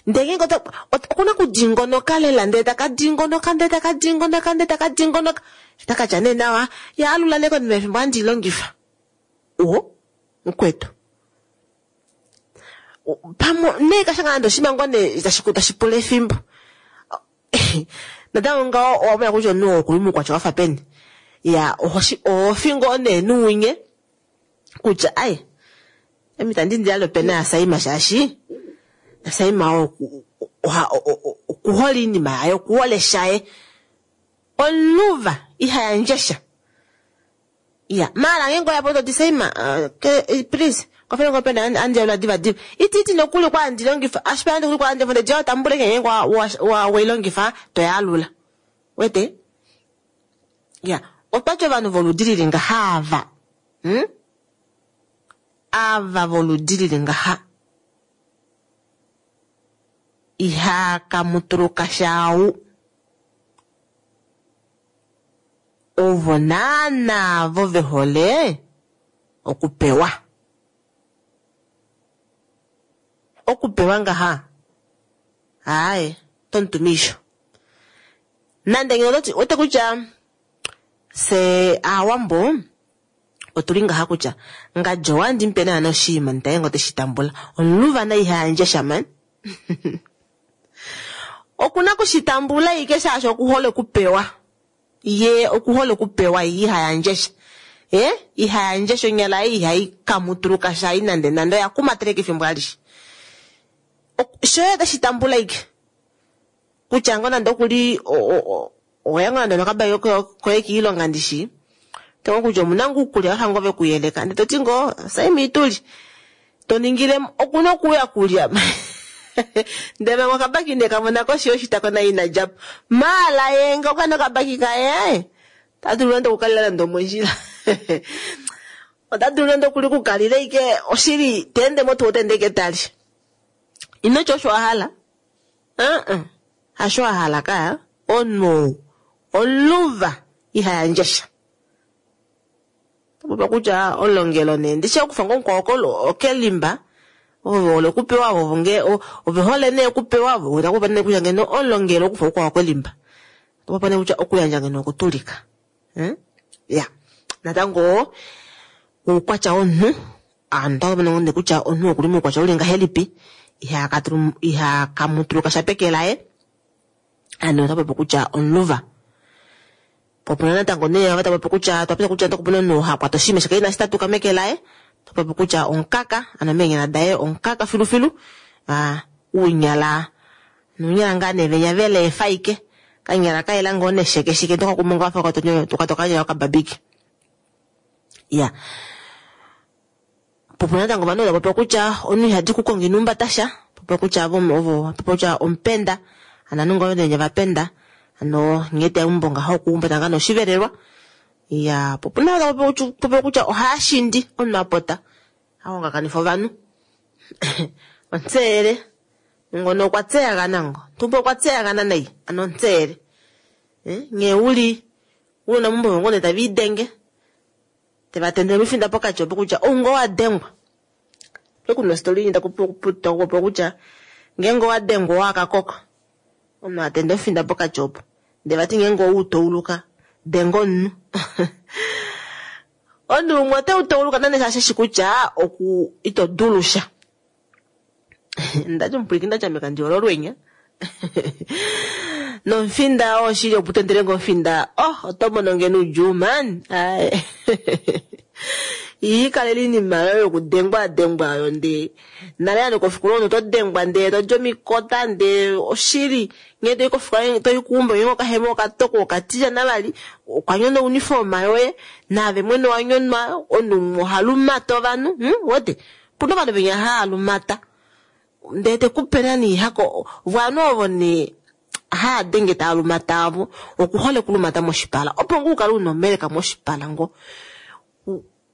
Ndele ngeenge okuna okudingonoka lela, ndele taka dingonoka, ndele taka dingonoka, ndele taka dingonoka. Taka tya nee nawa, yaalula nee konima yefimbo ohandi i longifa. O, mukwetu. Pamwe nee kasha nande oshinima ngoo nee tashi pula efimbo. Natango ngaho owa mona kutya omunhu oo okuli muukwatya wafa peni. Ya, oho fi ngoo nee nuunye kutya ai, ame itandi indile opena yaSaima shaashi Saima okuhole oinima yaye, okuhole shaye. Omuluva iha yandje sha. Ya, maala ngeenge oya po toti Saima, please, kwafele nge opena andi yalula diva diva. Iti nokuli kwa andi longifa, ashike andi nokuli kwa andi longifa, ndele tambule ngeenge we longifa to yalula. Wete? Ya, otwati ovanhu voludi lili ngaha ava. Ava voludi lili ngaha. Iha kamutuluka shau. Ovo naana vo ve hole okupewa. Okupewa ngaha. Aaye, tomutumiisho. Nande ngeno ototi wete kutya se aawambo otuli ngaha kutya ngadjo wandi mupe naana oshinima ndele ngo teshi tambula. Omuluva na iha yandje sha man. Okuna kushitambula ike shaashi okuhole okupewa. Ye okuhole okupewa ye iha yandje sha. Iha yandje sha onyala yaye ihai kamutuluka sha ai nande nande oya kumateleka efimbo alishe. Shoye otashi tambula ike. Kutya ngo nande okuli oya ngo nande nokabaki koye kiilonga ndishi. Tengo kutya omuna ngoo uukulya wafa ngoo vekuyeleka. Ndele toti ngoo Saima ituli. To ningile okuna okuuya kulya. Ndele manga okabaki ne kamona koshi yoshitako naye ina djapo. Maala ye nge okwa nokabaki kaye ota dulu nande okukalila nande omondjila. Ota dulu nande okuli okukalila ike oshili ta ende motuwa ota ende ike tali. Ino tya osho wa hala. Hasho wa hala ka. Omunhu ou omuluva iha yandje sha. Otapopiwa kutya olongelo nee ndishi okufa ngoo mukwao okelimba ovo ve hole okupewa ovo nge ove hole nee okupewa ovo takupopiwa nee kutya ngeno olongelo okufa mukwao kelimba. Otapopiwa nee kutya okuyandja ngeno okutulika. Ya, natango oukwatya womunhu aanhu otava mono kutya omunhu okuli moukwatya uli ngahelipi iha kamutuluka sha peke laye. Ano ota popi kutya omuluva. Popuna natango nee ava tava popi kutya twa popya kutya opuna omunhu ha kwata oshinima shika inashi tatuka meke laye. Ta popi kutya omukaka, ano meenyala daye omukaka filufilu. Uunyala nuunyala ngaa nee venya vele efa ike. Kanyala kayela ngoo neshekesheke ndoka kumwe wafa kwata okanyala okababiki. Ya. Popuna natango ovanhu tava popi kutya omunhu ihadi kukonga inumbata sha. Popi kutya ovo popi kutya omupenda. Ano ovanhu ngoo venya vapenda. Ano nghee teumbo ngaho okuhumbata ngaa noshivelelwa. Ya, popuna popi kutya ohaya shindi omunhu apota. Ahongakanifa ovanhu. Ontseyele. Ngono okwa tseyagana ngo. Tumbo okwa tseyagana nai. Ano ontseyele. Nghee uli una mumbo ngoo nee tava idenge. Teva tendele omifinda pokati opo kutya ou ngoo wa dengwa. Kuna ostori inyi takupopiwa kutya ngeenge owa dengwa owa kakoko. Omunhu atende omufinda pokati opo. Ndele vati ngeenge ou touluka denga omunhu. Omunhu umwe ote u touluka nande shaashi eshi kutya oku ito dulu sha. Ndati omupwilikini ndati ame kandi hole olwenya. Nomufinda oo shili opo utendele ngoo omufinda, oh oto mono ngeno oudjuu man. Aye. Iikalele iinima yoye yokudengwa dengwa oyo ndee nale nande kofikola omunhu oto dengwa ndee todi omikota ndee oshili nghee toyi kofikola toyi keumbo ngeenge okahema okatoko okatilyana vali okwa nyona ouniforma yoye naave mwene owa nyonwa omunhu umwe oha lumata ovanhu wete opuna ovanhu venya hava lumata ndee tekupe nani hako ovanhu ovo nee haa denge taa lumata avo okuhole okulumata moshipala opo ngoo ukale una omeleka moshipala ngo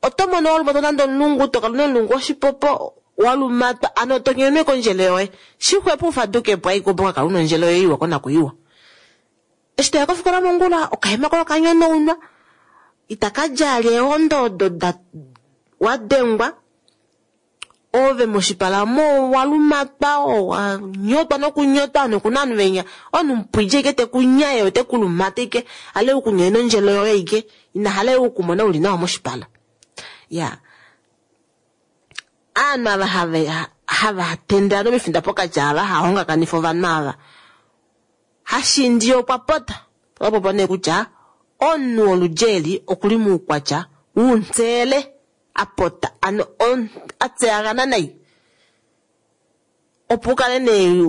oto mono walumatwa nande omulungu tokala una omulungu oshipopo walumatwa ano to nyenwe kondjele yoye shixwepo ufadukepo aike opo kakala una ondjele yoye iwa konakuyiwa. Eshi toya kofikola mongula okahema koye okanyonaunwa itaka djala eehondo odo da wadengwa. Ove moshipala mo owa lumatwa, owa nyotwa nokunyotwa nokuna ovanhu venya omunhu mupwidje ike tekunyaye ote ku lumata ike ale ukunyoye nondjelo yoye ike ina hala ukumona uli nawa moshipala. Ya aanhu ava hava tendela nomifinda pokati ava hahongakanifa ovanhu ava hashindi okwa pota opo nee kutya omunhu woludji eli okuli muukwatya wuntsele apota ano atseyagana nayi opo ukale nee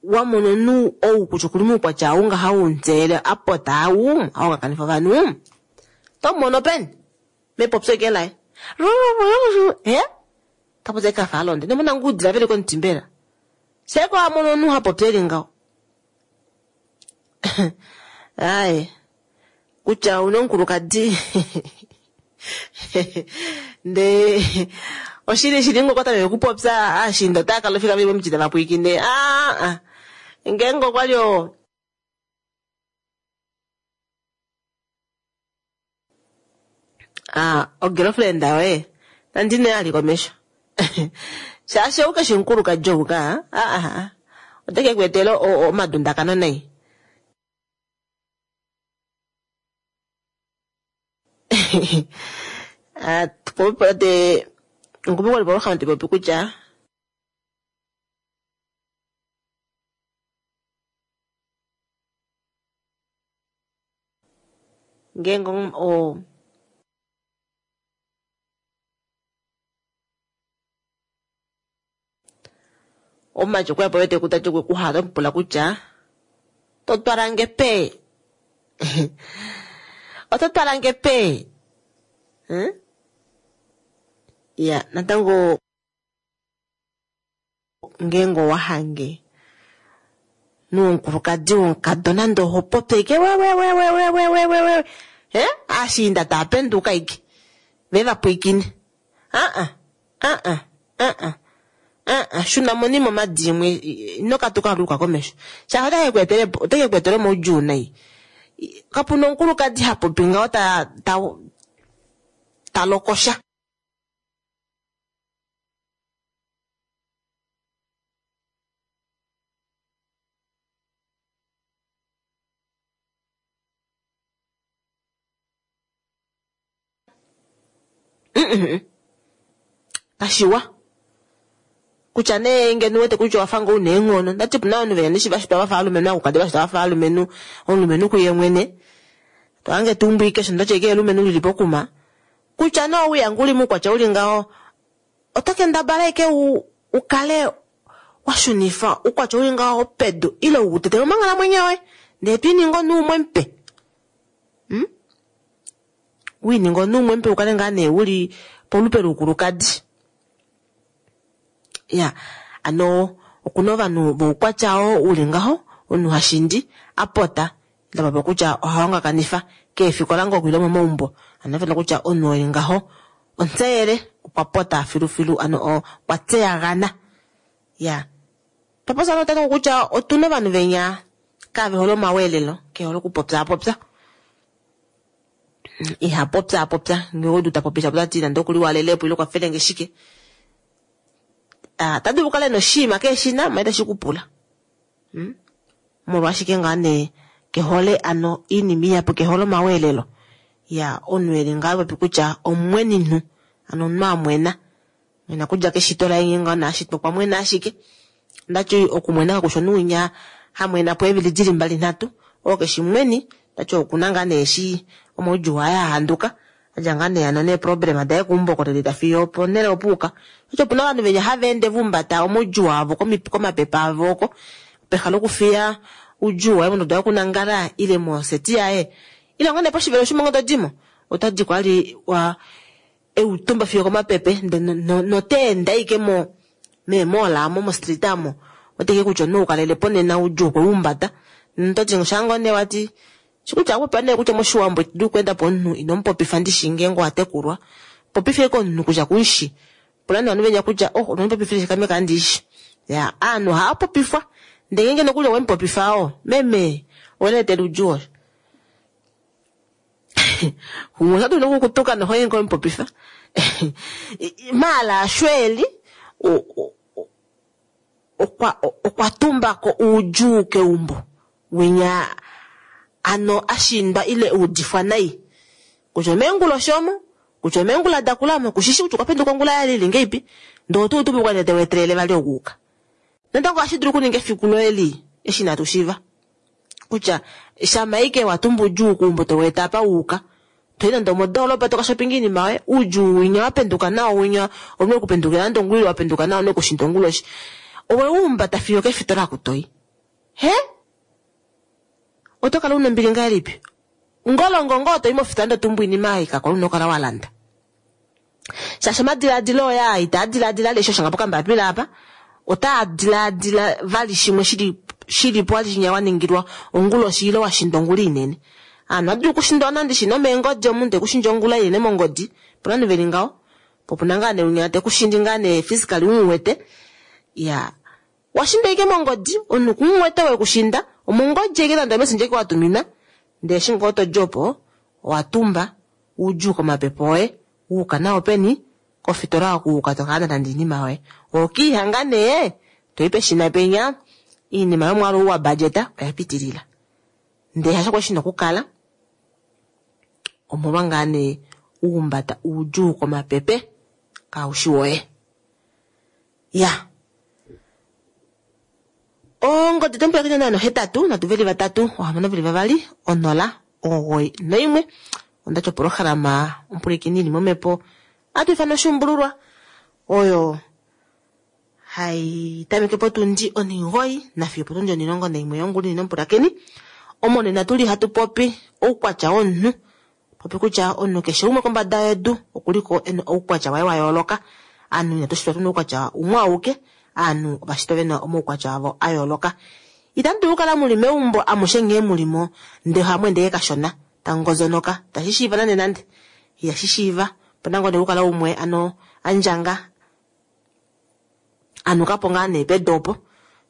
wamona omunhu ou kutya okuli muukwatya ou ngaha wuntsele apota au ahongakanifa ovanhu tomumono peni mepopyo eke laye tapopya ekafa alonde nemona ngudila veli komuti mbela seko amono omunhu hapopya eli ngaho aye kutya una omukulukadi nde oshili shili ngoko tameke okupopya ashinda otaya kala ofika veli momuti tava pwiikine aa ngeenge okwali o ogirlfriend yoye nandine ali komesho shaashi ou keshi omukulukadi ou ka oteke ku etela omadundakano nai. Ngupi popi kutya ngeenge omumati okweya po wete kutati okwe kuhala omupula kutya totwalange pe oto twalange pe ya natango ngeenge owahange nomukulukadi womukadona nande oho popi ike wewewewewewewe ashiinda taa penduka ike ve va pwiikine shuna monima omadimwe ino katuka luka komesho shaashi oteke ku etele omaudjuu nai. Kapuna omukulukadi ha popi ngaho ta lokosha. Kashiwa kutya nee ngeno wete kutya owafa ngoo una eenghono ndati opuna ovanhu vena neshi vashitwa vafa alumenhu akukadi vashitwa vafa alumenhu omulumenhu kuye mwene tohange tuumbwike osho ndoche ike elumenhu lili pokuma kutya nee ouya nguli muukwatya uli ngaho oto kendabala ike ukale washunifa ukwatya uli ngaho pedu ile utetele omanghalamwenyo yoye ndee twiininga omunhu umwe mupe wiininga omunhu umwe mupe ukale ngaa nee uli polupe loukulukadi. Ya ano okuna ovanhu voukwatya oo uli ngaho omunhu hashindi apota ndapapa kutya ohahongakanifa keefikola ngoo okuila momaumbo ano fena kutya omunhu oli ngaho ontseyele okwa pota filufilu ano okwa tseyagana. Ya twaposa natango kutya otuna ovanhu venya kave hole omaweelelo kehole okupopyaapopya iha popyaapopya ngee odu tapopi shapo tati nande okuli walelepo ile okwafelenge shike tadulu okukala ena oshinima keeshina maye tashi kupula molwashike ngaa nee kehole ano iinima ihapu kehole omaweelelo ya omunhu eli ngaa popi kutya omweninhu ano omunhu amwena mwena kudja keshito laye ngee naashitwa okwa mwena ashike ndati okumwena kakusha omunhu winya hamwena po eevili dili mbali nhatu oo keshi mweni ndati okuna ngaa nee eshi omaudjuu aye ahanduka adja ngaa nee ano neeproblema daye keumbo oko tadi fiyo ponhele opuuka osho opuna ovanhu venya hava ende vumbata omaudjuu avo komapepe avo oko peha lokufiya oudjuu waye monduda yokunangala ile moseti yaye ile ngoo nee poshivelo shimongo todimo otadi kwali wa eutumba fiyo komapepe noteenda ike mo meemola amo mostreet amo oteke kutya omunhu ukalelepo nena oudjuu okweumbata nototi shango nee wati shikutya akupa nee kutya moshiwambo ito dulu okweenda po omunhu inomupopifa ndishi ngeenge owatekulwa popife komunhu kutya kumushi pula nee ovanhu venya kutya oh onondipopifile shikame kandishi ya aanhu ohava popifwa ndee ngeenge nokuli owemupopifa oo meme oweleetela oudjuu osho. Umwe ota dulu nokukutuka nohoye ngo mupopifa. Maala shweli okwa tumbako uudjuu keumbo winya ano ashindwa ile uudifwa nai kutya omeenguloshi omo kutya omeengula dakula omo kushishi kutya okwa penduka ongula yalili ngeipi ndee oto utumukwa ndee tewetelele vali okuuka natango ohashi dulu okuninga efiku loye lii eshi inatu shiiva kutya shamaike watumba udjuu keumbo toweeta apa wuuka toyi nande omodoolopa toka shopinga iinima yoye uudjuu winya wapenduka nao winya ouna okupendukila nande ongula ile wapenduka nao ouna okushinda onguloshi oweumbata fiyo okefitola oku toyi he oto kala una ombili ngahelipi ngolongo ngoo toyi mofitola ndee otumbu oinima ei kakwa una okukala walanda shaashi omadilaadilo oye aa itaa dilaadila vali eshi washanga pokambapila apa otaa dilaadila vali shimwe shilipo vali shinya waningilwa onguloshi ile washinda ongula inene. Aanhu ohadulu okushindwa nande shi nomeengodi omunhu tekushindi ongula inene mongodi opuna ovanhu veli ngaho po opuna ngaa nee unya tekushindi ngaa nee physically umuwete iyaa washindwa ashike mongodi omunhu kumuwete wekushinda omongodi ashike nande omessenger ashike watuminwa ndee eshi ngoo todi opo owatumba oudjuu komapepe oye wuuka nao peni kofitola oku wuuka tokalanda nande oinima yoye ohokiihanga nee toyi peshina penya oinima yomwaalu ou wa budgeta oya pitilila ndee hasho kwali shina okukala omolwa ngaa nee uhumbata oudjuu komapepe kaushi woye ya ongodi tomupulakeni 081 3 6 2 0 91 ondati opolohalama omupulakeni ili momhepo ohatu ifana oshuumbululwa oyo hai tameke potundi 9 nafiyo potundi 11 yongula inene omupulakeni omo nena tuli hatu popi oukwatya womunhu popi kutya omunhu keshe umwe kombada yedu okuliko ena oukwatya waye wa yooloka aanhu inatu shitwa tuna oukwatya umwe auke aanhu ovashitwa vena omaukwatya avo a yooloka itamu dulu okukala muli meumbo amushe nghee mulimo ndee ohamu ende kashona tangozonoka tashi shiiva nande nande ihashi shiiva opena ngoo nee okukala umwe ano andjanga anukapo ngaa nee pedu opo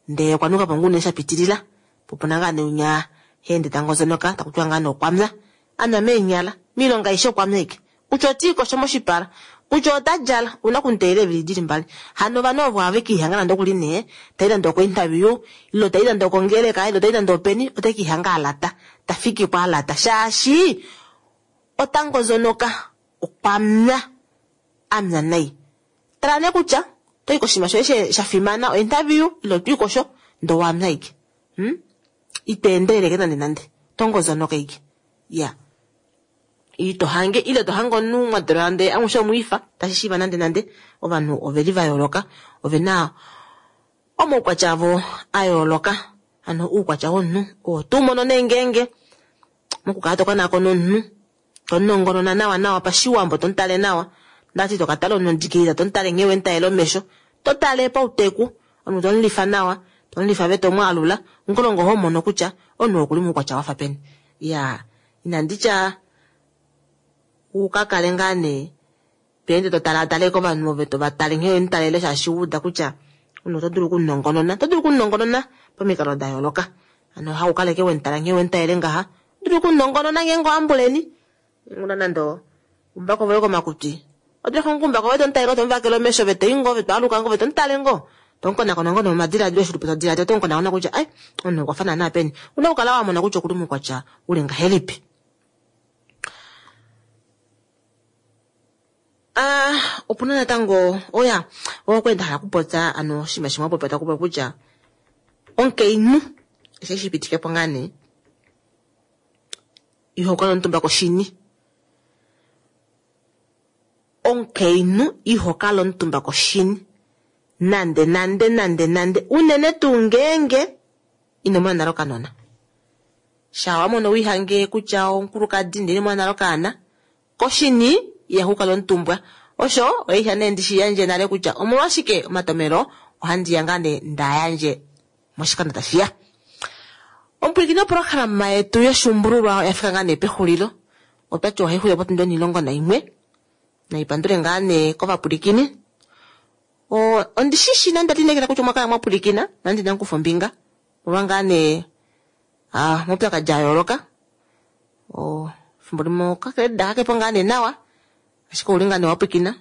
ndee okwa nukapo ngoo unene shapitilila po opuna ngaa nee unya haende tangozonoka takutiwa ngaa nee okwamya anwa meenyala moilonga aishe okwamya ashike kutya otiikosho moshipala kutya ota djala ouna okumuteelela eevili dili mbali hano ovanhu ovo ohave kiihanga nande okuli nee tai nande oko interview ile tai nande okongeleka ile tai nande openi ote kiihanga alata tafikiko alata shaashi otangozonoka okwamya amya nai tala nee kutya otoyi koshinima shoye shafimana o interview ile otwiikosho ndee owamya ashike iteendeleleke nande nande otongozonoka ashike iya ito hange ile to hange omunhu mwa dalwa ndee amushe omwiifa tashi shiiva nande nande ovanhu oveli va yooloka ovena omaukwatya avo a yooloka hano oukwatya womunhu oo tuu mono nee ngeenge mokukala tokonakona omunhu tonongonona nawa nawa pashiwambo tomutale nawa ndati tokatala omunhu odikilila tomutale nghee wemutalela omesho totale pauteku omunhu tomulifa nawa tomulifa ve tomwaalula ngolongo oho mono kutya omunhu okuli moukwatya wafa peni iya inanditya ukakale ngaa nee tweende totalaatale kovanhu ove tovatale nghee wemutalele shaashi wuuda kutya omunhu oto dulu okumunongonona oto dulu okumunongonona pomikalo da yooloka hano haukaleke wemutala nghee wemutalele ngaha oto dulu okumunongonona ngeenge owambuleni una nande oumbako voye komakutwi oto dulu okuumbako voye tomutalele tomuvakele omesho ove toi ngoo ove twaaluka ngoo ove tomutale ngoo tomukonakona ngoo nomomadilaadilo eshi ulipo todilaadila otomukonakona kutya ai omunhu okwafa naana peni una okukala wamona kutya okuli moukwatya uli ngahelipi. Opuna natango oya okwali ndahala okupopya ano oshinima shimwe wapopya takupopi kutya omukainhu eshi shipitikepo ngaa nee ihokala omutumba koshini omukainhu ihokala omutumba koshini nande nande nande nande unene tuu ngeenge ino mona nale okanona shaa wamono wiihange kutya omukulukadi ndele ino mona nale okaana koshini ihaku kala omutumbwa osho oisha nee ndishi yandje nale kutya omolwashike omatomelo ohandiya ngaa nee ndayandje moshikando tashiya. Omupwilikini wopolohalama yetu yoshuumbululwa oya fika ngaa nee pexulilo otwati ohaixulile potundi 11 naipandule ngaa nee kovapwilikini ondishishi nande lineekela kutya omwa kala mwapwilikina nande inamu kufa ombinga omolwa ngaa nee omaupyakadi a yooloka. Efimbo limwe okakeleda kakepo ngaa nee nawa, ashike ouli ngaa nee wa pwilikina.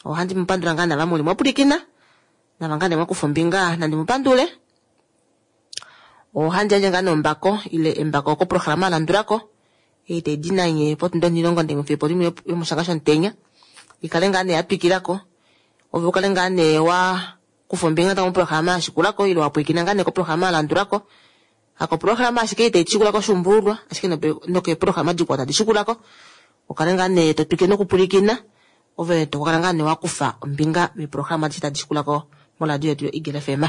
Ohandi mu pandula ngaa nava muli mwa pwilikina, nava ngaa nee mwa kufa ombinga nandi mu pandule. Ohandi yandje ngaa nee ombako ile embako koprograma ya landulako ei tai di nanye potundi onhilongo ndenge fiyo limwe yomoshanga shomutenya, ikale ngaa nee ya twikilako, ove ukale ngaa nee wa kufa ombinga natango moprograma ya shikulako ile wa pwilikina ngaa nee koprograma ya landulako. Hakoprograma ashike ei tai shikulako oshuumbululwa, ashike nokeeprograma dikwao tadi shikulako, ukale ngaa nee to twikile nokupwilikina, ove to kala ngaa nee wa kufa ombinga meeprograma adishe tadi shikulako moradio yetu yo Eagle FM.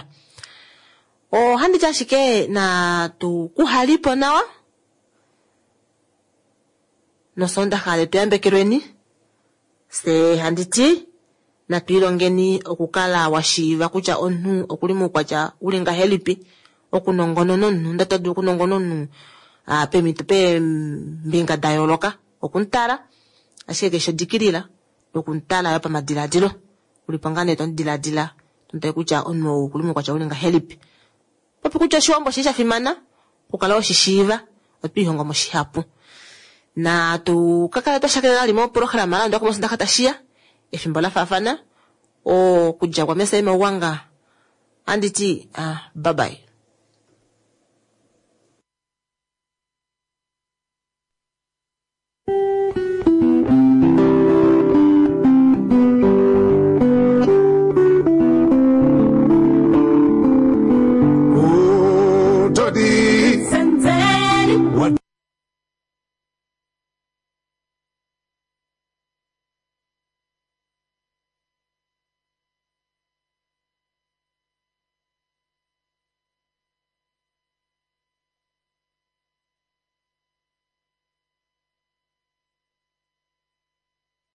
Ohandi ti ashike natu kuhalipo nawa nosondaxa letu yambekelweni, se handi ti natu ilongeni okukala wa shiiva kutya omunhu okuli moukwatya uli ngahelipi, okunongonona omunhu, ndee oto dulu okunongonona omunhu peemhito peembinga da yooloka, okumutala ashike keshe odikilila nokumutala yo pamadiladilo, ulipo ngaa nee tomudiladila tomutale kutya omunhu ou okuli moukwatya uli ngahelipi. Popi kutya oshiwambo oshili sha fimana okukala weshishiiva, otwiihongo mo shihapu. Natu ka kale twa shakenena vali moprograma ya landulako mosondaxa tashiya efimbo la faafana, okudja kwa Messe Mauwanga, ohandi ti bye bye.